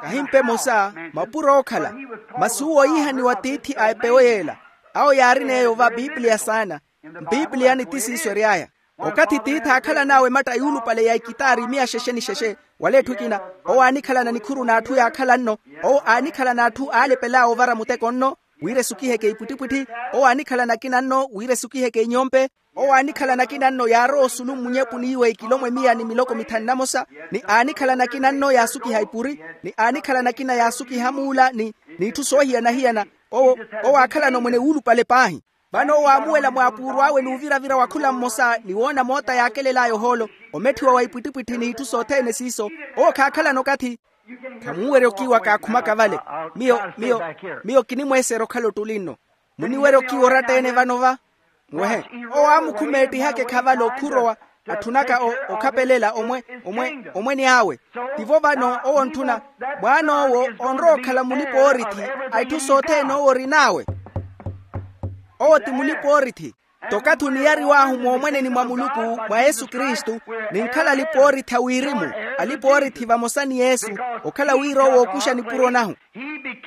Kahimpe emosa, mapuro ookhala. Masi uwo ohiihaniwa tiithi a epewe yeela. Awo yaarin'eyo va piipiliya saana. Mpiipiliyani ti siiso ery'aya. Okathi tiithi aakhalan'awe ematta yuulupale ya ikitaari miya xexe ni xexe, wala etthu ekina, owo aanikhalana nikhuru n'atthu yaakhala nno. Owo aanikhalana atthu aalepel'awe ovara muteko nno, wira esukiheke ipwittipwitthi. Owo aanikhalana akina nno wira esukiheke inyompe. Owo aanikhalana akina nno yaarowa osulu mmunyepuni iwe ikilomwe miya ni miloko mithanu na mosa, ni aanikhalana akina nno yaasukiha ipuri, ni aanikhalana akina yaasukiha muula ni n'itthu soohiyana-hiyana. Owo owo aakhalana omwene wuulupale paahi. Vano owo aamuwela mwaapuuru awe n'uviravira wa khula mmosa ni woona moota yaakelel'aya ohoolo, ometthiwa wa ipwittipwitthi n'itthu sothene siiso. Owo khaakhalana okathi. Khamuuwerya okiiwa kaakhumaka vale. Miyo miyo miyo kinimweeserya okhala ottuli nno. Muniwerya okiiwa oratta-ene vano va? Muwehe. Owo aamukhumeettiha akekhavala okhurowa, atthunaka okhapelela omwe omwe omwene awe. Tivo vano owo ontthuna, mwaan'owo onrowa okhala mulipa-oorithi a itthu sothene owo orin'awe. Owo ti mulipa-oorithi. Tokathi oniyariw'ahu moomweneni mwa muluku mwa yesu kristu, ninkhala alipa-oorithi a wirimu, alipa-oorithi vamosa ni yesu, okhala wira owo ookuxa nipuro nahu.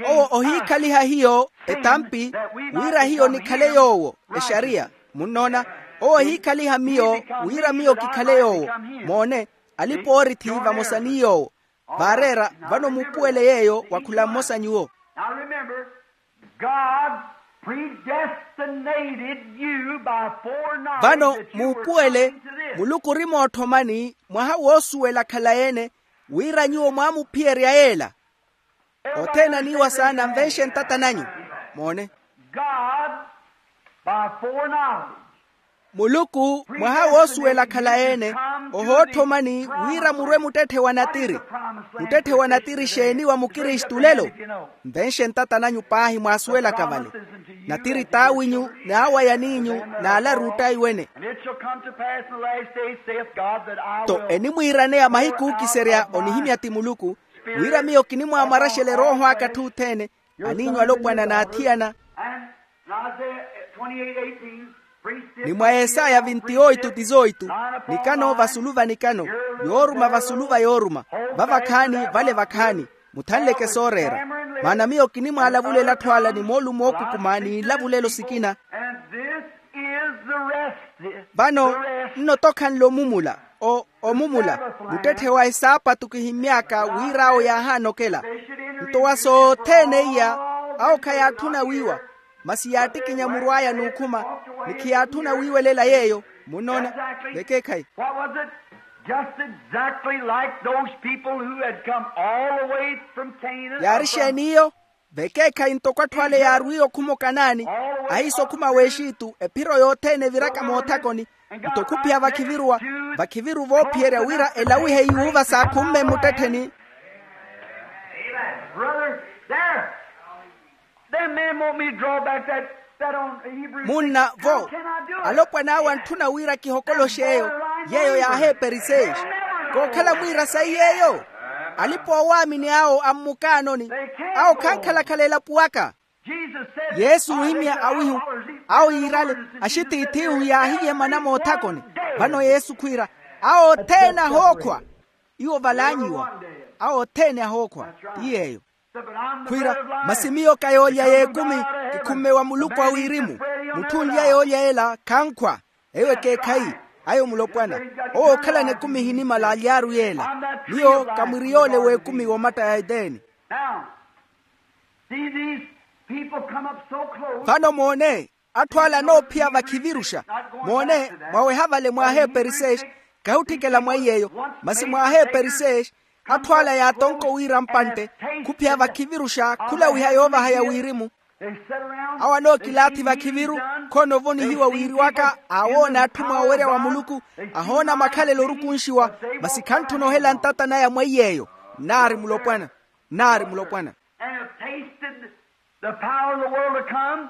Owo ohiikhaliha hiyo etampi, wira hiyo nikhale yoowo exariya. Munnoona? Owo ohiikhaliha miyo wira miyo kikhale yoowo. Moone, alipa-oorithi vamosa ni yoowo. Vaareera, vano muupuwele yeeyo wa khula mmosa nyuwo. Now remember, God predestinated you by foreknowledge. Vano muupuwele, muluku ori mootthomani mwaha woosuwela khalayi-ene, wira nyuwo mwaamuphiyerya yeela. Othene aniiwa saana nvenxe ntata nanyu. Moone. God by foreknowledge. Muluku mwaha woosuwela khalayi-ene, ohootthomani wira murwe muttetthe wa natiri. Muttetthe wa natiri xeeni wa mukristu lelo? Nvenxe ntata nanyu paahi mwaasuwelaka vale. Natiri t'awinyu n'awayan'inyu n'alaru ottaiwene. Nto enimwiiraneya mahiku ookiserya onihimya ti muluku, wira miyo kinimwaamwaraxela erooho aka atthuttheene, aniinyu alopwana n'athiyana. Ni mwa esaya vinti oitu tizoitu, nikano vasulu va nikano, yooruma vasulu va yooruma, va vakhaani vale vakhaani, muthanleke sooreera. Maana miyo kinimwaalavulela atthu ala ni moolumo ookukuma ni nlavulelo sikina. Vano nno tokhanle omumula. Omumula, muttetthe wa esaapatu kihimmy'aka wira awo yaahaanokela. Nto wa sothene iya, awo khayaatthuna wiiwa, masi yaattikinya muru aya n'ukhuma, ni khiyaatthuna wiiwelela yeeyo. Munnoona? Vekeekhayi. What was it? Just exactly like those people who had come all the way from Canaan. Yaari exeeni iyo? Vekeekhayi ntoko atthu ale yaarwiye okhuma okanaani, ahiisa okhuma w'exitu ephiro yothene eviraka moothakoni. Nto khuphiya vakhiviruwa, vakhiviru voophiyerya wira elawihe yuuva saakhumme mmuttettheni. Brother, there. Them men want me to draw back that, that on Hebrews six. Munna vo, alopwan'awe antthuna wira kihokoloxe eyo, yeeyo yaaheeperi seixe. Kookhala mwiira sayi yeeyo. Alipa oowaamini awo a mmukaanoni, awo khankhalakhala elapo aka. Yesu ohimya awihu, awo yiirale, axitiith'ihu yaahiyeemana moothakoni. Vano yesu khwiira, awo othene ahookhwa. Iwo valaanyiwa, awo othene ahookhwa. Ti yeeyo. Khwiira, masi miyo ka yoolya y'ekumi, kikhumme wa muluku a wirimu. Mutthu onlya yoolya ela khankhwa. Eyo ekeekhayi. Ayo mulopwana, owo ookhalana ekumi ehinimala aly'aru yeela. Miyo kamwiri yoole w'ekumi w'omatta ya eteni. Now, see, these people come up so close. Vano moone, atthu ala anoophiya vakhiviruxa. Moone, mwaweha vale mwaaheeperi seexi, kahutthikela mwa iy'eyo, masi mwaaheeperi seexi, atthu ala yaatonko wira mpantte, khuphiya vakhiviruxa khulawiha yoovahaya wirimu. Awo anookilaathi vakhiviru, khoona ovonihiwa wiiriwaka aawoona atthu mwa owerya wa muluku, ahoona makhalelo orukunxiwa, masi khantthuna ohela ntata naya mwa iy'eyo. Nnaari mulopwana. Nnaari mulopwana. And have tasted the power of the world to come.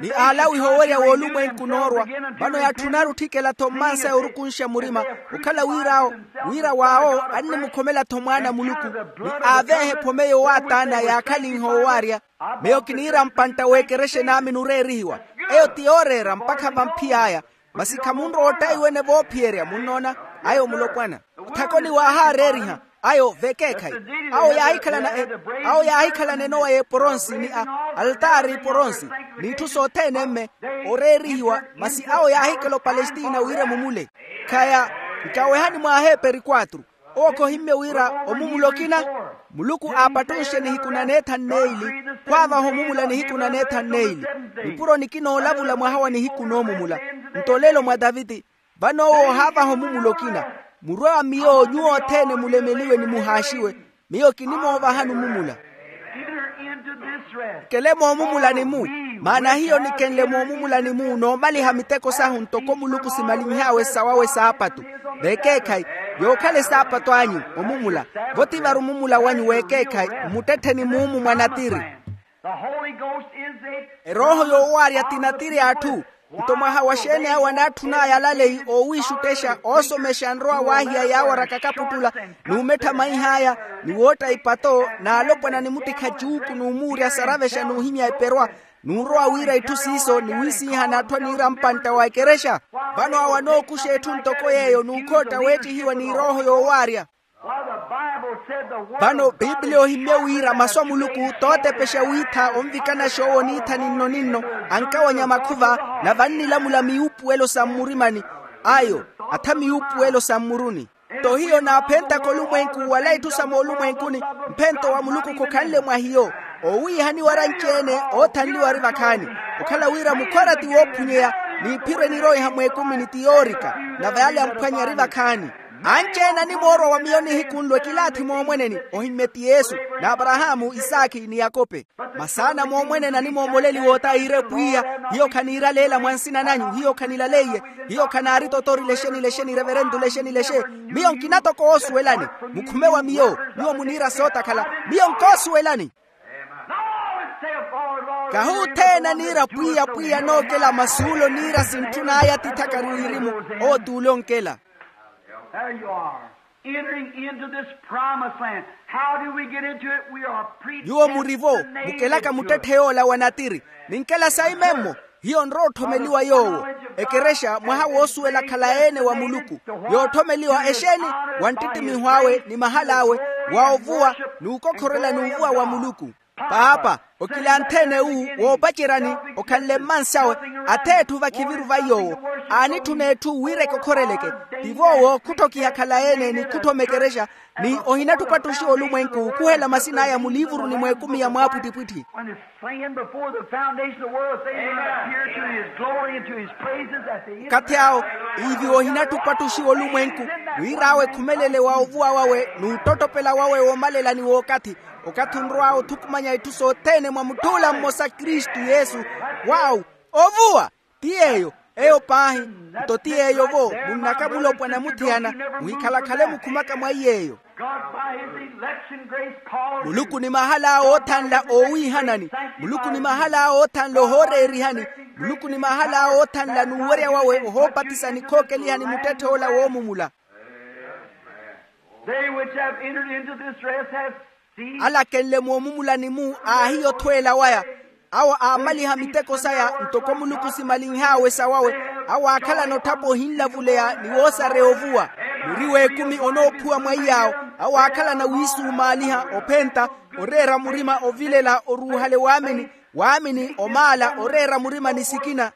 Ni aalawiha owerya w'olumwenku noorwa. Vano yaatthunari otthikela-tho mmansaya orukunxa murima, okhala wir'awo, wira waawo annimukhomela-tho mwaana a muluku, ni aaveeha ephome yoowaataana yaakhalinha owaarya. Miyo kiniira mpantta w'ekerexa enaamini oreerihiwa. Eyo ti yooreera mpakha vamphiy'aya. Masi khamunrowa ottaiwene voophiyerya munnoona. Ayo mulopwana. Tthakoni waahaareeriha. Ayo vekeekhayi. Awo yaahikhalana e- awo yaahikhalana enowa y'eporonsi ni a altaari eporonsi, n'itthu sothene mme oreerihiwa. Masi awo yaahikela opalestina wira emumule. Khaya nkawehani mwaaheeperi kwatru. Owo khohimmye wira omumula okina, muluku aapattunxe nihiku na neethanu n'eili, khwaavaha omumula nihiku na neethanu n'eili. Nipuro nikina oolavula mwaha wa nihiku noomumula. Nto olelo mwa taviti. Vano owo ohaavaha omumula okina. Murwe wa miyo nyuwo othene mulemeliwe ni muhaaxiwe. Miyo kinimoovahani omumula. Kele moomumulani-mu. Maana hiyo nikenle moomumulani-mu noomaliha miteko sahu ntoko muluku simalinh'awe sawawe saapatu. Vekeekhayi, yookhala esaapatu anyu omumula. Vo ti vari omumula wanyu w'ekeekhayi mmuttettheni muumu mwa natiri. Erooho yoowaarya ti natiri a atthu. Nto mwaha wa xeeni awo anaatthun'aya alaleyi oowiixuttexa oosomexa anrowa waahiya yaawaraka akaputtula, n'umettha maih'aya, ni wootta ipato n'alopwana ni muttikha cuuku n'umuurya saravexa n'uhimya eperwa, n'urowa wiira itthu siiso ni wiisiihana atthu aniira mpantta wa ekerexa. Vano awo anookuxa etthu ntoko yeeyo n'ukhootta weettihiwa ni erooho yoowaarya. Vano piipiliya ohimmye wira masu a muluku tootepexa wiitha onvikanaxa owo niitha ninno-ninno, ankawanya makhuva, nave annilamula miwuupuwelo sa mmurimani. Ayo, atha miwuupuwelo sa mmuruni. Nto hiyo naaphentaka olumwenku wala itthu sa moolumwenkuni. Mphento wa muluku khokhanle mwa hiyo. Owiihaniwa aranci-ene oothanliwa ari vakhaani. Okhala wira mukhwara ti woophunyeya, n'iphiro eniroiha mweekumini ti yoorika, nave ale amphwanya ari vakhaani. Anci-ene animoorwa wa miyo nihiku nlo ekilaathi moomweneni. Ohimmye ti yesu, n'aparahaamu isaakhi ni yakope. Masaana moomweneni animoomoleliwa ota iire pwiya, hiyo khaniiraleela mwa nsina nanyu, hiyo khanilaleiye, hiyo khanaaritotori lexeni lexeni reverentu lexeni lexe. Miyo nkina toko oosuwelani. Mukhume wa miyo, nyuwo muniira sootakhala. Miyo nkoosuwelani. Kahi othene aniira pwiya pwiya anookela masuulo niira sintthun'aya tithakari wirimu. Owo t'ule onkela. There you are, entering into this promised land. How do we get into it? We are predestinated. Nyuwo murivo, mukelaka muttetthe yoola wa natiri. Ninkela saimemmo. Hiyo nrowa otthomeliwa yoowo. Ekerexa mwaha woosuwela khalayi-ene wa muluku. Yootthomeliwa exeeni? Wa nttittimiho awe ni mahal'awe, wa ovuwa, n'ukokhorela n'uvuwa wa muluku. Paapa, okilanthe-ene wu woopaceryani, okhanle mmansi awe. Ath'etthu vakhiviru va yoowo. Aanitthuna etthu wira ekokhoreleke. Tivo owo khutthokiha khalayi-ene ni khutthoma ekerexa. Ni ohinattupattuxiwa olumwenku khuhela masin'aya muliivuruni mw'ekumi ya mwaapwittipwitthi. When it's saying before the foundation of the world, things that appear to his glory and to his praises, that the Okathi awo, ivi ohinattupattuxiwa olumwenku, wir'awe khumelele wa ovuwa wawe n'uttottopela wawe woomalela ni w'okathi. Okathi onrow'awe othukumanya itthu sothene mwa mutth'ula mmosa kristu yesu. Wawu, ovuwa. Ti yeeyo. Eyo paahi. Nto ti yeeyo-vo, munnaka mulopwana muthiyana, muhikhalakhale mukhumaka mwa iy'eyo. God by his election grace called. Muluku ni mahal'awe oothanla oowiihanani. Muluku ni mahal'awe oothanla ohooreerihani. Muluku ni mahal'awe oothanla n'uwerya wawe ohoopatisani khookelihani muttetthe ola woomumula. They which have entered into this rest have seen. Ala akenle moomumulani-mu aahiya othweela waya. Awo aamaliha miteko saya ntoko muluku simalinh'awe sawawe. Awo aakhalana otthapa ohinlavuleya ni woosareya ovuwa. Mwiri w'ekumi onoophuwa mwa iy'awo. Awo aakhalana wiisumaaliha, ophenta, oreera murima, ovilela, oruuhale waamini, waamini, omaala, oreera murima ni sikina.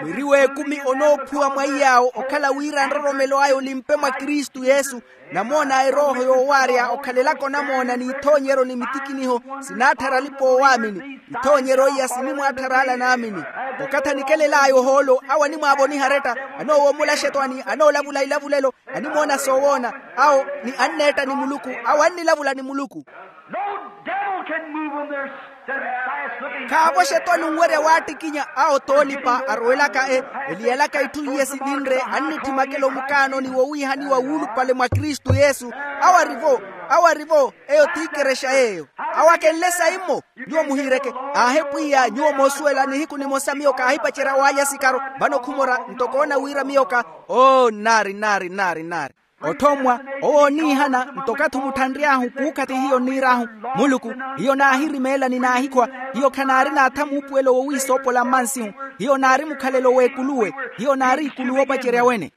Mwiri w'ekumi onoophuwa mwa iy'awo okhala wira nroromelo aya olimpe mwa kristu yesu. Namoona erooho yoowaarya okhalelaka onamoona n'ithoonyeryo ni mitikiniho, sinaatthara alipa-oowaamini. Ithoonyeryo iya sinimwaatthara ala naamini. Okathi anikelel'aya ohoolo awo animwaavoniha aretta, anoowomola axetwani, anoolavula ilavulelo, animoona soowoona, awo ni anneetta ni muluku, awo annilavula ni muluku. No devil can move them. They're steadfast looking. Khaavo xetwani onwerya waattikinya awo toolipa arowelaka e, eliyalaka itthu iye sivinre annitthi makelo mukaanoni wowiihaniwa wuulupale mwa kristu yesu. Awo arivo, awo arivo. Eyo t'ikerexa yeeyo. Awo akenle saimmo. Nyuwo muhiireke. Aahe pwiya nyuwo moosuwela nihiku nimosa miyo kaahipacerya waalya sikaro. Vano khumora nto koona wira miyo ka, oo nnaari nnaari nnaari nnaari. Otthommwa, owo oniihana nto okathi omutthanry'ahu kuukhathi hiyo nniir'ahu, muluku, hiyo naahirimeela ni naahikhwa. Hiyo khanaari naatha muupuwelo wowiisoopola mmansihu. Hiyo naari mukhalelo w'ekuluwe. Hiyo naari ikuluwe opacerya wene.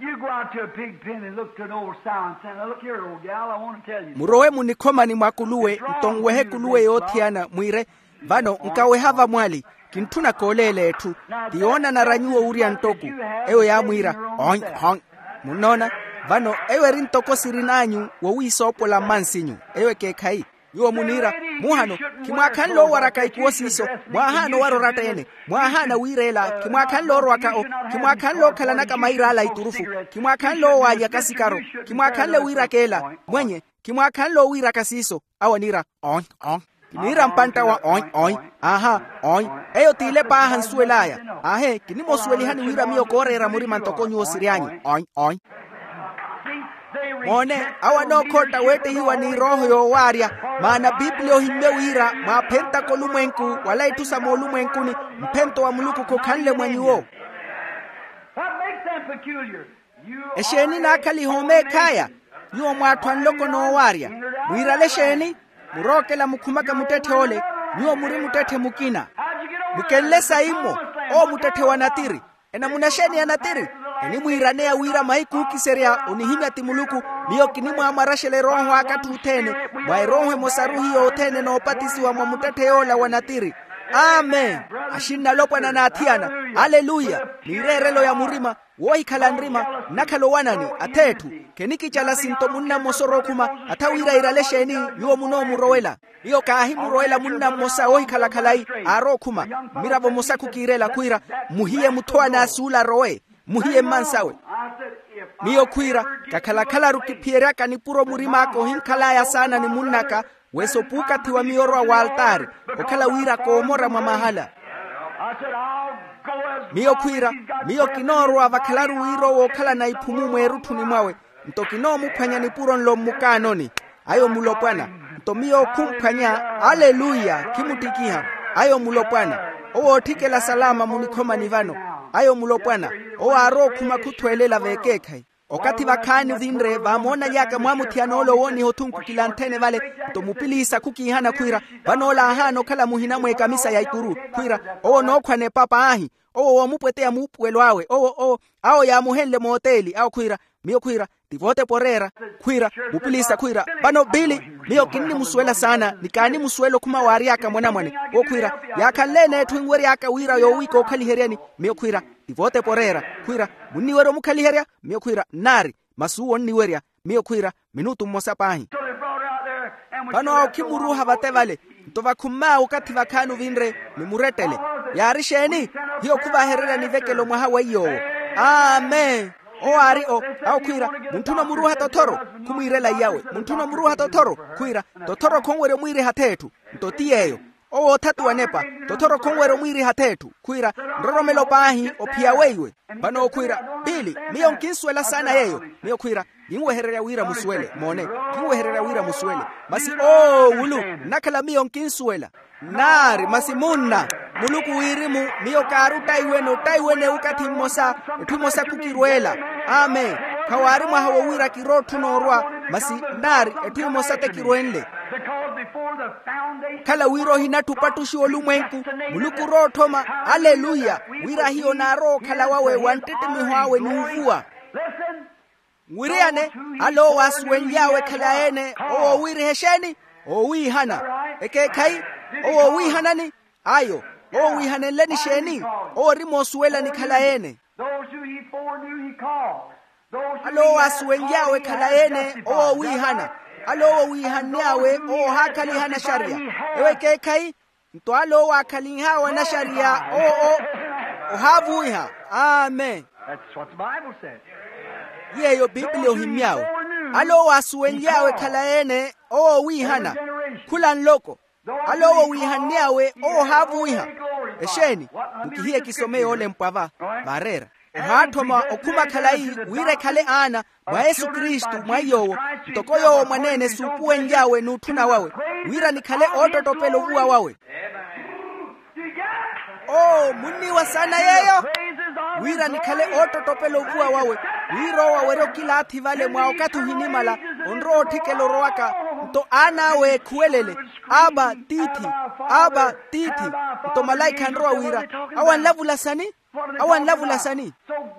You go out to a pig pen and look to an old sow and say, "Now look here, old gal, I want to tell you." Murowe munikhomani mwa kuluwe nto nwehe kuluwe yoothiyana mwiire, vano nkaweha vamwali. Kintthuna kooleela etthu. Ti yoonanara nyuwo wurya nttoko. Eyo yaamwiira, ony ony. Munnoona? Vano eyo eri ntoko sirin'anyu wowiisoopola mmansinyu. Eyo ekeekhayi. Nyuwo muniira, muhano, khimwaakhanle owaraka ikuwo siiso. Mwaahaana owara oratta-ene. Mwaahaana wiireela khimwaakhanle orwaka o. Khimwaakhanle okhalanaka mair'ala a iturufu. Khimwaakhanle owaalyaka sikaro. Khimwaakhanle wiiraka ela. Mwenye, khimwaakhanle owiiraka siiso. Awo aniira, ony ony. Kiniira mpantta wa ony ony. Aaha, ony. Eyo t'ile paaha nsuwel'aya. Aahe kinimosuwelihani wira miyo kooreera murima ntoko nyuwo siry'anyu ony ony. Moone, awo anookhotta weettihiwa ni erooho yoowaarya. Maana pipiliya ohimmye wira mwaaphentaka olumwenku wala itthu sa moolumwenkuni, mphento wa muluku khokhanle mwa nyuwo. Exeeni naakhaliha omeekh'aya? Nyuwo mwaatthu a nloko noowaarya. Mwiirale exeeni? Murookela mukhumaka muttetthe ole. Nyuwo muri muttetthe mukina. Mukenle saimmo? Owo muttetthe wa natiri. Enamuna exeeni ya natiri? Enimwiiraneya wira mahiku ookiserya onihimya ti muluku. Miyo kinimwaamwaraxela erooho aka atthu othene. Mwa erooho emosaru hiyo othene noopatisiwa mwa muttetthe yoola wa natiri. Amen. Axinna alopwana n'athiyana. Aleluya. Miireerelo ya murima. Woohikhala nrima nnakhala owanani. Ath'etthu. Khenikicala sinto munna mmosa orookhuma. Atha wira iirale exeeni? Nyuwo munoomurowela. Miyo kaahimurowela munna mmosa woohikhala khalayi. Aarookhuma. Mmiravo mmosa khukiirela khwiira, mmuhiye mutthu anaasul'arowe. Mmuhiye mmansawe. Miyo khwiira, kakhalakhalaru kiphiyeryaka nipuro murim'aka ohinkhal'aya saana ni munn'aka. Wesa opuukathiwa miyo orwa w'altaari, okhala wira koomora mwa mahala. Miyo khwiira, miyo kinoorwa vakhalaru wira owo okhalana iphumu mweerutthuni mwawe. Nto kinoomuphwanya nipuro nlo mmukaanoni. Ayo mulopwana. Nto miyo khumphwanya. Aleluya. Khimuttikiha. Ayo mulopwana. Owo ootthikela salama munikhomani vano. Ayo mulopwana. Owo aarookhuma khuthwelela veekeekhayi. Okathi vakhaani ovinre vaamoonaly'aka mwaamuthiyana ole owooniha othunku kilanthene vale. Nto mupiliisa khukiihana khwiira, vano ole aahaana okhala muhina mw'ekamisa ya ikuru. Khwiira, owo onookhwana epapa ahi. Owo woomupweteya muupuwelo awe owo owo. Awo yaamuhenle mooteeli awo khwiira. Miyo khwiira, ti vootepa oreera. Khwiira, mupiliisa khwiira, vano pili. Miyo kinnimusuwela saana ni kaanimusuwela okhuma waary'aka mwanamwane. Owo khwiira, yaakhanle-ene etthu enwery'aka wira yoowiika ookhaliheryani. Miyo khwiira, ti vootepa oreera. Khwiira, munniwerya omukhaliherya? Miyo khwiira, nnaari. Masi uwo onniwerya. Miyo khwiira, minutu mmosa paahi. Vano awo khimuruuha vate vale. Nto vakhumm'awe okathi vakhaani ovinre, ni murettele. Yaari exeeni? Hiyo khuvahererya nivekelo mwaha weiyo owo. Amen. Owo aari o. Awo khwiira, muntthuna omuruuha tothoro? Khumwiirela iyawe, muntthuna omuruuha tothoro? Khwiira, tothoro khonwerya omwiiriha ath'etthu. Nto ti yeeyo. Owo othatu wanepa. Tothoro khonwerya omwiiriha ath'etthu. Khwiira, nroromelo paahi ophiya weiwe. Vano owo khwiira, pili, miyo nkinsuwela saana yeeyo. Miyo khwiira, kinwehererya wira musuwele. Moone, kinwehererya wira musuwele. Masi oowulu nnakhala miyo nkinsuwela. Nnaari masi munna. Muluku wirimu, miyo kaari ottaiwene ottaiwene okathi mmosa, etthu emosa khukirweela. Amen. Khawaari mwaha wowiira kirootthuna orwa. Masi nnaari etthu emosa tekirwenle. Okhala wira ohinattha opattuxiwa olumwenku, muluku orowa otthoma aleluya, wira hiyo naarowa okhala wawe wa nttittimiho awe n'uvuwa. Nwiriyane, ale owo aasuwenly'awe ekhale a-ene owo owiiriha exeeni? Owiihana. Ekeekhayi? Owo owiihanani? Ayo. Owo owiihanenleni exeeni? Owo ori moosuwelani ekhale a-ene. Ale owo aasuwenly'awe ekhale a-ene owo owiihana. Ale owo owiihanny'awe owo ohaakhaliha anaxariya. Ewo ekeekhayi? Nto ale owo aakhalinh'awe anaxariya owo ohaavuwiha. Amen. Yeeyo pipiliya ohimmy'awe. Ale owo aasuwenly'awe ekhale a-ene owo owiihana. Khula nloko. Ale owo owiihanny'awe owo ohaavuwiha. Exeeni? Mukihiye kisome yoolempwa va. Vaareera, ohaatthoma okhuma khalayi wira ekhale aana mwa yesu kristu mwa iy'owo, ntoko yoowo mwaneene suupuwenly'awe n'utthuna wawe, wira nikhale oottottopela ovuwa wawe. Oo munniiwa saana yeeyo? Wira nikhale oottottopela ovuwa wawe, wira owo awerye okilaathi vale mwa okathi ohinimala, onrowa otthikela orowaka. Nto aan'awe eekhuwelele, aba tiithi, aba tiithi. Nto malaikha anrowa wira, awo anlavula sani? Awo anlavula sani?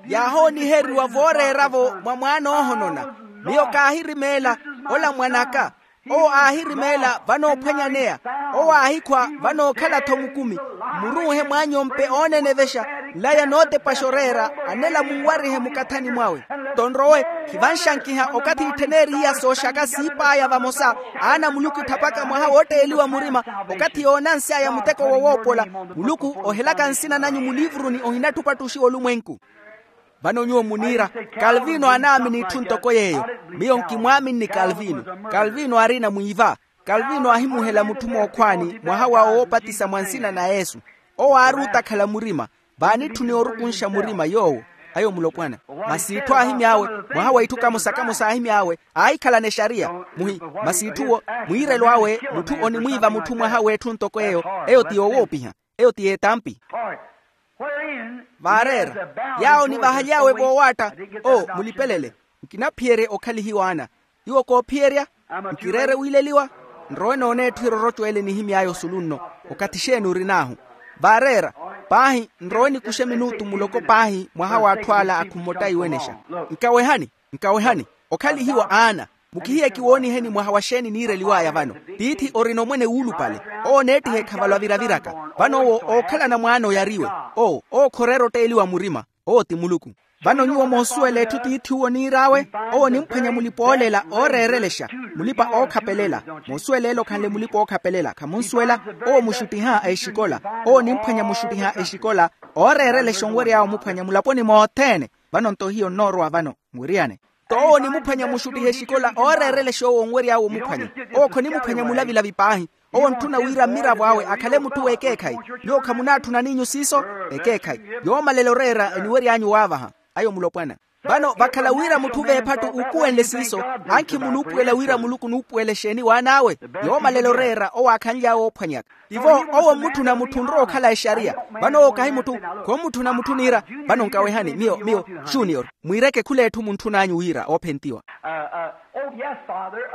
Yaahooniheriwa vooreera-vo mwa mwaana oohonona. Miyo kaahirimeela, ola mwan'aka. Owo aahirimeela vanoophwanyaneya. Owo aahikhwa vanookhala-tho mukumi. Mmuruuhe mwaanyompe oonenevexa, nlaya nootepaxa oreera, anela munwarihe mukathani mwawe. Nto nrowe, khivanxankiha okathi itthenerihiya sooxaka siip'aya vamosa. Aana a muluku etthapaka mwaha wootteeliwa murima, okathi yoonansy'aya muteko wowoopola. Muluku ohelaka nsina nanyu muliivuruni ohinattha opattuxiwa olumwenku. Vano nyuwo muniira, kalvino aanaamini itthu ntoko yeeyo. Miyo nkimwaaminni kalvino. Kalvino aarina mwiiva. Kalvino aahimuhela mutthu mookhwaani mwaha wa woopatisa mwa nsina na yesu. Owo aari otakhala murima. Vaanitthuni orukunxa murima yoowo. Ayo mulopwana. Masi itthu aahimy'awe, mwaha wa itthu kamosa-kamosa aahimy'awe, aahikhalana exariya. Muhi, masi itthu-wo, mwiirelo awe mutthu onimwiiva mutthu mwaha w'etthu ntoko eyo. Eyo ti yowoopiha. Eyo ti yeetampi. Vaareera, yaawo onivahaly'awe voowaatta. Oo mulipelele, nkinaphiyerye okhalihiwa ana. Nyuwo koophiyerya? Nkireere wiileliwa. Nrowe noona etthu eroroco ele nihimy'aya osulu nno. Okathi exeeni orin'ahu? Vaareera, paahi nrowe nikuxe minutu muloko paahi mwaha w'atthu ala akhummottai wenexa. Nkawehani, nkawehani. Okhalihiwa aana. Mukihiye kiwooniheni mwaha wa xeeni niireliw'aya vano. Tiithi orina omwene wuulupale. Owo oneettiha ekhavalo aviraviraka. Vano owo ookhalana mwaana oyariwe. Oo owo khoroera otteeliwa murima. Owo ti muluku. Vano nyuwo moosuwela etthu tiith'uwo oniir'awe. Owo onimphwanya mulipa-oolela ooreerelexa, mulipa-ookhapelela. Moosuwela ele okhanle mulipa-ookhapelela khamunsuwela. Owo muxuttiha exikola. Owo onimphwanya muxuttiha exikola ooreerelexa onwery'awe omuphwanya mulaponi mothene. Vano nto hiyo nnoorowa vano nwiriyane. Nto owo onimuphwanya muxuttiha exikola ooreerelexa owo onwery'awe omuphwanya. Owo khonimuphwanya mulavilavi paahi. Owo ontthuna wira mmiravo awe akhale mutthu w'ekeekhayi. Nyuwo khamunaatthuna n'inyu siiso? Ekeekhayi. Yoomalela oreera eniwery'anyu waavaha. Ayo mulopwana. Vano vakhala wira mutthu v'ephattu uukuwenle siiso, ankhi munuupuwela wira muluku onuupuwela exeeni w'an'awe? Yoomalela oreera owo aakhanly'awe oophwanyaka. Tivo owo mmutthuna mutthu onrowa okhala exariya. Vano owo kahi mutthu. Khommutthuna mutthu oniira. Vano nkawehani miyo miyo, junior, mwiireke khul'etthu muntthun'anyu wira oophentiwa.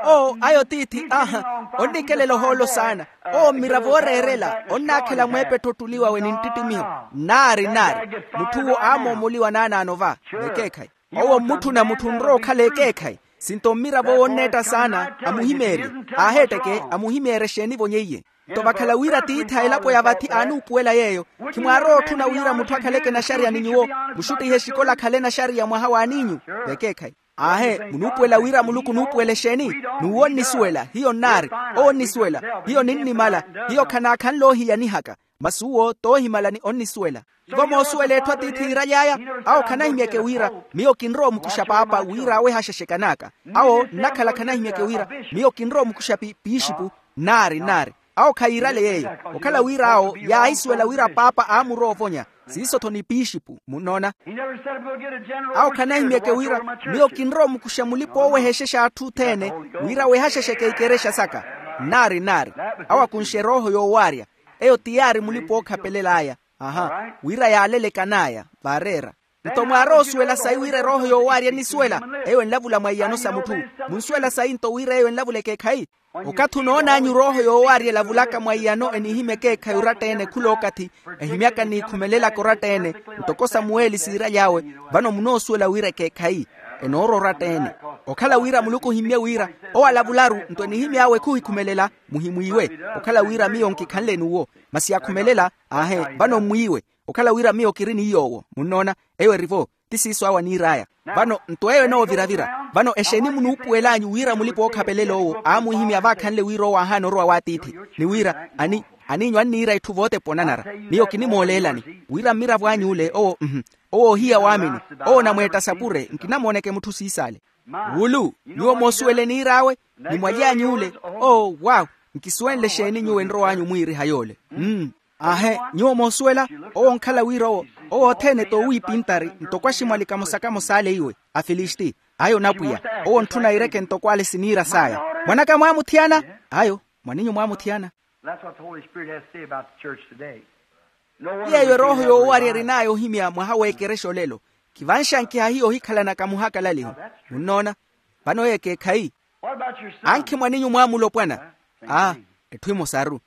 Oo ayo tiithi. Aha. Onnikelela ohoolo saana. Oo mmiravo ooreerela onnaakhela mweepetto ottuli wawe ni nttittimiho. Nnaari nnaari. Mutth'uwo aamoomoliwa naanaano va. Vekeekhayi. Owo mmutthuna mutthu onrowa okhala ekeekhayi. Sinto mmiravo wonneetta saana amuhimeerye. Aaheetteke amuhimeerye exeeni vonyeiye. Nto vakhala wira tiithi a elapo ya vathi aanuupuwela yeeyo, khimwaarowa otthuna wira mutthu akhaleke naxariya ni nyuwo? Muxuttihe exikola akhale naxariya mwaha w'aniinyu? Vekeekhayi. Aahe. Munuupuwela wira muluku onuupuwela exeeni? N'uwo onnisuwela hiyo nnaari. Owo onnisuwela. Hiyo ninnimala. Hiyo khanaakhanle oohiyanihaka. Masi uwo toohimala ni onnisuwela. Ivo moosuwela etthu atiithi yiiraly'aya. Awo khanahimyeke wira miyo kinrowa omukuxa paapa wira awehaxaxe kan'aka. Awo nnakhala khanahimyeke wira miyo kinrowa omukuxa pi piixipu. Nnaari nnaari. Awo khayiirale yeeyo. Okhala wira awo yaahisuwela wira paapa aamurowa ovonya. Siiso-tho ni piixipu munnoona. Awo khanahimyeke wira miyo kinrowa omukuxa mulipa oowehexexa atthu othene wira awehaxexeke ikerexa saka. Nnaari nnaari. Awo akunxe erooho yoowaarya. Eyo ti yaari mulipa ookhapelela aya. Aha. Wira yaalele kan'aya vaareera. Nto mwaaroosuwela sayi wira erooho yoowaarya ennisuwela? Eyo enlavula mwa iyano sa mutthu. Munsuwela sayi nto wira eyo enlavula ekeekhayi? Okathi onoon'anyu rooho yoowaarya elavulaka mwa iyano enihimya ekeekhayi oratta-ene khula okathi, ehimyaka n'ikhumelelaka oratta-ene, ntoko samuweli siiraly'awe, vano munoosuwela wira ekeekhayi enoora oratta-ene. Okhala wira muluku ohimmye wira owo alavularu nto enihimy'awe khuhikhumelela, muhimwiiwe. Okhala wira miyo nkikhanle n'uwo, masi akhumelela. Aahe, vano mmwiiwe. Okhala wira miyo kiri ni yoowo, munnoona. Eyo eri-vo. Ti siiso awo aniir'aya. Vano nto eyo enooviravira. Vano exeeni munuupuwel'anyu wira mulipa-ookhapelela owo aamuhimya vaakhanle wira owo aahaana orowa w'atiithi, ni wira, ani, aniinyu anniira itthu vootepwa onanara. Miyo kinimooleelani wira mmiravo anyu ole owo mhu, owo ohiya waamini, owo onamweetta sapure nkinamooneke mutthu siisaale. Wulu nyuwo moosuwele eniir'awe, ni mwaly'anyu ole. Oo waw. Nkisuwenle exeeni nyuwo enrow'anyu mwiiriha yoole? Mm. Aahe, nyuwo moosuwela, owo onkhala wira owo, owo othene t'owiipintari ntoko aximwali kamosa-kamosa ale iwe, afilisti. Ayo onapwiya, owo ontthuna aireke ntoko ale siniira saya. Mwan'aka mwaamuthiyana? Ayo, mwaninyu mwaamuthiyana. That's what the Holy Spirit has to say about the church today. No wonder. Ti yeeyo erooho yoowarya erin'aya ohimya mwaha w'ekerexa olelo. Kivanxankiha hiyo ohikhalanaka muhakalaliho. Munnoona? Vano eyo ekeekhayi. Ankhi mwaninyu mwaamulopwana. Aa, etthu emosaru.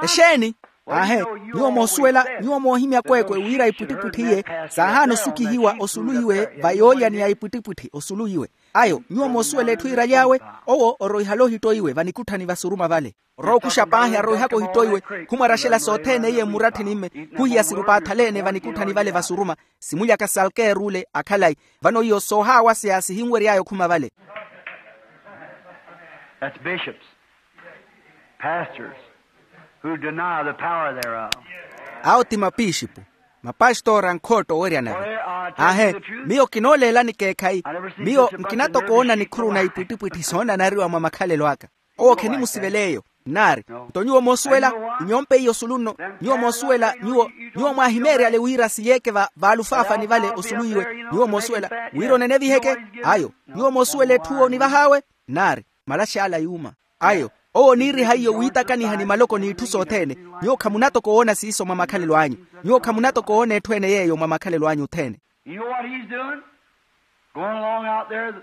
Exeeni? Aahe, nyuwo moosuwela, nyuwo moohimya kweekwe wira ipwittipwitthi iye saahaana osukihiwa osulu iwe va yoolya ni ya ipwittipwitthi osulu iwe. Ayo nyuwo moosuwela etthu iiraly'awe, owo oroihale ohitto iwe vanikutthani vasuruma vale. Orookuxa paahi aroihaka ohitto iwe, khumwaraxela sothene iye mmuratthini mme, khuhiya sirupaathalene vanikutthani vale vasuruma. Simulyaka salkeer'ule akhalayi. Vano iyo soohaawaseya sihinwery'aya okhuma vale. That's bishops, pastors, who deny the power thereof. Awo ti mapixipu, mapastora nkhootta oweryana ve. Aahe, miyo kinooleelani keekhayi. Miyo nkinatoka oona nikhuru na ipwittipwitthi soonanariwa mwa makhalelo aka. Owo khenimusivela eyo. Nnaari, nto nyuwo moosuwela, inyompe iyo osulu nno. Nyuwo moosuwela nyuwo, nyuwo mwaahimeeryale wira siyeeke va vaalufaafani vale osulu iwe. Nyuwo moosuwela wira oneneviheke. Ayo, nyuwo moosuwela etthu onivah'awe. Nnaari, malax'ala yuuma. Ayo, owo oniiriha iyo wiitakaniha ni maloko n'itthu sothene. Nyuwo khamunatoka owoona siiso mwa makhalelo anyu. Nyuwo khamunatoka owoona etthu ene yeeyo mwa makhalelo anyu othene. You know what he's doing? Going along out there.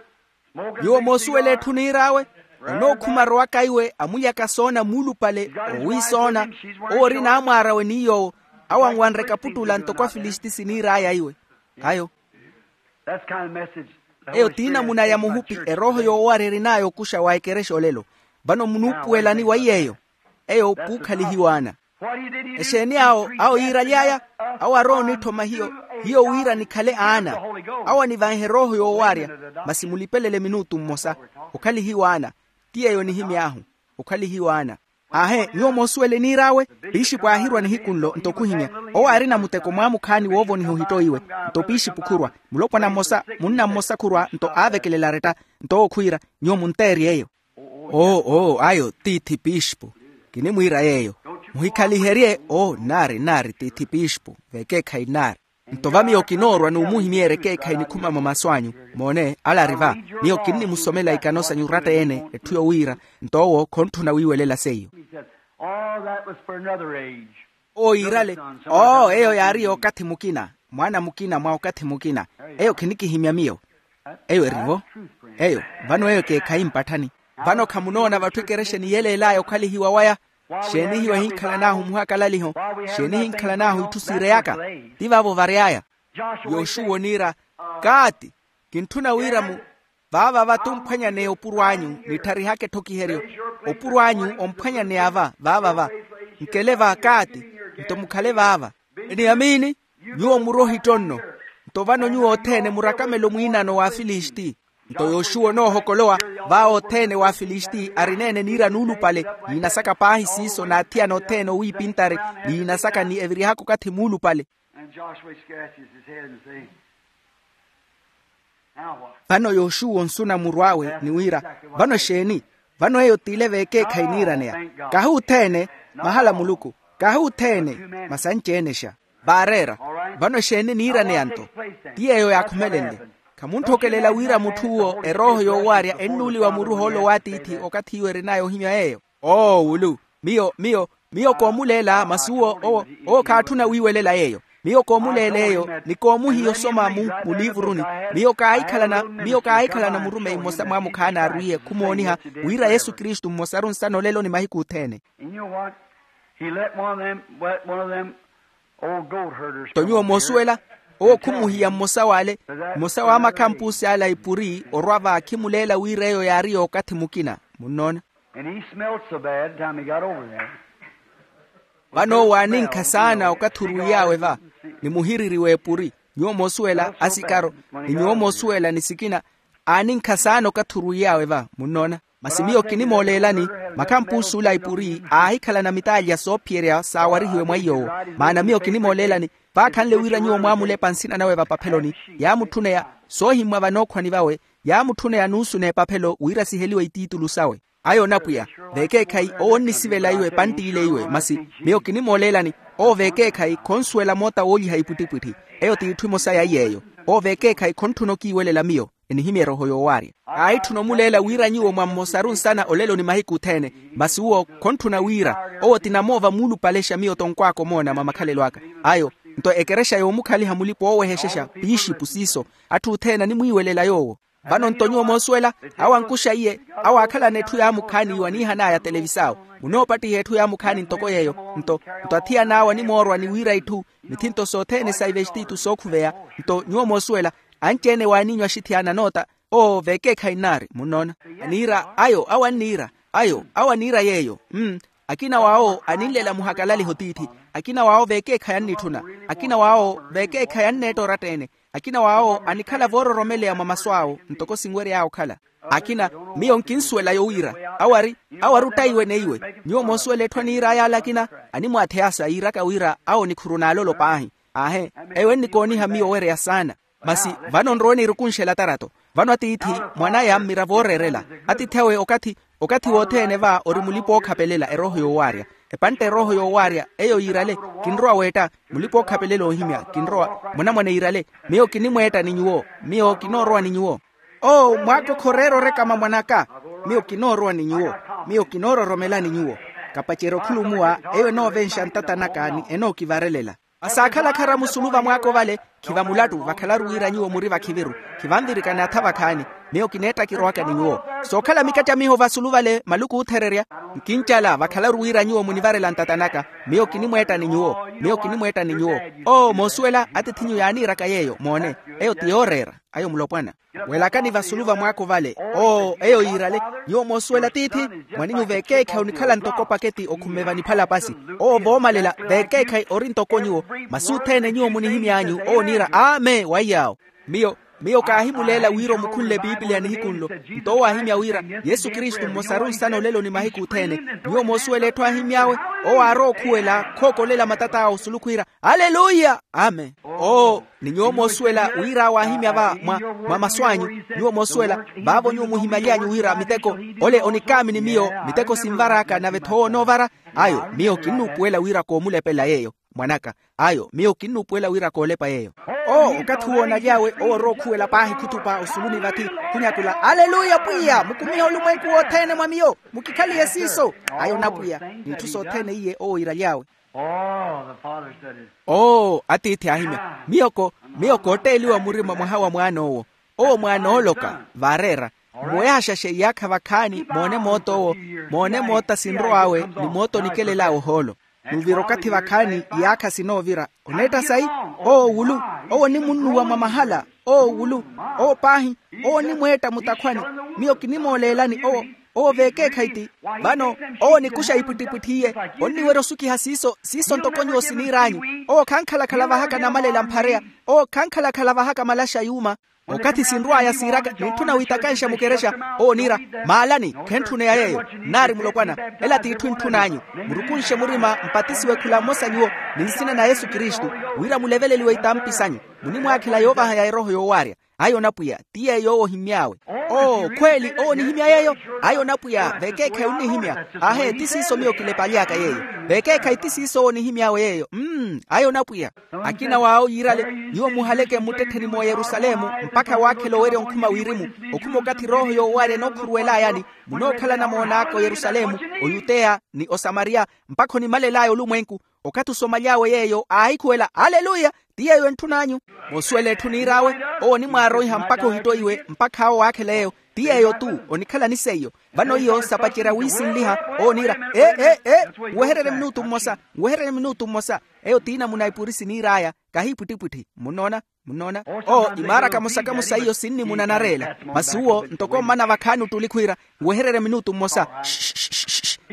Nyuwo moosuwela etthu niir'awe, onookhuma arowaka iwe amulyaka soona muulupale, owiisoona. Owo ori naamwaar'awe ni yoowo, awanwanre kaputtula ntoko afilisiti siniir'aya iwe. Ayo. Eyo ti namuna ya muhupi erooho yoowarya erin'aya okuxa wa ekerexa olelo. Vano munuupuwelani wa iy'eyo? Eyo puukhalihiwaana. Exeeni awo awo yiiraly'aya? Awo arowa onitthoma hiyo, hiyo wira nikhale aana. Awo anivanhe erooho yoowarya, masi mulipelele minutu mmosa. Okhalihiwaana. Ti yeeyo nihimy'ahu. Okhalihiwaana. Aahe, nyuwo moosuwela eniir'awe? Pixipu aahirwa nihiku nlo nto khuhimya. Owo aarina muteko mwaamukhaani woovoniha ohitto iwe. Nto pixipu khurwa, mulopwana mmosa, munna mmosa khurwa nto aavekelela aretta. Nto owo khwiira, nyuwo munteerye eyo. Oo oo ayo tiithi pixipu. Kinimwiira yeeyo. Muhikhaliherye oo nnaari nnaari tiithi pixipu vekeekhayi nnaari. Nto va miyo kinoorwa n'umuhimyeerya ekeekhayi nikhuma mwa masu anyu. Moone ale ari va. Miyo kinnimusomela ikano sanyu oratta-ene etthu yowiira. Nto owo khontthuna wiiwelela seiyo. Owo yiirale. Oo eyo yaari y'okathi mukina, mwaana mukina mwa okathi mukina. Eyo khinikihimya miyo. Eyo eri-vo. Eyo, vano eyo ekeekhayi mpatthani. Vano khamunoona vatthu ekerexa eniyeleel'aya okhalihiwa waya? Xeeni hiyo ehinkhalan'ahu muhakalaliho? Xeeni ehinkhalan'ahu itthu siireyaka? Ti vaavo vary'aya. Yoxuwa oniira, kaati, kintthuna wira mu vaava va tumphwanyaneya opuro anyu. Nittharihaka etthokiheryo. Opuro anyu omphwanyaneya va vaava va. Nkele va kaati, nto mukhale vaava. Eniyamini, nyuwo muri ohitto nno. Nto vano nyuwo othene murakamelo mwiinano wa afilisiti. Nto yoxuwa onoohokolowa, vaavo othene wa afilisiti arina-ene niira nuulupale, niinasaka paahi siiso n'athiyana othene owiipintari, niinasaka ni evirihaka okathi muulupale. Vano yoxuwa onsuna muru awe ni wira, vano exeeni? Vano eyo t'ile v'ekeekhayi niiraneya. Kahi othene, mahala muluku. Kahi othene, masi anci-enexa. Vaareera. Vano exeeni niiraneya nto? Ti yeeyo yaakhumelenle. Khamuntthokelela wira mutth'uwo erooho yoowarya ennuuliwa muru ohoolo w'atiithi okathi iwo erin'aya ohimya yeeyo? Oo wulu. Miyo miyo miyo koomuleela masi uwo owo owo khaatthuna wiiwelela yeeyo. Miyo koomuleela eyo ni koomuhiya osoma mu muliivuruni. Miyo kaahikhalana miyo kaahikhalana murumeyi mmosa mwaamukhaani aarwiiye khumooniha wira yesu kristu mmosaru nsana olelo ni mahiku othene. And you know what? He let one of them, let one of them old goat herders. Nto nyuwo moosuwela, owo khumuhiya mmosa w'ale, mmosa wa makhampusi ale a ipuri orwa va akhimuleela wira eyo yaari y'okathi mukina. Munnoona? And he smelled so bad time he got over there. Vano owo aaninkha saana okathi orwiiy'awe va, ni muhiriri w'epuri. Nyuwo moosuwela asikaro, ni nyuwo moosuwela ni sikina aaninkha saana okathi orwiiy'awe va. Munnoona? Masi miyo kinimooleelani, makhampuusi ula a ipuri aahikhalana mitaalya soophiyerya saawarihiwe mwa iy'owo. Maana miyo kinimooleelani, vaakhanle wira nyuwo mwaamulepa nsina nawe vapapheloni, yaamutthuneya soohimmwa vanookhwani vawe, yaamutthuneya nuusu n'epaphelo wira siheliwe itiitulu sawe. Ayo onapwiya, veekeekhayi owo onnisivela iwe pantti ile iwe masi, miyo kinimooleelani, owo veekeekhayi khonsuwela moota wooliha ipwittipwitthi. Eyo t'itthu emosa ya iy'eyo. Owo veekeekhayi khontthuna okiiwelela miyo, enihimya erooho yoowaarya. Kaahitthuna omuleela wira nyuwo mwa mmosaru nsana olelo ni mahiku othene, masi uwo khontthuna wira, owo ti namoova muulupalexa miyo tonkwaaka omoona mwa makhalelo aka. Ayo nto ekerexa yoomukhaliha mulipa oowehexexa piixipu siiso, atthu othene animwiiwelela yoowo. Vano nto nyuwo moosuwela, awo ankuxa iye, awo aakhalana etthu yaamukhaani iwo aniihan'aya televisao, munoopattiha etthu yaamukhaani ntoko yeeyo. Nto nto athiyan'awe animoorwa ni wira itthu, mithinto sothene sa ivestitu sookhuveya. Nto nyuwo moosuwela, anci-ene waaniinyu axithiyaana anoota, owo veekeekhayi nnaari munnoona. Aniira ayo awo anniira, ayo awo aniira yeeyo. Mm. Akina w'awo aninlela muhakalaliho tiithi. Akina w'awo veekeekhayi annitthuna. Akina w'awo veekeekhayi anneetta oratta-ene. Akina w'awo anikhala voororomeleya mwa masu awo ntoko sinwery'awe okhala. Akina, miyo nkinsuwela yowira awo ari, awo ari ottayiwe neiwe. Nyuwo moosuwela etthu aniir'aya ale akina, animwaatheya sa yiiraka wira awo nikhuru n'alolo paahi. Aahe, eyo ennikooniha miyo owereya saana. Masi vano nrowe nirukunxela tarato. Vano atiithi mwan'aya mmiravo ooreerela. Atiithi awe okathi okathi wothene va ori mulipa-ookhapelela erooho yoowaarya. Epantta erooho yoowaarya eyo yiirale, kinrowa weetta. Mulipa-ookhapelela oohimya kinrowa. Mwanamwane yiirale, miyo kinimweetta ni nyuwo. Miyo kinoorowa ni nyuwo. Oo mwaakokha oreera orekama mwan'aka. Miyo kinoorowa ni nyuwo. Miyo kinoororomela ni nyuwo. Kapacerya okhulumuwa, eyo enoovenxa ntata naka ni enookivarelela. Asaakhala kharamu sulu vamwaako vale, khiva mulattu vakhalaru wira nyuwo muri vakhiviru. Khivanvirikana atha vakhaani. Miyo kineettakirowaka ni nyuwo. Sookhala mikacamiho vasulu vale maluku oothererya. Nkincala vakhalaru wira nyuwo munivarela ntata naka. Miyo kinimweetta ni nyuwo. Miyo kinimweetta ni nyuwo. Oo moosuwela atiith'inyu yaaniiraka yeeyo moone. Eyo ti yooreera. Ayo mulopwana. Welakani vasulu vamwaako vale. Oo eyo yiirale. Nyuwo moosuwela tiithi, mwaninyu veekeekhayi onikhala ntoko paketi okhumme vaniphalapasi. Oo voomalela, veekeekhayi ori ntoko nyuwo. Masi othene nyuwo munihimy'anyu owo oniira amen waiy'awo. Miyo miyo kaahimuleela wira omukhunle epipiliya nihiku nlo. Nto owo aahimya wira, yesu kristu mmosaru nsana olelo ni mahiku othene. Nyuwo moosuwela etthu aahimy'awe, owo aarowa okhuwela khookolela matat'awe osulu khwiira, aleluya, amen. Oo ni nyuwo moosuwela wira awo aahimya va mwa mwa masu anyu. Nyuwo moosuwela, vaavo nyuwo muhimaly'anyu wira miteko, ole onikaamini miyo, miteko sinvar'aka nave-tho owo onoovara. Ayo miyo kinnuupuwela wira koomulepela yeeyo, mwan'aka. Ayo miyo kinnuupuwela wira koolepa yeeyo. Oo okathi uwo onaly'awe owo orowa okhuwela paahi khutupa osuluni vathi, khunyakula aleluya pwiya mukumihe olumwenku wothene mwa miyo. Mukikhalihe siiso. Ayo onapwiya, n'itthu sothene iye owo iiraly'awe. Oo atiithi aahimya, miyo ko miyo kootteeliwa murima mwaha wa mwaan'owo. Owo mwaanooloka vaareera, mmuwehaxaxe iyaakha vakhaani moone moot'owo. Moone moota sinrow'awe ni moota onikelel'awe ohoolo. N'uvira okathi vakhaani iyaakha sinoovira. Oneetta sayi? Owo wulu, owo onimunnuwa mwa mahala. Owo wulu, owo paahi, owo onimweetta mutakhwani. Miyo kinimooleelani owo, owo veekeekhayi ti. Vano owo onikuxa ipwittipwitthi iye, onniwerya osukiha siiso siiso ntoko nyuwo siniir'anyu. Owo khankhalakhala vahaka namalela mphareya. Owo khankhalakhala vahaka malaxa yuuma. Okathi sinrw'aya siiraka nintthuna wiitakanxa mukerexa. Owo oniira, maalani, khentthuneya yeeyo. Nnaari mulopwana, ela t'itthu entthun'anyu. Murukunxe murima mpatisiwe khula mmosa nyuwo, ni nsina na yesu kristu, wira muleveleliwe itampi sanyu. Munimwaakhela yoovaha ya erooho yoowaarya. Ayo onapwiya, ti yeeyo owo ohimmy'awe. Oo khweeli owo onihimya yeeyo? Ayo onapwiya, veekeekhayi onnihimya. Aahe ti siiso miyo kilepaly'aka yeeyo. Veekeekhayi ti siiso owo onihimy'awe yeeyo. Mm. Ayo onapwiya. Akina w'awo yiirale, nyuwo muhaleke mmuttettheni mwa oyerusalemu, mpakha waakhela owerya onkhuma wirimu. Okhuma okathi erooho yoowaarya enookhuruwel'ayani, munookhala namoon'aka oyerusalemu, oyuteya, ni osamariya, mpakha onimalel'aya olumwenku. Okathi osomaly'awe yeeyo aahikhuwela, aleluya. Ti yeeyo entthun'anyu. Moosuwela etthu niir'awe. Owo onimwaaroiha mpakha ohittoiwe mpakha awo waakhela eyo. Ti yeeyo-tu. Onikhalani seiyo. Vano iyo sapacerya wiisinliha. Owo oniira, ee ee ee. Nwehererye minutu mmosa. Nwehererye minutu mmosa. Eyo ti namuna ipurisi niir'aya. Kahi ipwittipwitthi munnoona. Munnoona. Oo imaara kamosa kamosa iyo sinnimuna nareela. Masi uwo ntoko mmana vakhaani ottuli khwiira, nwehererye minutu mmosa.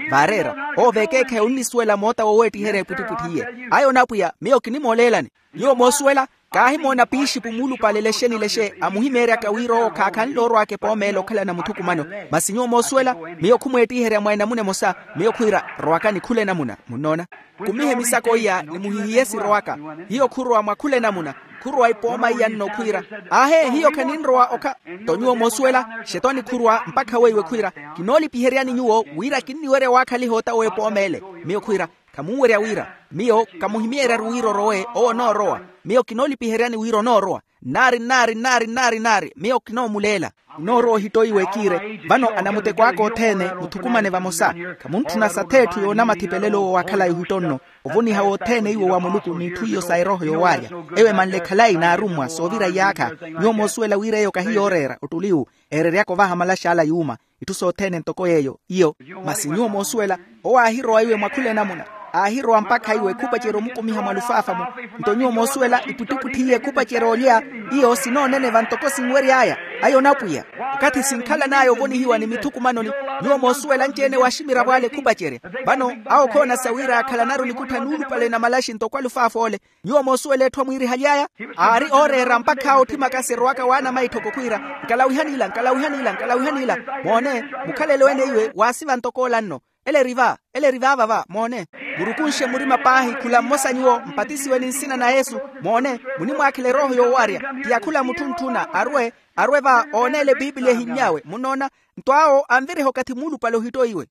Vaareera. Oo veekeekhayi onnisuwela moota woweettiherya epwittipwitthi iye. Ayo onapwiya miyo kinimooleelani. Nyuwo moosuwela. Kaahimoona piishipu muulupale lexe ni lexe amuhimeeryaka wira owo khaakhanle orw'aka epoomeela okhalana muthukumano. Masi nyuwo moosuwela. Miyo khumweettiherya mwa enamuna emosa. Miyo khwiira, rowakani khula enamuna munnoona. Kumihe misako iya ni muhihiye sirowaka. Hiyo khurowa mwa khula enamuna. Khurowa ipooma iya nno khwiira, aahe hiyo khaninrowa okha. Nto nyuwo moosuwela. Xetwani khurowa mpakha weiwe khwiira, kinoolipiheryani nyuwo wira kinniwerya waakhaliha ota w'epooma ele. Miyo khwiira, khamunwerya wira. Miyo kamuhimyeeryaru wira orowe owo onoorowa. Miyo kinoolipiheryani wira onoorowa. Nnaari nnaari nnaari nnaari nnaari miyo kinoomuleela. Nnoorowa ohittoiwe ekiire. Vano anamuteko aka othene muthukumane vamosa. Khamuntthuna satheetthu yoonamathipelelo owo wakhalayi ohitto nno. Ovoniha wothene iwo wa muluku n'itthu iyo sa erooho yoowaarya. Ewo emanle khalayi n'arummwa soovira iyaakha. Nyuwo moosuwela wira eyo kahi yooreera ottuli iwu eereryaka ovaha malax'ala yuuma. Itthu sothene ntoko yeeyo iyo. Masi nyuwo moosuwela. Owo aahirowa iwe mwa khula enamuna. Aahirowa mpakha iwe khupacerya omukumiha mwa lufaafa-mu. Nto nyuwo moosuwela ipwittipwitthi iye khupacerya olya. Iyo sinooneneva ntoko sinwery'aya. Ayo onapwiya. Okathi sinkhalan'aya ovonihiwa ni mithukumanoni. Nyuwo moosuwela anci-ene waaximiravo ale khupacerya. Vano awo khoonasa wira akhalanaru nikuttha nuulupale na malaxi ntoko alufaafa ole. Nyuwo moosuwela etthu amwiirihaly'aya. Aari ooreera mpakha awo otthimaka sirowaka waana maitthoko khwiira, nkalawihan'ila nkalawihan'ila nkalawihan'ila. Moone. Mukhalelo ene iwe waasiva ntoko ola nno. Ele eri va. Ele eri vaava va moone. Murukunxe murima paahi khula mmosa nyuwo mpatisiwe ni nsina na yesu. Moone. Munimwaakhela erooho yoowaarya. Ti ya khula mutthu ntthuna arwe. Arwe va ooneele epiipiliya ehinny'awe munnoona. Nto awo anviriha okathi muulupale ohittoiwe.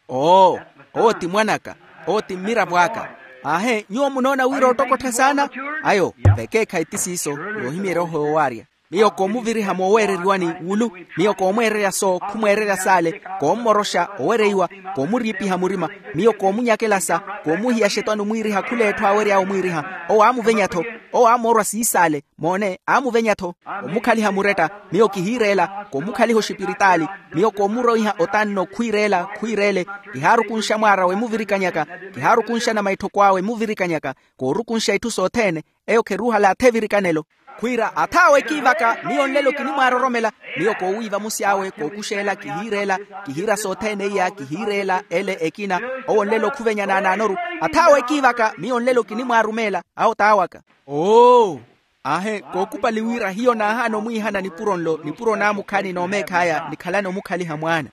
Oo. Owo ti mwan'aka. Owo ti mmiravo aka. Aahe nyuwo munoona wira ottokottha saana. Ayo. Vekeekhayi ti siiso. Yoohimya erooho yoowaarya. Miyo koomuviriha mooweereriwani wulu. Miyo koomweererya so khumweererya saale. Koommoroxa owereiwa. Koomuriipiha murima. Miyo koomunyakela sa. Koomuhiya xetwani omwiiriha khul'etthu aawery'awe omwiiriha. Owo aamuvenya-tho. Owo aamoorwa siisaale. Moone aamuvenya-tho. Omukhaliha muretta. Miyo kihiireela. Komukhaliha oxipiritaali. Miyo komuroiha otanno khwiireela khwiireele. Kihaarukunxa mwaar'awe emuvirikanyaka. Kihaarukunxana maitthoko awe emuvirikanyaka. Koorukunxa itthu sothene. Eyo kheruuhala atha evirikanelo. Khwiira ath'awe ekiivaka miyo nlelo kinimwaaroromela. Miyo koowiiva musi awe kookuxeela kihiireela. Kihiira sothene iya kihiireela ele ekina. Owo nlelo khuvenya naanaanoru. Ath'awe ekiivaka miyo nlelo kinimwaarumeela. Awo t'awaka. Oo. Aahe kookupali wira hiyo naahaana omwiihana nipuro nlo nipuro naamukhaani n'omeekh'aya nikhalane omukhaliha mwaana.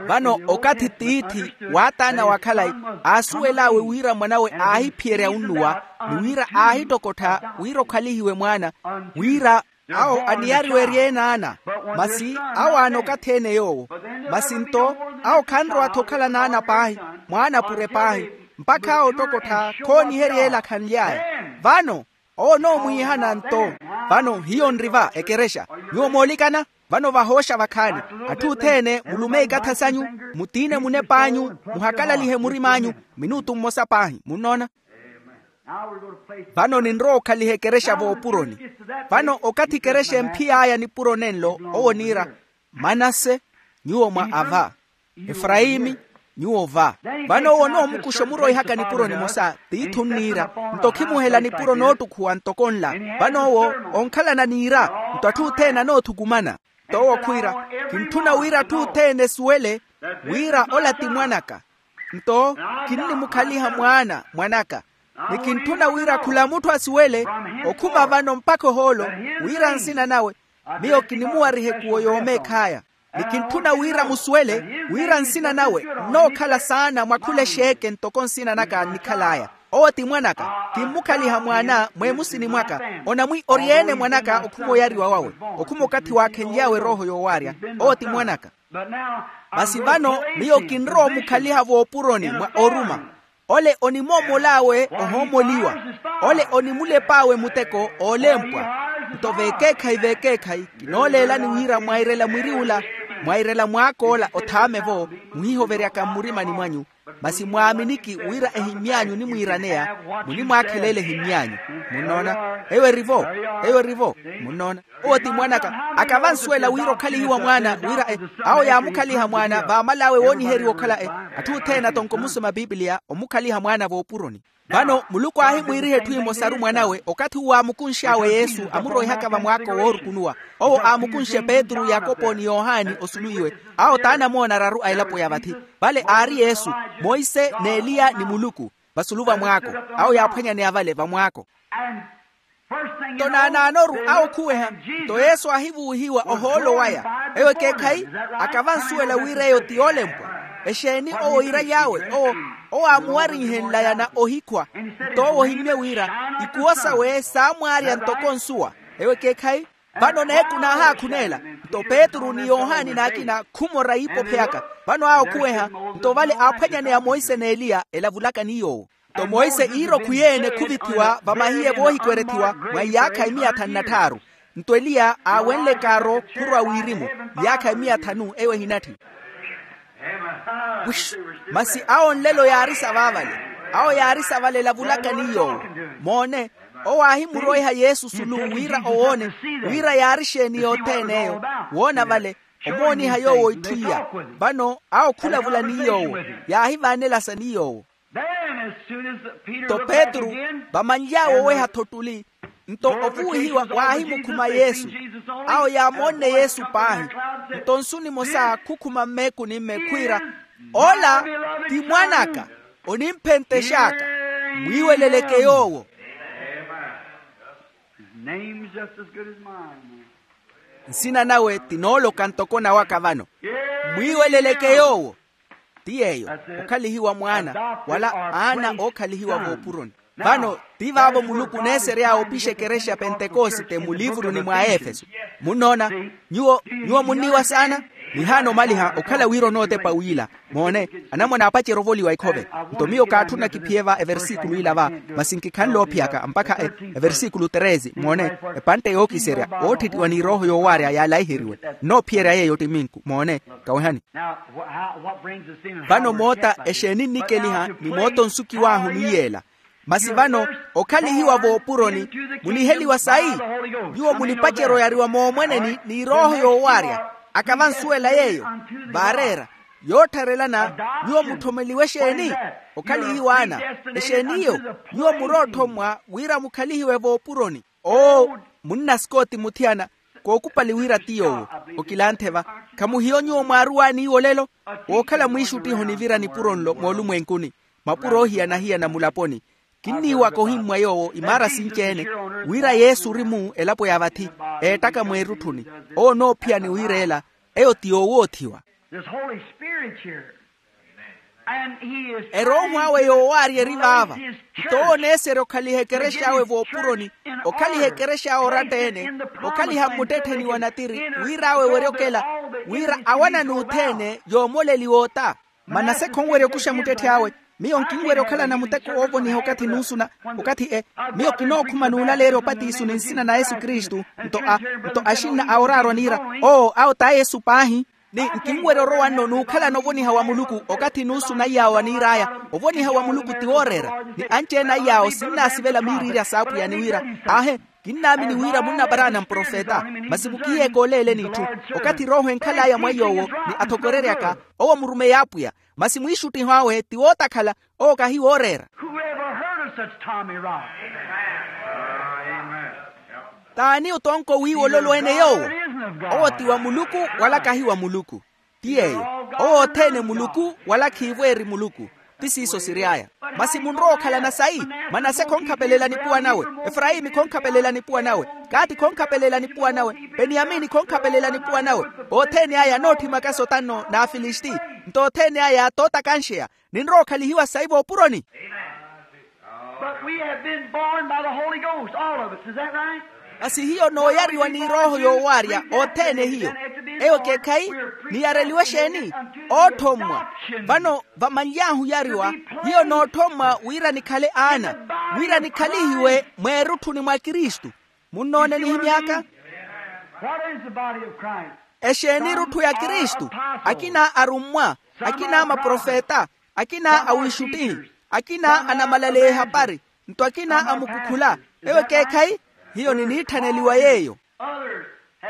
Vano okathi tiithi waataana wa khalayi aasuwel'awe wira mwanawe aahiphiyerya unnuwa ni wira aahittokottha wira okhalihiwe mwaana wira awo aniyariwe eryeene ana. Masi awo aana okathi-ene yoowo. Masi nto awo khanrowa-tho okhala n'ana paahi mwaana apure paahi mpakha awo ottokottha khooniherya ela khanly'aya. Vano owo onoomwiihana nto. Vano hiyo nri va ekerexa nyuwo moolikana. Vano vahooxa vakhaani atthu othene mulume ikatha sanyu mutiine munep'anyu muhakalalihe murim'anyu minutu mmosa paahi munnoona. Vano ninrowa okhaliha ekerexa voopuroni. Vano okathi ekerexa emphiy'aya nipuro nenlo owo oniira manase nyuwo mwa ava efrayimi nyuwo va. Vano owo onoomukuxa omuroihaka nipuro nimosa tiithi onniira nto khimuhela nipuro noottukhuwa ntoko nla. Vano owo onkhalana niira nto atthu othene anoothukumana. Nto owo khwiira kintthuna wira atthu othene esuwele wira ola ti mwan'aka. Nto kinnimukhaliha mwaana mwan'aka ni kintthuna wira khula mutthu asuwele okhuma vano mpakha ohoolo wira nsina nawe miyo kinimuwariha ekuwo yoomeekh'aya. Ni kintthuna wira musuwele wira nsina nawe nnookhala saana mwa khula exeeke ntoko nsina naka nnikhal'aya. Owo ti mwan'aka. Kimmukhaliha mwaana mweemusini mwaka. Onamwi ori-ene mwan'aka okhuma oyariwa wawe okhuma okathi waakhenly'awe erooho yoowaarya. Owo ti mwan'aka. Masi vano miyo kinrowa omukhaliha voopuroni mwa oruma. Ole onimoomol'awe ohoomoliwa. Ole onimulep'awe muteko oolempwa. Nto vekeekhayi vekeekhayi kinooleelani wira mwairela mwiri ula mwairela mwaak'ola othaame-vo muhihoveryaka mmurimani mwanyu. Masi mwaaminiki wira ehimmy'anyu onimwiiraneya, munimwaakheleela ehimmy'anyu. Munnoona? Eyo erivo. Eyo erivo. Munnoona? Owo ti mwan'aka. Akavansuwela wira okhalihiwa mwaana wira e awo yaamukhaliha mwaana vaamal'awe wooniheriwa okhala e atthu othene atonko omusoma pipiliya omukhaliha mwaana voopuroni. Vano muluku aahimwiiriha etthu emosaru mwan'awe okathi uwo aamukunx'awe yesu amuroihaka vamwaako woorukunuwa. Owo aamukunxe petru yakopo ni yohani osulu iwe. Awo t'anamoona araru a elapo ya vathi. Vale aari yesu, monse n'eliya ni muluku. Vasulu vamwaako. Awo yaaphwanyaneya vale vamwaako. Nto naanaanoru awo khuweha. Nto yesu aahivuwihiwa ohoolo waya. Eyo ekeekhayi. Akavansuwela wira eyo ti yoolempwa. Exeeni owo iira yaawe owo amuwarinhenlaya na ohikhwa. Nto owo ohimmye wira ikuwo sawe saamwaarya ntoko nsuwa. Eyo ekeekhayi. Vano neeku naahaakhunela. Nto petru ni yohani n'akina khumora iipophe yaka. Vano awo khuweha. Nto vale aaphwanyaneya monse n'eliya elavulaka ni yoowo. Nto monse iira okhwiyeene khuvithiwa vamahiye voohikwerethiwa mwa iyaakha emiya thanu na tthaaru. Nto eliya aawenle kaaro khurwa wirimu. Iyaakha emiya thanu eyo ehinatthi. Masi awo nlelo yaarisa vaavale. Awo yaarisa vale elavulaka ni yoowo. Moone. Owo aahimuroiha yesu sulu wira owoone wira yaari exeeni yothene eyo. Woona vale omooniha yoowo itthu iya. Vano awo khulavula ni yoowo. Yaahivaanelasa ni yoowo. Nto petru vamanly'awe oweha-tho ottuli. Nto ovuwihiwa waahimukhuma yesu. Awo yaamoonne yesu paahi. Nto nsu nimosa khukhuma mmeekuni mmeekhwiira, ola ti mwan'aka. Onimphentex'aka. Mwiiweleleke yoowo. Nsina nawe tinooloka ntoko nawaka vano. Mwiiweleleke yoowo. Ti yeeyo. Okhalihiwa mwaana wala aana ookhalihiwa voopuroni. Vano ti vaavo muluku oneesery'awe opixa ekerexa ya pentekosite muliivuruni mwa aefeso. Munnoona? Nyuwo nyuwo munniiwa saana. Nihaana omaliha okhala wira onootepa wiila. Moone. Anamwane aapacerya ovoliwa ekhove. Nto miyo kaatthuna kiphiye va eversikulu ila va. Masi nkikhanle oophiyaka mpakha eversikulu treze moone. Epantte yookiserya ootthittiwa ni erooho yoowaarya yaalaiheriwe. Nnoophiyerya yeeyo ttiminku moone. Kawehani. Vano moota exeeni nnikeliha ni moota onsukiw'ahu ni yeela. Masi vano okhalihiwa voopuroni. Muniheliwa sayi? Nyuwo munipacerya oyariwa moomweneni ni erooho yoowaarya. Akavansuwela yeeyo vaareera yoottharelana. Nyuwo mutthomeliwe exeeni? Okhalihiwaana. Exeeniyo? Nyuwo muroothommwa wira mukhalihiwe voopuroni. Oo, munna scott muthiyana. Kookupali wira ti yoowo. Okilanthe va. Khamuhiyo nyuwo mwaaruwaani iwo olelo? Wookhala mwiixuttiho nivira nipuro nlo moolumwenkuni. Mapuro oohiyana-hiyana mulaponi. Kinniiwaka ohimmwa yoowo imaara sinci-ene. Wira yesu ori-mu elapo ya vathi. Eettaka mweerutthuni. Owo onoophiyani wiira ela. Eyo ti yoowoothiwa. This holy spirit here. Erooho awe yoowaarya eri vaava. Nto owo oneeserya okhaliha ekerexa awe voopuroni. Okhaliha ekerexa awe oratta-ene. Okhaliha mmuttettheni wa natiri wira awe werya okela. Wira awanani othene yoomoleliwa ota. Manase khonwerya okuxa muttetthi awe. Miyo nkinwerya okhalana muteko woovoniha okathi nuusuna. Okathi e miyo kinookhuma nuulaleerya opatiso ni nsina na yesu kristu. Nto a nto axinna a oraarwa niira, oo awo t'ayesu paahi. Ni nkinwerya orowa nno n'ukhalana ovoniha wa muluku okathi nuusuna iy'awo aniir'aya. Ovoniha wa muluku ti wooreera. Ni anci-ene a iy'awo sinnaasivela miiriirya s'apwiya ni wira, aahe, kinnaamini wira munnaparaana mprofeta. Masi mukihiyeeke oleeleni itthu. Okathi erooho enkhal'aya mwa iy'owo ni athokoreryaka, owo murumeyi apwiya. Masi mwiixuttiho awe ti wootakhala. Owo kahi wooreera. Whoever heard of such Tommy Rod? T'ani otonko wiiwololweene yoowo? Owo ti wa muluku wala kahi wa muluku. Ti yeeyo. Owo othene muluku wala khiivo eri muluku. Ti siiso siry'aya. Masi munrowa okhalana sayi? Manase khonkhapelela nipuwa nawe. Efrayimi khonkhapelela nipuwa nawe. Kaati khonkhapelela nipuwa nawe. Peniyamini khonkhapelela nipuwa nawe. Othene aya anootthimaka sotano n'afilisti. Nto othene aya tootakanxeya. Ninrowa okhalihiwa sayi voopuroni. But we have been born by the holy ghost all of us is that right? Masi hiyo nooyariwa ni erooho yoowaarya othene hiyo. Eyo ekeekhayi. Niyareliwe exeeni? Ootthommwa. Vano vamanly'ahu oyariwa, hiyo nootthommwa wira nikhale aana, wira nikhalihiwe mweerutthuni mwa kristu. Munnoone nihimy'aka? What is the body of Christ? Exeeni erutthu ya kristu? Akina arummwa, akina maprofeta, Akina awiixuttihi, akina anamalaleya ehapari, nto akina amukukhula. Eyo ekeekhayi? Hiyo niniitthaneliwa yeeyo.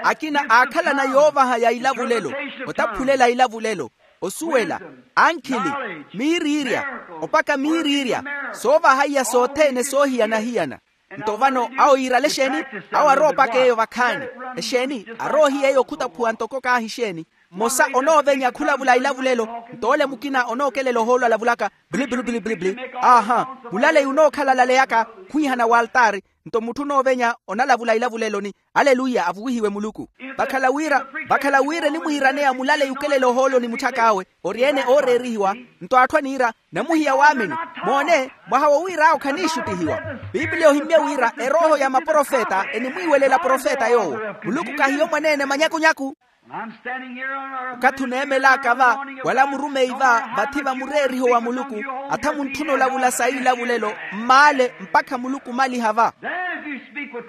Akina aakhalana yoovaha ya ilavulelo, otaphulela ilavulelo, osuwela, ankhili, miiriirya, opaka miiriirya, soovahaiya sothene soohiyana-hiyana. Nto vano awo yiirale exeeni? Awo aroopaka eyo vakhaani. Exeeni? Aroohiya eyo khutaphuwa ntoko kaahi exeeni? Mmosa onoovenya khulavula ilavulelo, nto ole mukina onookelela ohoolo alavulaka, bili bili bili bili bili. Aaha. Mulaleyi onookhala alaleyaka khwiihana w'altaari. Nto mutthu onoovenya onalavula ilavuleloni. Aleluya, avuwihiwe muluku. Vakhala wira, vakhala wira enimwiiraneya mulaleyi okelela ohooloni mutthak'awe, ori-ene ooreerihiwa. Nto atthu aniira, namuhiya waamini. Moone, mwaha wowiir'awo khaniixuttihiwa. Piipiliya ohimmye wira erooho ya maprofeta enimwiiwelela profeta yoowo. Muluku kahiyo mwaneene manyakunyaku. Okathi oneemel'aka va, wala murumeyi va, vathi va mureeriho wa muluku, atha muntthuna olavula sa ilavulelo mmaale mpakha muluku omaliha va.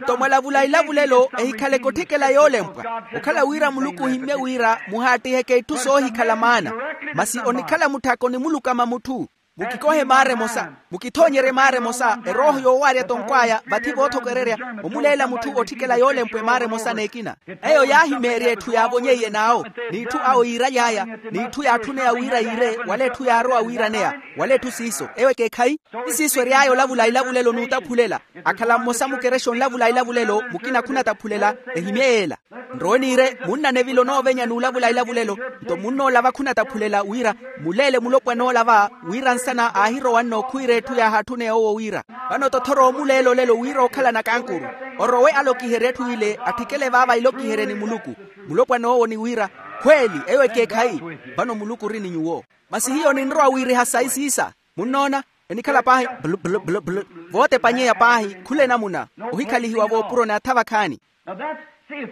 Nto mwalavula ilavulelo, ehikhaleke otthikela yoolempwa. Okhala wira muluku ohimmye wira muhaattiheke itthu soohikhala maana, masi onikhala mutthaka onimulukama mutthu. Mukikohe maara emosa, mukithoonyerye maara emosa erooho yoowaarya tonkw'aya vathi voothokererya, omuleela mutthu otthikela yoolempwe maara emosa n'ekina. Eyo yaahimeerya etthu yaavonyeiye n'awo, n'itthu awo yiiraly'aya, n'itthu yaatthun'eya wira yiire wala etthu yaarowa wiiraneya, wala etthu siiso. Eyo ekeekhayi? Ti siiso ery'aya olavula ilavulelo n'utaphulela. Akhala mmosa mukerexa onlavula ilavulelo, mukina khunataphulela. Ehimye yeela. Nrowe niire munna neville onoovenya n'ulavula ilavulelo. Nto munnoolava khunataphulela wira muleele mulopwana oolava, wira nsana aahirowa nno khwiira etthu yaahatthuneya owo wira. Vano tothoro omuleela olelo wira ookhalana kankuru, orowe alokiherye etthu ile atthikele vaava ilokiherye ni muluku. Mulopwana owo ni wira, khweeli eyo ekeekhayi. Vano muluku ori ni nyuwo. Masi hiyo ninrowa wiiriha sayi siisa. Munnoona? Enikhala paahi blu blu blu blu, vootepanyeya paahi khula enamuna, ohikhalihiwa voopuroni atha vakhaani.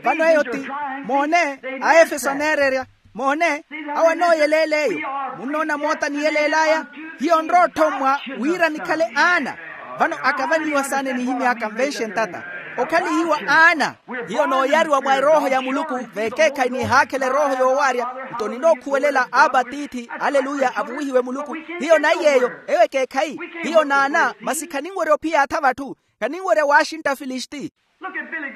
Vano eyo ti, moone, aefeso aneererya. Moone, awo anooyeleela eyo. Munnoona moota niyeleel'aya. Hiyo nrowa otthommwa wira nikhale aana. Vano akavanyiwa saana enihimy'aka nvenxe ntata, okhalihiwa aana. Hiyo nooyariwa mwa erooho ya muluku, v'ekeekhayi nihaakhela erooho yoowaarya. Nto ninookhuwelela aba tiithi. Aleluya, avuwihiwe muluku. Hiyo naiy'eyo. Eyo ekeekhayi. Hiyo naana masi khaninwerya ophiya atha vatthu. Khaninwerya waaxintta filisti.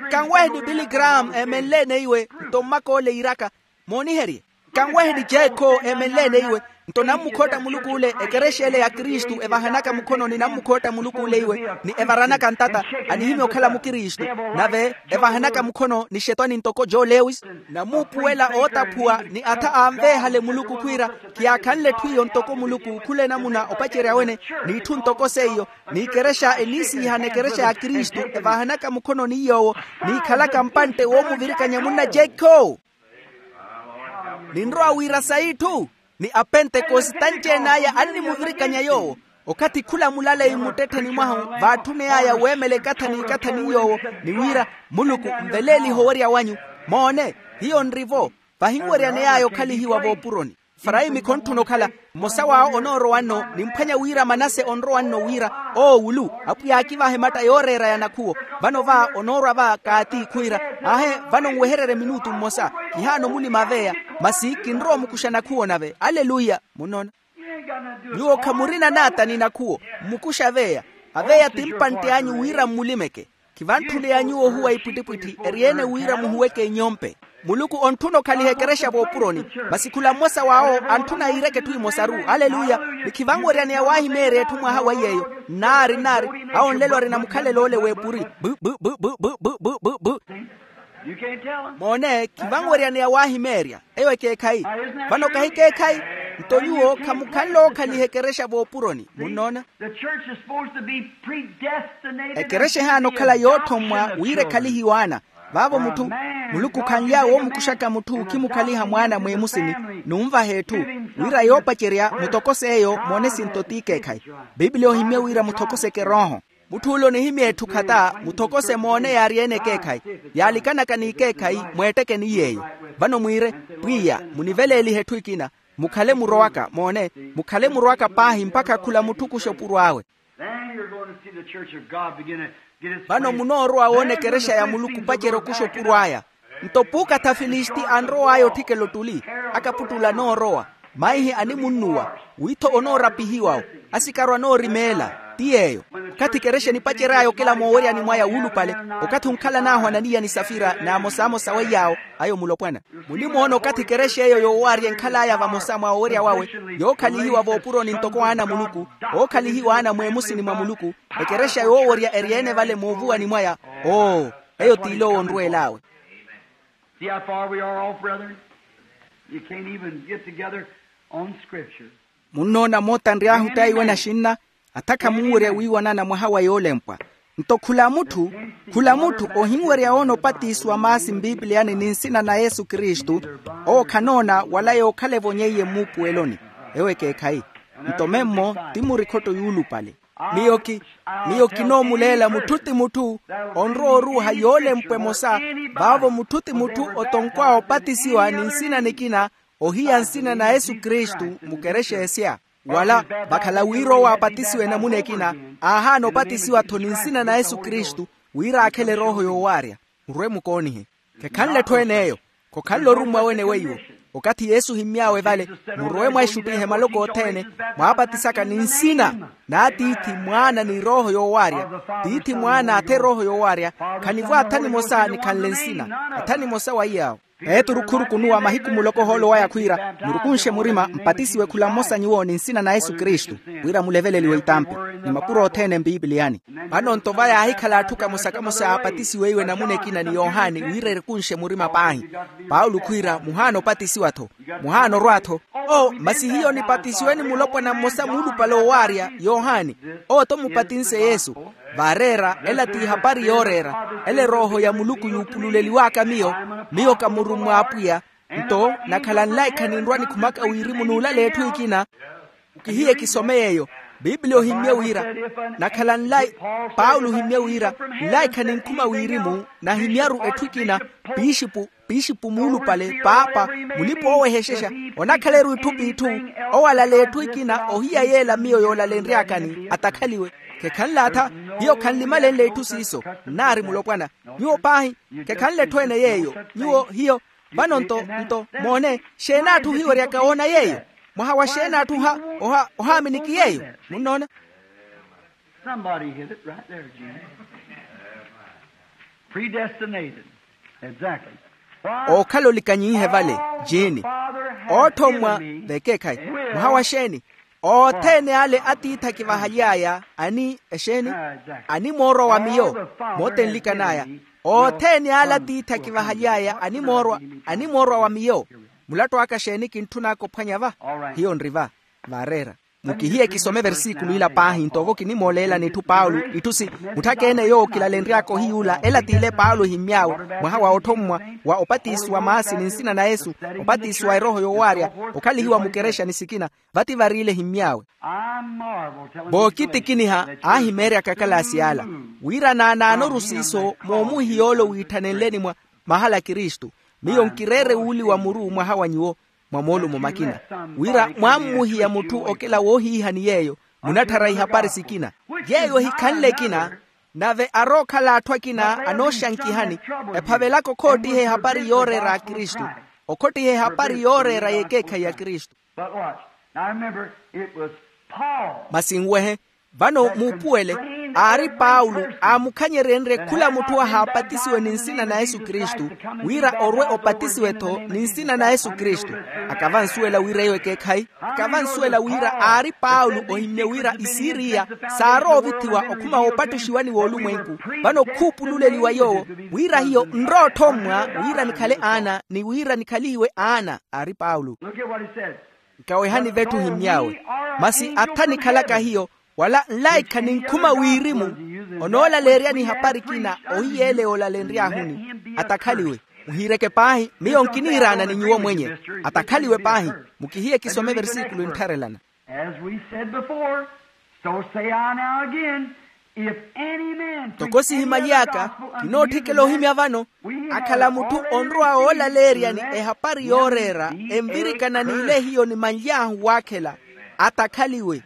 Kanweheni billy graham eemenleene iwe. Nto mmak'ole iiraka, mooniherye. Kanweheni jekho eemenleene iwe. Nto nammukhotta muluku ole ekerexa ele ya kristu evahanaka mukhononi nammukhotta muluku ole iwe, ni evaranaka ntata, anihimya okhala mukristu. Nave evahanaka mukhono ni xetwani ntoko joe lewis, namuupuwela ootaphuwa ni atha aanveehale muluku khwiira, khiyaakhanle etthu iyo ntoko muluku khula enamuna opacerya wene, n'itthu ntoko seiyo. N'ikerexa eniisiihana ekerexa ya kristu evahanaka mukhono ni yoowo, n'ikhalaka mpantte woomuvirikanya munna jekho. Ninrowa wira sayi itthu, ni apentekosite anci-ene aya annimuvirikanya yoowo. Okathi khula mulaleyi mmuttettheni mwahu vaatthune'aya weemela ekathani ekathani yoowo, ni wira, muluku nveleelihe owerya wanyu. Moone, hiyo nri-vo. Vahinweryaney'aya okhalihiwa voopuroni. Efaraimi khonttuna okhala. Mmosa w'awo onoorowa nno nimphwanya wira manase onrowa nno wira, oowulu, apwiya aakivahe matta yooreera ya nakhuwo. Vano va onoorwa va kaati khwiira, aahe, vano nwehererye minutu mmosa. Kihaana omulima aveya, masi kinrowa omukuxa nakhuwo nave. Aleluya. Munnoona? Nyuwo khamurina naata ni nakhuwo. Mmukuxa aveya. Aveya ti mpantte anyu wira mmulimeke. Khivantthuleya nyuwo ohuwa ipwittipwitthi eri-ene wira muhuweke inyompe. Muluku ontthuna okhaliha ekerexa voopuroni. Masi khula mmosa w'awo antthuna yiireke etthu emosaru. Aleluya. Ni khivanweryaneya waahimeerya etthu mwaha wa iy'eyo. Nnaari nnaari. Awo nlelo arina mukhalelo ole w'epuri. Bu bu bu bu bu bu bu bu bu. Moone khivanweryaneya waahimeerya. Eyo ekeekhayi. Vano kahi keekhayi? Nto nyuwo khamukhanle ookhaliha ekerexa voopuroni. Munnoona? Ekerexa ehaana okhala yootthommwa wira ekhalihiwe ana. Vaavo mutthu, muluku khanlya woomukuxaka mutthu okhimukhaliha mwaana mweemusini, n'unvaha etthu, wira yoopacerya mutokos'eyo moone sinto t'ikeekhayi. Piipiliya ohimmye wira muthokoseke erooho. Mutth'ule onihimya etthu khata muthokose moone yaari-ene ekeekhayi, yaalikanaka n'ikeekhayi mweetteke ni yeeyo. Vano mwiire, pwiya, muniveleelihe etthu ekina. Mukhale murowaka moone, mukhale murowaka paahi mpakha khula mutthu okuxa opuro awe. Vano munoorowa woona ekerexa ya muluku opacerya okuxa opuro aya. Nto puukatha afilisti anrow'aya otthikela ottuli, akaputtula anoorowa. Maihi animunnuwa, witho onoorapihiwa-wo, asikaro anoorimeela. Ti yeeyo. Okathi ekerexa enipacery'aya okela mooweryani mwaya wuulupale, okathi onkhalan'ahu ananiya ni safira n'amosamosa weiy'awo, ayo mulopwana. Munimoona okathi ekerexa eyo yoowaarya enkhal'aya vamosa mwa owerya wawe, yookhalihiwa voopuroni ntoko aana a muluku, ookhalihiwa aana mweemusini mwa muluku, ekerexa yoowerya eri-ene vale moovuwani mwaya. Oo, eyo t'ile owo onrweel'awe. See how far we are off, brethren? You can't even get together on Scripture. Munnoona moota nry'ahu taiwe naxinna, atha khamunwerya wiiwanana mwaha wa yoolempwa. Nto khula mutthu, khula mutthu ohinwerya woona opatisiwa maasi mpipiliyani ni nsina na yesu kristu, owo khanoona wala yookhala evonyeiye mmuupuweloni. Ewo ekeekhayi. Nto memmo ti murikhotto yuulupale. Miyo ki, miyo kinoomuleela mutthu ti mutthu onrowa oruuha yoolempwa emosa, vaavo mutthu ti mutthu otonkw'awe opatisiwa ni nsina nikina, ohiya nsina na yesu kristu, mukerexa esya. Wala vakhala wira owo apatisiwe namuna ekina, aahaana opatisiwa-tho ni nsina na yesu kristu, wira aakhele erooho yoowaarya. Murwe-mukoonihe. Khekhanle etthu ene eyo. Khokhanle orummwa wene weiwo. Okathi yesu ohimmy'awe vale, murowe mwaixuttihe maloko othene, mwaapatisaka ni nsina n'atiithi, mwaana ni erooho yoowaarya. Tiithi, mwaana athe erooho yoowaarya. Khanivo atha nimosa nikhanle nsina. Atha nimosa wa iy'awo. Petru khurukunuwa mahiku muloko ohoolo waya khwiira, murukunshe murima mpatisiwe khula mmosa nyuwo ni nsina na yesu kristu, wira muleveleliwe itampi ni mapuro othene mpipiliyani. Vano nto va yaahikhala atthu kamosa-kamosa aapatisiweiwe namuna ekina ni yohani wira erukunshe murima paahi. Paulo khwiira muhaana opatisiwa-tho. Muhaana orwa-tho. Oo masi hiyo nipatisiwe ni mulopwana mmosa muulupale owaarya yohani. Owo-tho mupatinse yesu. Vaareera ela t'ihapari yooreera. Ela erooho ya muluku yuupululeliw'aka miyo. Miyo ka murummwa a apwiya. Nto nakhala nlaikha ninrwa nikhumaka wirimu n'ulala etthu ekina. Kihiye kisome yeeyo. Pipiliya ohimmye wira, nakhala nlai paulo ohimmye wira, nlaikha ninkhuma wirimu nahimya-ru etthu ekina. Pixipu, pixipu muulupale, paapa, mulipa-oowehexexa, onakhala-ru itthu p'itthu. Owalala etthu ekina ohiya yeela miyo yoolalenry'akani atakhaliwe. Khekhanle atha, hiyo khanlimalenle itthu siiso. Nnaari mulopwana. Nyuwo paahi, khekhanle etthu ene yeeyo. Nyuwo hiyo. Vano nto, nto moone, xeeni atthu ohiweryaka woona yeeyo? Mwaha wa xeeni atthu oha, oha ohaaminiki yeeyo? Munnoona. Somebody hit it right there, Jim. Predestinated. Exactly. Ookhala olikanyinhe vale. Jiini. Oothommwa. Vekeekhayi. Mwaha wa xeeni? Othene ale atiithi akivahaly'aya ani exeeni? Animoorwa wa miyo. Moota enlikan'aya. Othene ale atiithi akivahaly'aya animoorwa, animoorwa wa miyo. Mulattu aka xeeni kintthun'aka ophwanya va? Hiyo nri va. Vaareera. Mukihiye kisome versikulu ila paahi nto ovo kinimooleelani itthu paulo itthu si, mutthaka ene yoowo kilalenry'aka ohiyuula ela t'ile paulo ehimmy'awe. Mwaha wa otthommwa wa opatisiwa maasi ni nsina na yesu, opatisiwa erooho yoowaarya, okhalihiwa mukerexa ni sikina. Vati variile ehimmy'awe. Vookitikiniha aahimeeryaka akalaasi ala wira naanaanoru siiso moomuhiya ole wiitthanenleni mwa mahala a kristu. Miyo nkireere wuuliwa muru mwaha wa nyuwo mwa moolumo makina, wira mwammuhiya mutthu okela woohiihani yeeyo munatthara ihapari sikina. Yeeyo ehikhanle ekina. Nave arookhala atthu akina anooxankihani ephavelaka okhottiha ehapari yooreera a kristu, okhottiha ehapari yooreera y'ekeekhayi ya kristu. But watch. Now remember, it was Paul. Masi nwehe, vano muupuwele, aari paulo aamukhanyeryenrye khula mutthu ahaapatisiwe ni nsina na yesu kristu, wira orwe opatisiwe-tho ni nsina na yesu kristu. Akavansuwela wira eyo ekeekhayi. Akavansuwela wira aari paulo ohimmye wira isiriya saarowa ovithiwa okhuma woopattuxiwani w'olumwenku, vano khuupululeliwa yoowo wira hiyo nrowa otthommwa wira nikhale aana ni wira nikhalihiwe aana. Aari paulo. Nkawehani vetthu ohimmy'awe. Masi atha nikhalaka hiyo, wala nlaikha ninkhuma wirimu onoolaleeryani ihapari ekina ohiyeele yoolalenry'ahuni. Atakhaliwe. Muhiireke paahi miyo nkiniiraana ni nyuwo mwenye. Atakhaliwe paahi. Mukihiye kisome versikulu nttharelana. As we said before, so say I now again, if any man preach any other gospel unto you than that, we have already preached. Ntoko sihimaly'aka, kinootthikela ohimya vano, akhala mutthu onrowa woolaleeryani ehapari yooreera, envirikana n'ile hiyo nimanly'ahu waakhela. Atakhaliwe.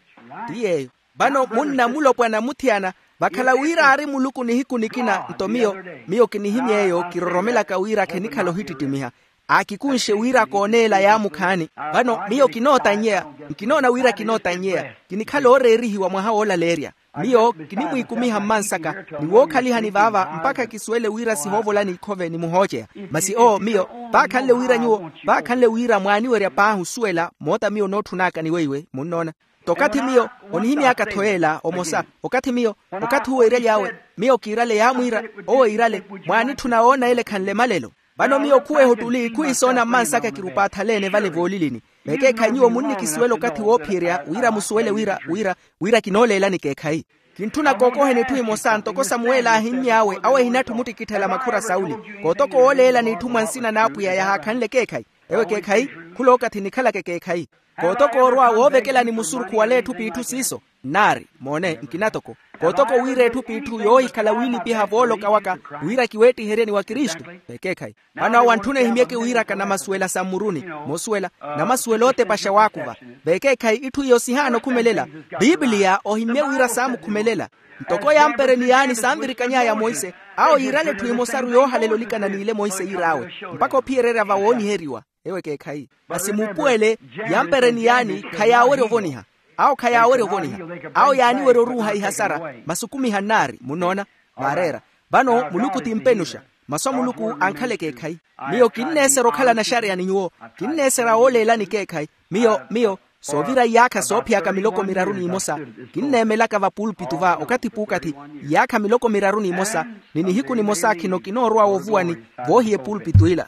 Ti yeeyo. Vano munna mulopwana muthiyana, vakhala wira aari muluku nihiku nikina nto miyo, miyo kinihimya eyo kiroromelaka wira khenikhala ohittittimiha. aakikunxe wira kooneela yaamukhaani. Vano miyo kinootannyeya, nkinoona wira kinootannyeya. Kinikhala ooreerihiwa mwaha woolaleerya. Miyo kinimwiikumiha mmansaka ni wookhalihani vaava mpakha kisuwele wira sihoovola n'ikhove ni muhooceya. Masi owo miyo vaakhanle wira nyuwo vaakhanle wira mwaaniwerya paahi osuwela moota miyo nootthunaka ni weiwe munnoona. T'okathi miyo onihimy'aka-tho yeela omosa. Okathi miyo okathi uwo iiraly'awe miyo kiirale yaamwiira owo iirale mwaanitthuna woona ele ekhanle malelo. Vano miyo khuweha ottuli khuwiisoona mmansaka kirupaathala-ene vale voolilini. Vekeekhayi nyuwo munnikisuwela okathi woophiyerya wira musuwele wira wira wira kinooleelani ekeekhayi. Kintthuna kookoheni etthu emosa ntoko samuweli aahimmy'awe awo ehinatthu muttikitthela makhura sauli. Kootoka owooleelani etthu mwa nsina n'apwiya yahaakhanle ekeekhayi. Ewo ekeekhayi khulookathi nikhalaka ekeekhayi. Kootoka orwa woovekelani musurukhu wala etthu p'itthu siiso. Nnaari moone nkinatoko kootoka owiira etthu p'itthu yoohikhala wiinipiha vooloka waka wira kiweettiheryeni wa kristu. Vekeekhayi vano awo antthuna ehimyeke wiiraka namasuwela sa mmuruni. Moosuwela namasuwela ootepaxa waakuva. Vekeekhayi itthu iyo sihaana okhumelela. Pipiliya ohimmye wira saamukhumelela. Ntoko yampereni yaani saanvirikany'aya monse awo yiirale etthu emosaru yoohalela olikana n'ile monse yiir'awe mpakha ophiyererya vawooniheriwa. Ewo ekeekhayi masi muupuwele yampereni yaani khayaawerya ovoniha. Awo khayaawerya ovoniha. Awo yaaniwerya oruuha ihasara masukumiha nnaari munnoona. Vaareera vano muluku ti mpenuxa. Masu a muluku ankhala ekeekhayi. Miyo kinneesera okhala naxareya ni nyuwo. Kinneesera wooleelani ekeekhayi. Miyo miyo soovira iyaakha soophiyaka miloko miraru n'imosa kinneemelaka vapulpitu va okathi p'ukathi iyaakha miloko miraru n'imosa ni nihiku nimosa khino kinoorowa woovuwani voohiya epulpitu ila.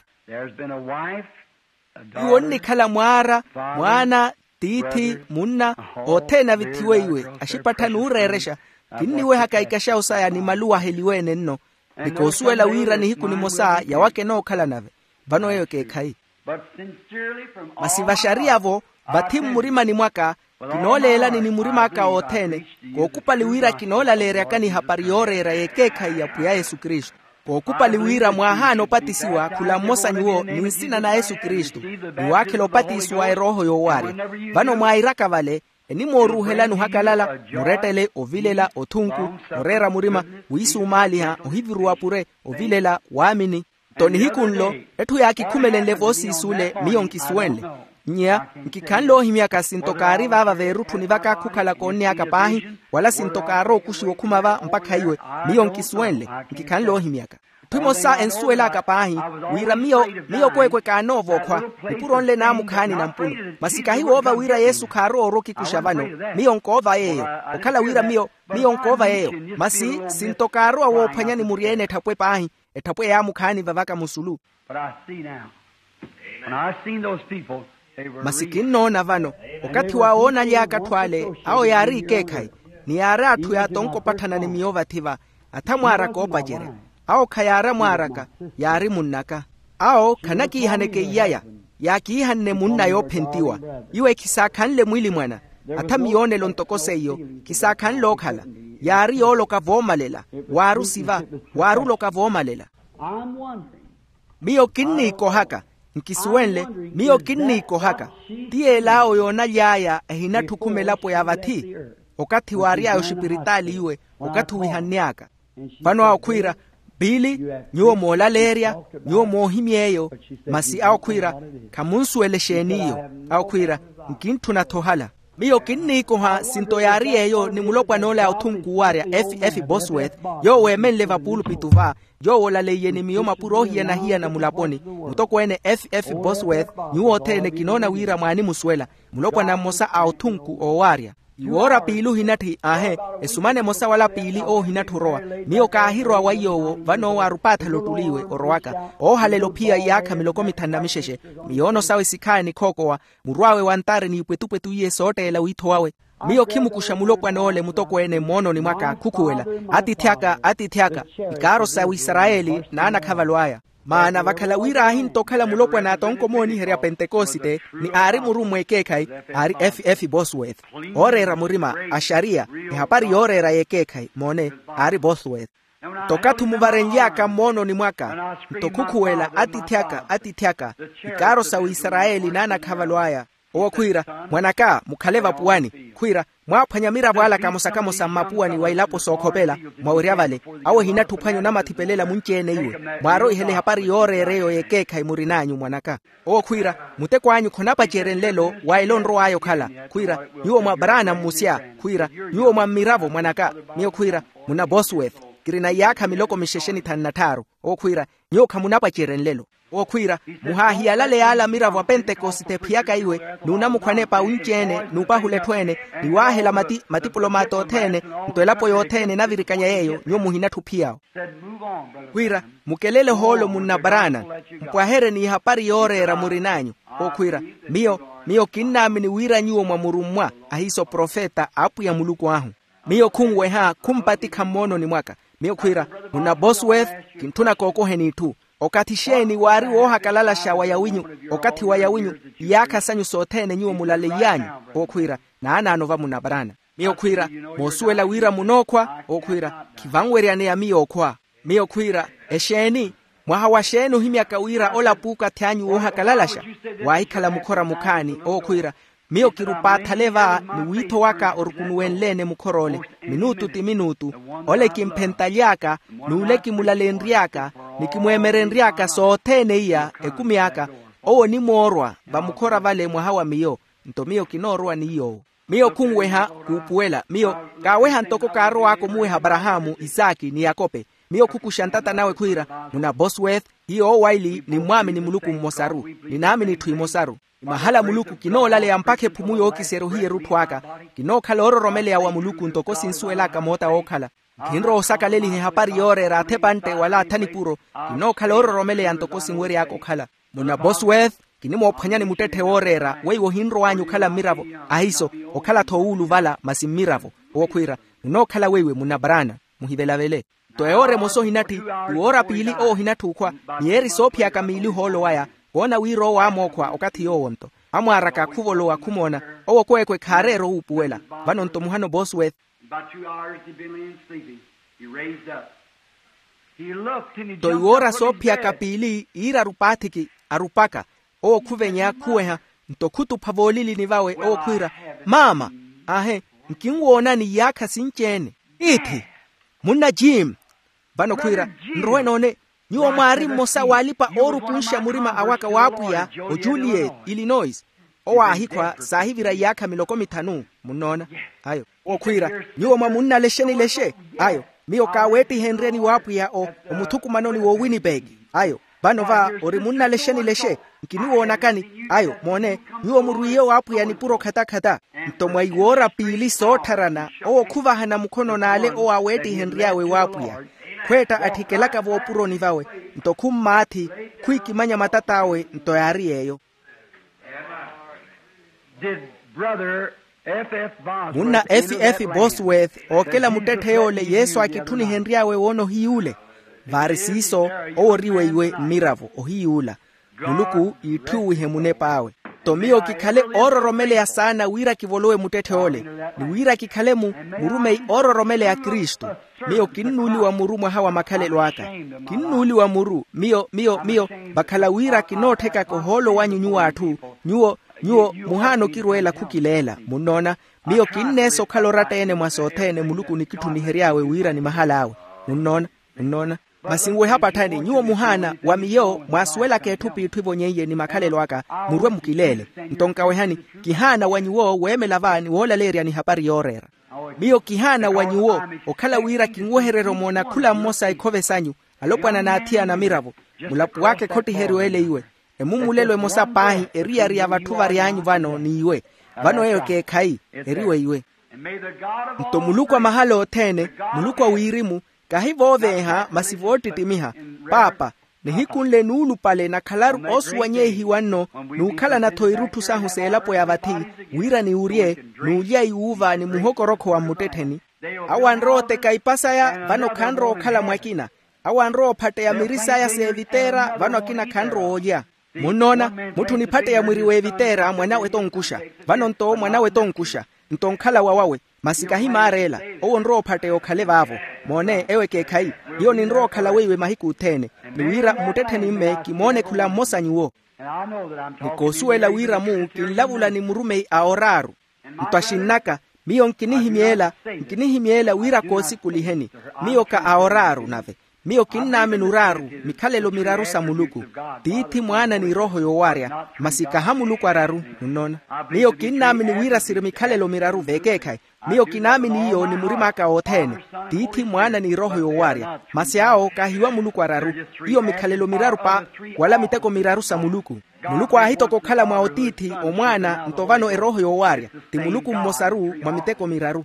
Iwo onnikhala mwaara mwaana tiithi munna othene avithiwe iwe axipattha n'ureerexa. Kinniwehaka ikaxawu saya ni maluwa aheliwe-ene nno ni koosuwela wira nihiku nimosa yawaka enookhala nave. Vano eyo ekeekhayi. Masi vaxariya-vo vathi mmurimani mwaka kinooleelani ni murim'aka othene kookupali wira kinoolaleeryakani ehapari yooreera y'ekeekhayi ya pwiya yesu kristu. Kookupali wira mwaahaana opatisiwa khula mmosa nyuwo ni nsina na yesu kristu ni waakhela opatiso wa erooho yoowaarya. Vano mwairaka vale enimooruuhelani ohakalala murettele ovilela othunku oreera murima wiisumaaliha ohiviruwa pure ovilela waamini. Nto nihiku nlo etthu yaakikhumelenle voosiisuule miyo nkisuwenle. Nnya nkikhanle oohimyaka sinto kaari vaava veerutthuni vaka khukhala koonneyaka paahi wala sinto kaarowa okuxiwa okhuma va mpakha iwe miyo nkisuwenle. Nkikhanle oohimyaka etthu emosa ensuwel'aka paahi wira miyo miyo kweekwe kaanoova okhwa nipuro nle naamukhaani nampulu. Masi kahiwoova wira yesu khaarowa orwa okikuxa vano miyo nkoova yeeyo okhala wira miyo miyo nkoova yeeyo. Masi sinto kaarowa woophwanyani muryeene etthapwe paahi etthapwe yaamukhaani vavaka musulu. Masi kinnoona vano okathi waawo oonaly'aka atthu ale awo yaari ikeekhayi ni yaari atthu yaatonko opatthana ni miyo vathi-va. Atha mwaaraka oopacerya awo khayaari amwaaraka yaari munn'aka. Awo khanakiihaneke iyaya yaakiihanne munna yoophentiwa iwe khisaakhanle mwilimwana. Atha miyoonelo ntoko seiyo khisaakhanle ookhala yaari yooloka voomalela waari osiva waari oloka voomalela. Miyo kinniikohaka nkisuwenle miyo kinniikohaka ti yeel'awo yoonaly'aya ehinatthukhuma elapo ya vathi okathi waary'aya oxipiritaali iwe okathi owihanny'aka. Vano awo khwiira piili nyuwo moolaleerya nyuwo moohimy'eyo. Masi awo khwiira khamunsuwela exeeni iyo awo khwiira nkintthuna-tho ohala. Miyo kinniikoha sinto yaari yeeyo ni mulopwan'ole a othunku owaarya f f bosworth yoowo eemenle vapuulupitu va yoowo olaleiye ni miyo mapuro oohiyana-hiyana mulaponi mutokweene f f bosworth. Nyuwo othene kinoona wira mwaanimusuwela mulopwana mmosa a othunku oowaarya. Iwoora piili ohinatthi aahe esumana emosa wala piili oohinatthi orowa. Miyo kaahirowa wa iy'owo vano waarupaathala ottuli iwe orowaka oohalela ophiya iyaakha miloko mithanu na mixexe miyoono sawe sikhaani khookowa murw'awe wantari n'ipwetupwetu iye sootteela wiitho wawe. Miyo khimukuxa mulopwan'ole mutokweene mmoononi mwaka khukhuwela atiithi aka atiithi aka ikaaro sa wisarayeli n'anakhavalo aya. Maana vakhala wira aahintta okhala mulopwana a tonko mooniherya pentekosite ni aari murummwa ekeekhayi aari f f bosworth. Ooreera murima axariya ehapari yooreera y'ekeekhayi moone aari bosworth. Nto okathi omuvarenly'aka mmoononi mwaka nto khukhuwela atiithi aka atiithi aka ikaaro sa wisarayeli n'anakhavalo aya. Owo khwiira, mwan'aka, mukhale vapuwani. Khwiira, mwaaphwanya miravo ala kamosa-kamosa mmapuwani wa ilapo sookhopela, mwawerya vale, awo ehinatthi ophwanya onamathipelelya munci-ene iwe. Mwaaroihela ehapari yooreera eyo y'ekeekhayi murin'anyu mwan'aka. Owo khwiira, muteko anyu khonapacerye nlelo wa ela onrow'aya okhala. Khwiira, nyuwo mwa brana mmusya. Khwiira, nyuwo mwa mmiravo mwan'aka. Miyo khwiira, munna bosworth, kirina iyaakha miloko mixexe ni thanu na tthaaru. Owo khwiira, nyuwo khamunapacerye nlelo. Owo khwiira, muhaahiyalale yaala miravo a pentekosite ephiyaka iwe, n'unamukhwa anepa awunci-ene n'upahula etthu ene, ni waahela mati matipulo maata othene, nto elapo yothene enavirikanya yeeyo nyuwo muhinatthi ophiyawo. Khwiira, mukelele ohoolo munna brana, mpwaherye n'ihapari yooreera murin'anyu. Owo khwiira, miyo miyo kinnaamini wira nyuwo mwa murummwa, ahiiso profeta a apwiya muluku ahu. Miyo khunweha khumpatikha mmoononi mwaka. Miyo khwiira, munna bosworth, kintthuna kookoheni itthu. Okathi xeeni waari woohakalalaxa wa yawinyu, okathi wa yawinyu, iyaakha sanyu sothene nyuwo mulaleiy'anyu? Owo khwiira, naanaano va munna brana. Miyo khwiira, moosuwela wira munookhwa? Owo khwiira, khivanweryaneya miyo okhwa. Miyo khwiira, exeeni? Mwaha wa xeeni ohimyaka wira ola puukathi anyu woohakalalaxa? Waahikhala mukhora mukhaani. Owo khwiira, miyo kirupaathale va, ni wiitho waka orukunuwenle-ene mukhor'ole, minuutu ti minuutu. Ole kimphentalyaaka, n'ule kimulalenry'aka, ni kimweemerenry'aka sothene iya ekumi aka. Owo onimoorwa vamukhora vale mwaha wa miyo, nto miyo kinoorowa ni yoowo. Miyo khunweha, kuupuwela miyo, kaaweha ntoko kaarow'aka omuweha aparahaamu, isaaki ni yakope. Miyo khukuxa ntata nawe khwiira, munna bosworth, hiyo owaili nimmwaamini muluku mmosaru, ninaamini itthu imosaru. Ni mahala muluku kinoolaleya mpakha ephumu yookiserya ohiya erutthu aka. Kinookhala oororomeleya wa muluku ntoko sinsuwel'aka moota wookhala. Khinrowa osakaleliha ehapari yooreera athepantte wala athanipuro. Kinookhala oororomeleya ntoko sinwery'aka okhala. Munna bosworth, kinimoophwanyani muttetthe wooreera weiwo ohinrow'anyu okhala mmiravo. Ahiiso, okhala-tho owuuluvala masi mmiravo. Owo khwiira, munookhala weiwe munna brana. Muhivelavele. Nto ewoora emosa ohinatthi, ti woora piili owo ohinatthi okhwa, miyeeri soophiyaka miili ohoolo waya. Woona wira owo aamookhwa okathi yoowo-nto amwaaraka khuvolowa khumoona. Owo kweekwe khaareera owuupuwela. Vano-nto muhano bosworth. About two hours he'd been laying sleeping. He raised up. He looked and he nto jumped iwoora up, put his soophiyaka head. Piili iira arupaathiki, arupaka. Owo khuvenya khuweha, nto khutupha voolilini vawe owo khwiira, maama, aahe, nkinwoonani iyaakha sinci-ene. Iithi, munna jim. Vano khwiira, nrowe noone, nyuwo mwaari mmosa w'alipa-oorukunxa murima awaka w'apwiya, ojuliet, illinois. Owo aahikhwa saahivira iyaakha miloko mithanu. Munnoona? Ayo. Owo khwiira, nyuwo mwa munnalexe nilexe. Ayo. Miyo kaaweettihenryeni w'apwiya o, omuthukumanoni wo winnipeg. Ayo. Vano va ori munnalexe nilexe. Nkiniwoonakani. Ayo moone, nyuwo murwiiye w'apwiya nipuro khatakhata. Nto mwa iwoora piili soottharana owo khuvahana mukhono n'ale owo aaweettihenry'awe w'apwiya. Khweetta atthikelaka voopuroni vawe, nto khummaathi, khwiikimanya matat'awe nto yaari yeeyo. Did Brother F F Bosworth munna enter F F that line? Bosworth ookela muttetthe yoole yesu akitthunihenry'awe woona ohiyuule. Vaari siiso, owo ori weiwe mmiravo ohiyuula. Muluku iitthuwihe munep'awe. Nto miyo kikhale oororomeleya saana wira kivolowe muttetthe ole, ni wira kikhale mu murumeyi oororomeleya kristu. Miyo kinnuuliwa muru mwaha wa makhalelo aka. Kinnuuliwa muru miyo miyo miyo. Vakhala wira kinootthekaka ohoolo wanyu nyuwo atthu. Nyuwo nyuwo muhaana okirweela khukileela munnoona. Miyo kinneesa okhala oratta-ene mwa sothene muluku nikitthunihery'awe wira ni mahal'awe. Munnoona? Munnoona? Masi nweha patthani nyuwo muhaana wa miyo mwaasuwelaka etthu p'itthu ivonyeiye ni makhalelo aka, murwe mukileele. Nto nkawehani, kihaana wa nyuwo weemela va ni woolaleeryani ehapari yooreera. Miyo kihaana wa nyuwo okhala wira kinwehererya omoona khula mmosa ikhove sanyu, alopwana n'athiyana amiravo. Mulapo waka ekhottiheryo ele iwe. Emumulelo emosa paahi eriyari ya vatthu vary'anyu vano n'iwe. Vano eyo ekeekhayi, eri weiwe. Nto muluku a mahala othene, muluku a wirimu, kahi vooveeha masi voottittimiha. Paapa, nihiku nle nuulupale nakhalaru oosuwanyeihiwa nno, n'ukhalana-tho irutthu sahu s'elapo ya vathi, wira niwurye, n'ulya iwuuva ni muhokorokho wa mmuttettheni. Awo anrowa oteka ipa saya vano khanrowa okhala mwakina. Awo anrowa ophatteya miri saya s'eviteera vano akina khanrowa olya. Munnoona, mutthu oniphatteya mwiri w'eviteera mwanawe t'onkuxa. Vano-nto mwanawe t'onkuxa. Nto onkhala wawawe, masi kahimaara ela. Owo onrowa ophatteya okhale vaavo. Moone ewo ekeekhayi. Hiyo ninrowa okhala weiwe mahiku othene. Ni wira mmuttettheni mme kimoone khula mmosa nyuwo. Ni koosuwela wira-mu kinlavula ni murumeyi a oraaru. Nto axinn'aka, miyo nkinihimyeela nkinihimyeela wira koosikuliheni. Miyo ka a oraaru nave. Miyo kinnaamini oraaru mikhalelo miraru sa muluku. Tiithi mwaana ni erooho yoowarya. Masi kaha muluku araru. Munnoona? Miyo kinnaamini wira siri mikhalelo miraru veekeekhayi. Miyo kinaamini iyo ni murim'aka wothene. Tiithi mwaana ni erooho yoowarya. Masi awo kahiwa muluku araru. Iyo mikhalelo miraru pa wala miteko miraru sa muluku. Muluku aahitoka okhala mwa otiithi, omwaana nto vano erooho yoowarya. Ti muluku mmosaru mwa miteko miraru.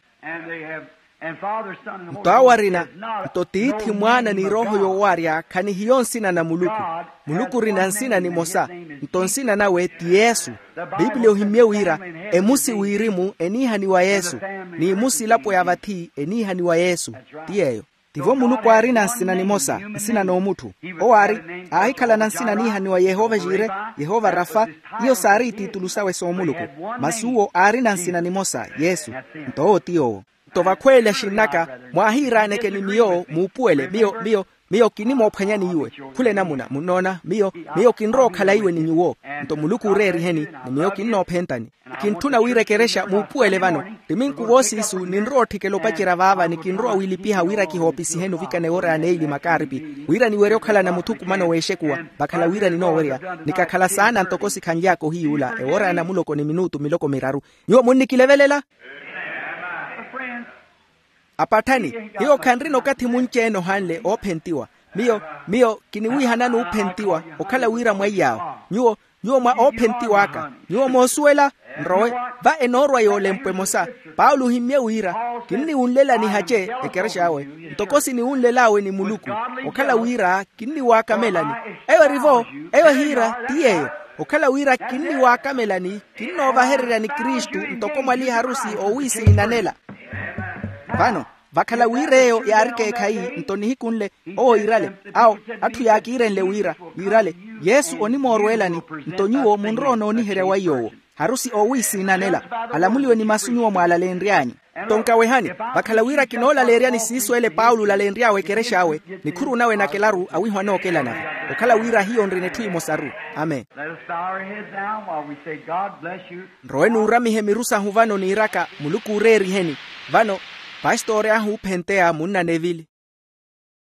Nto awo arina, nto tiithi mwaana ni erooho yoowarya khanihiyo nsina na muluku. Muluku orina nsina nimosa. Nto nsina nawe ti yesu. Pipiliya ohimmye wira emusi wirimu eniihaniwa yesu. N'imusi elapo ya vathi eniihaniwa yesu. Ti yeeyo. Tivo muluku aarina nsina nimosa, nsina n'omutthu. Owo aari, aahikhalana nsina aniihaniwa yehova jire, yehova rafa. Iyo saari itiitulu sawe soomuluku. Masi uwo aarina nsina nimosa yesu. Nto owo ti yoowo. Nto vakhweele axinn'aka, mwaahiiraaneke ni miyo muupuwele miyo miyo miyo kinimoophwanyani iwe. Khula enamuna munnoona miyo miyo kinrowa okhala iwe ni nyuwo. Nto muluku ooreeriheni, ni miyo kinnoophentani. Kintthuna wira ekerexa muupuwele vano. Tti minku voosiisu ninrowa otthikela opacerya vaava ni kinrowa wiilipiha wira kihoopisiheni ovikana ewoor'aya neili makaaripi, wira niwerye okhalana muthukumano w'exekuwa. Vakhala wira ninoowerya, ni kakhala saana ntoko sikhanly'aka ohiyuula ewoor'aya namuloko ni minuutu miloko miraru. Nyuwo munnikilevelela? Apatthani, hiyo khanrina okathi munci-ene ohanle oophentiwa. Miyo miyo kiniwiihanani oophentiwa. Okhala wira mwaiy'awo nyuwo nyuwo mwa oophentiw'aka. Nyuwo moosuwela? Nrowe. Va enoorwa yoolempwe emosa. Paulo ohimmye wira, kinniwunlelani hace ekerexa awe, ntoko siniwunlel'awe ni muluku. Okhala wira kinniwaakamelani. Eyo erivo. Eyo ehiira ti yeeyo. Okhala wira kinniwaakamelani, kinnoovahereryani kristu ntoko mwali harusi oowiisiinanela. Vano, vakhala wira eyo yaari ekeekhayi, nto nihiku nle owo iirale, awo atthu yaakiirenle wira, yiirale, yesu onimoorweelani. Nto nyuwo munrowa onooniherya wa iy'owo. Harusi oowiisiinanela. Alamuliwe ni masu nyuwo mwaalaleenry'anyu. Nto nkawehani, vakhala wira kinoolaleeryani siiso ele paulo olaleenry'awe ekerexa awe, nikhuru nawe nakelaru awiiho anookelana. Okhala wira hiyo nrina etthu emosaru. Amen. Let us bow our heads now while we say, God bless you. Nrowe nuuramihe miru sahu vano niiraka muluku ooreeriheni. Vano, pastori ahu oophenteya munna nevili.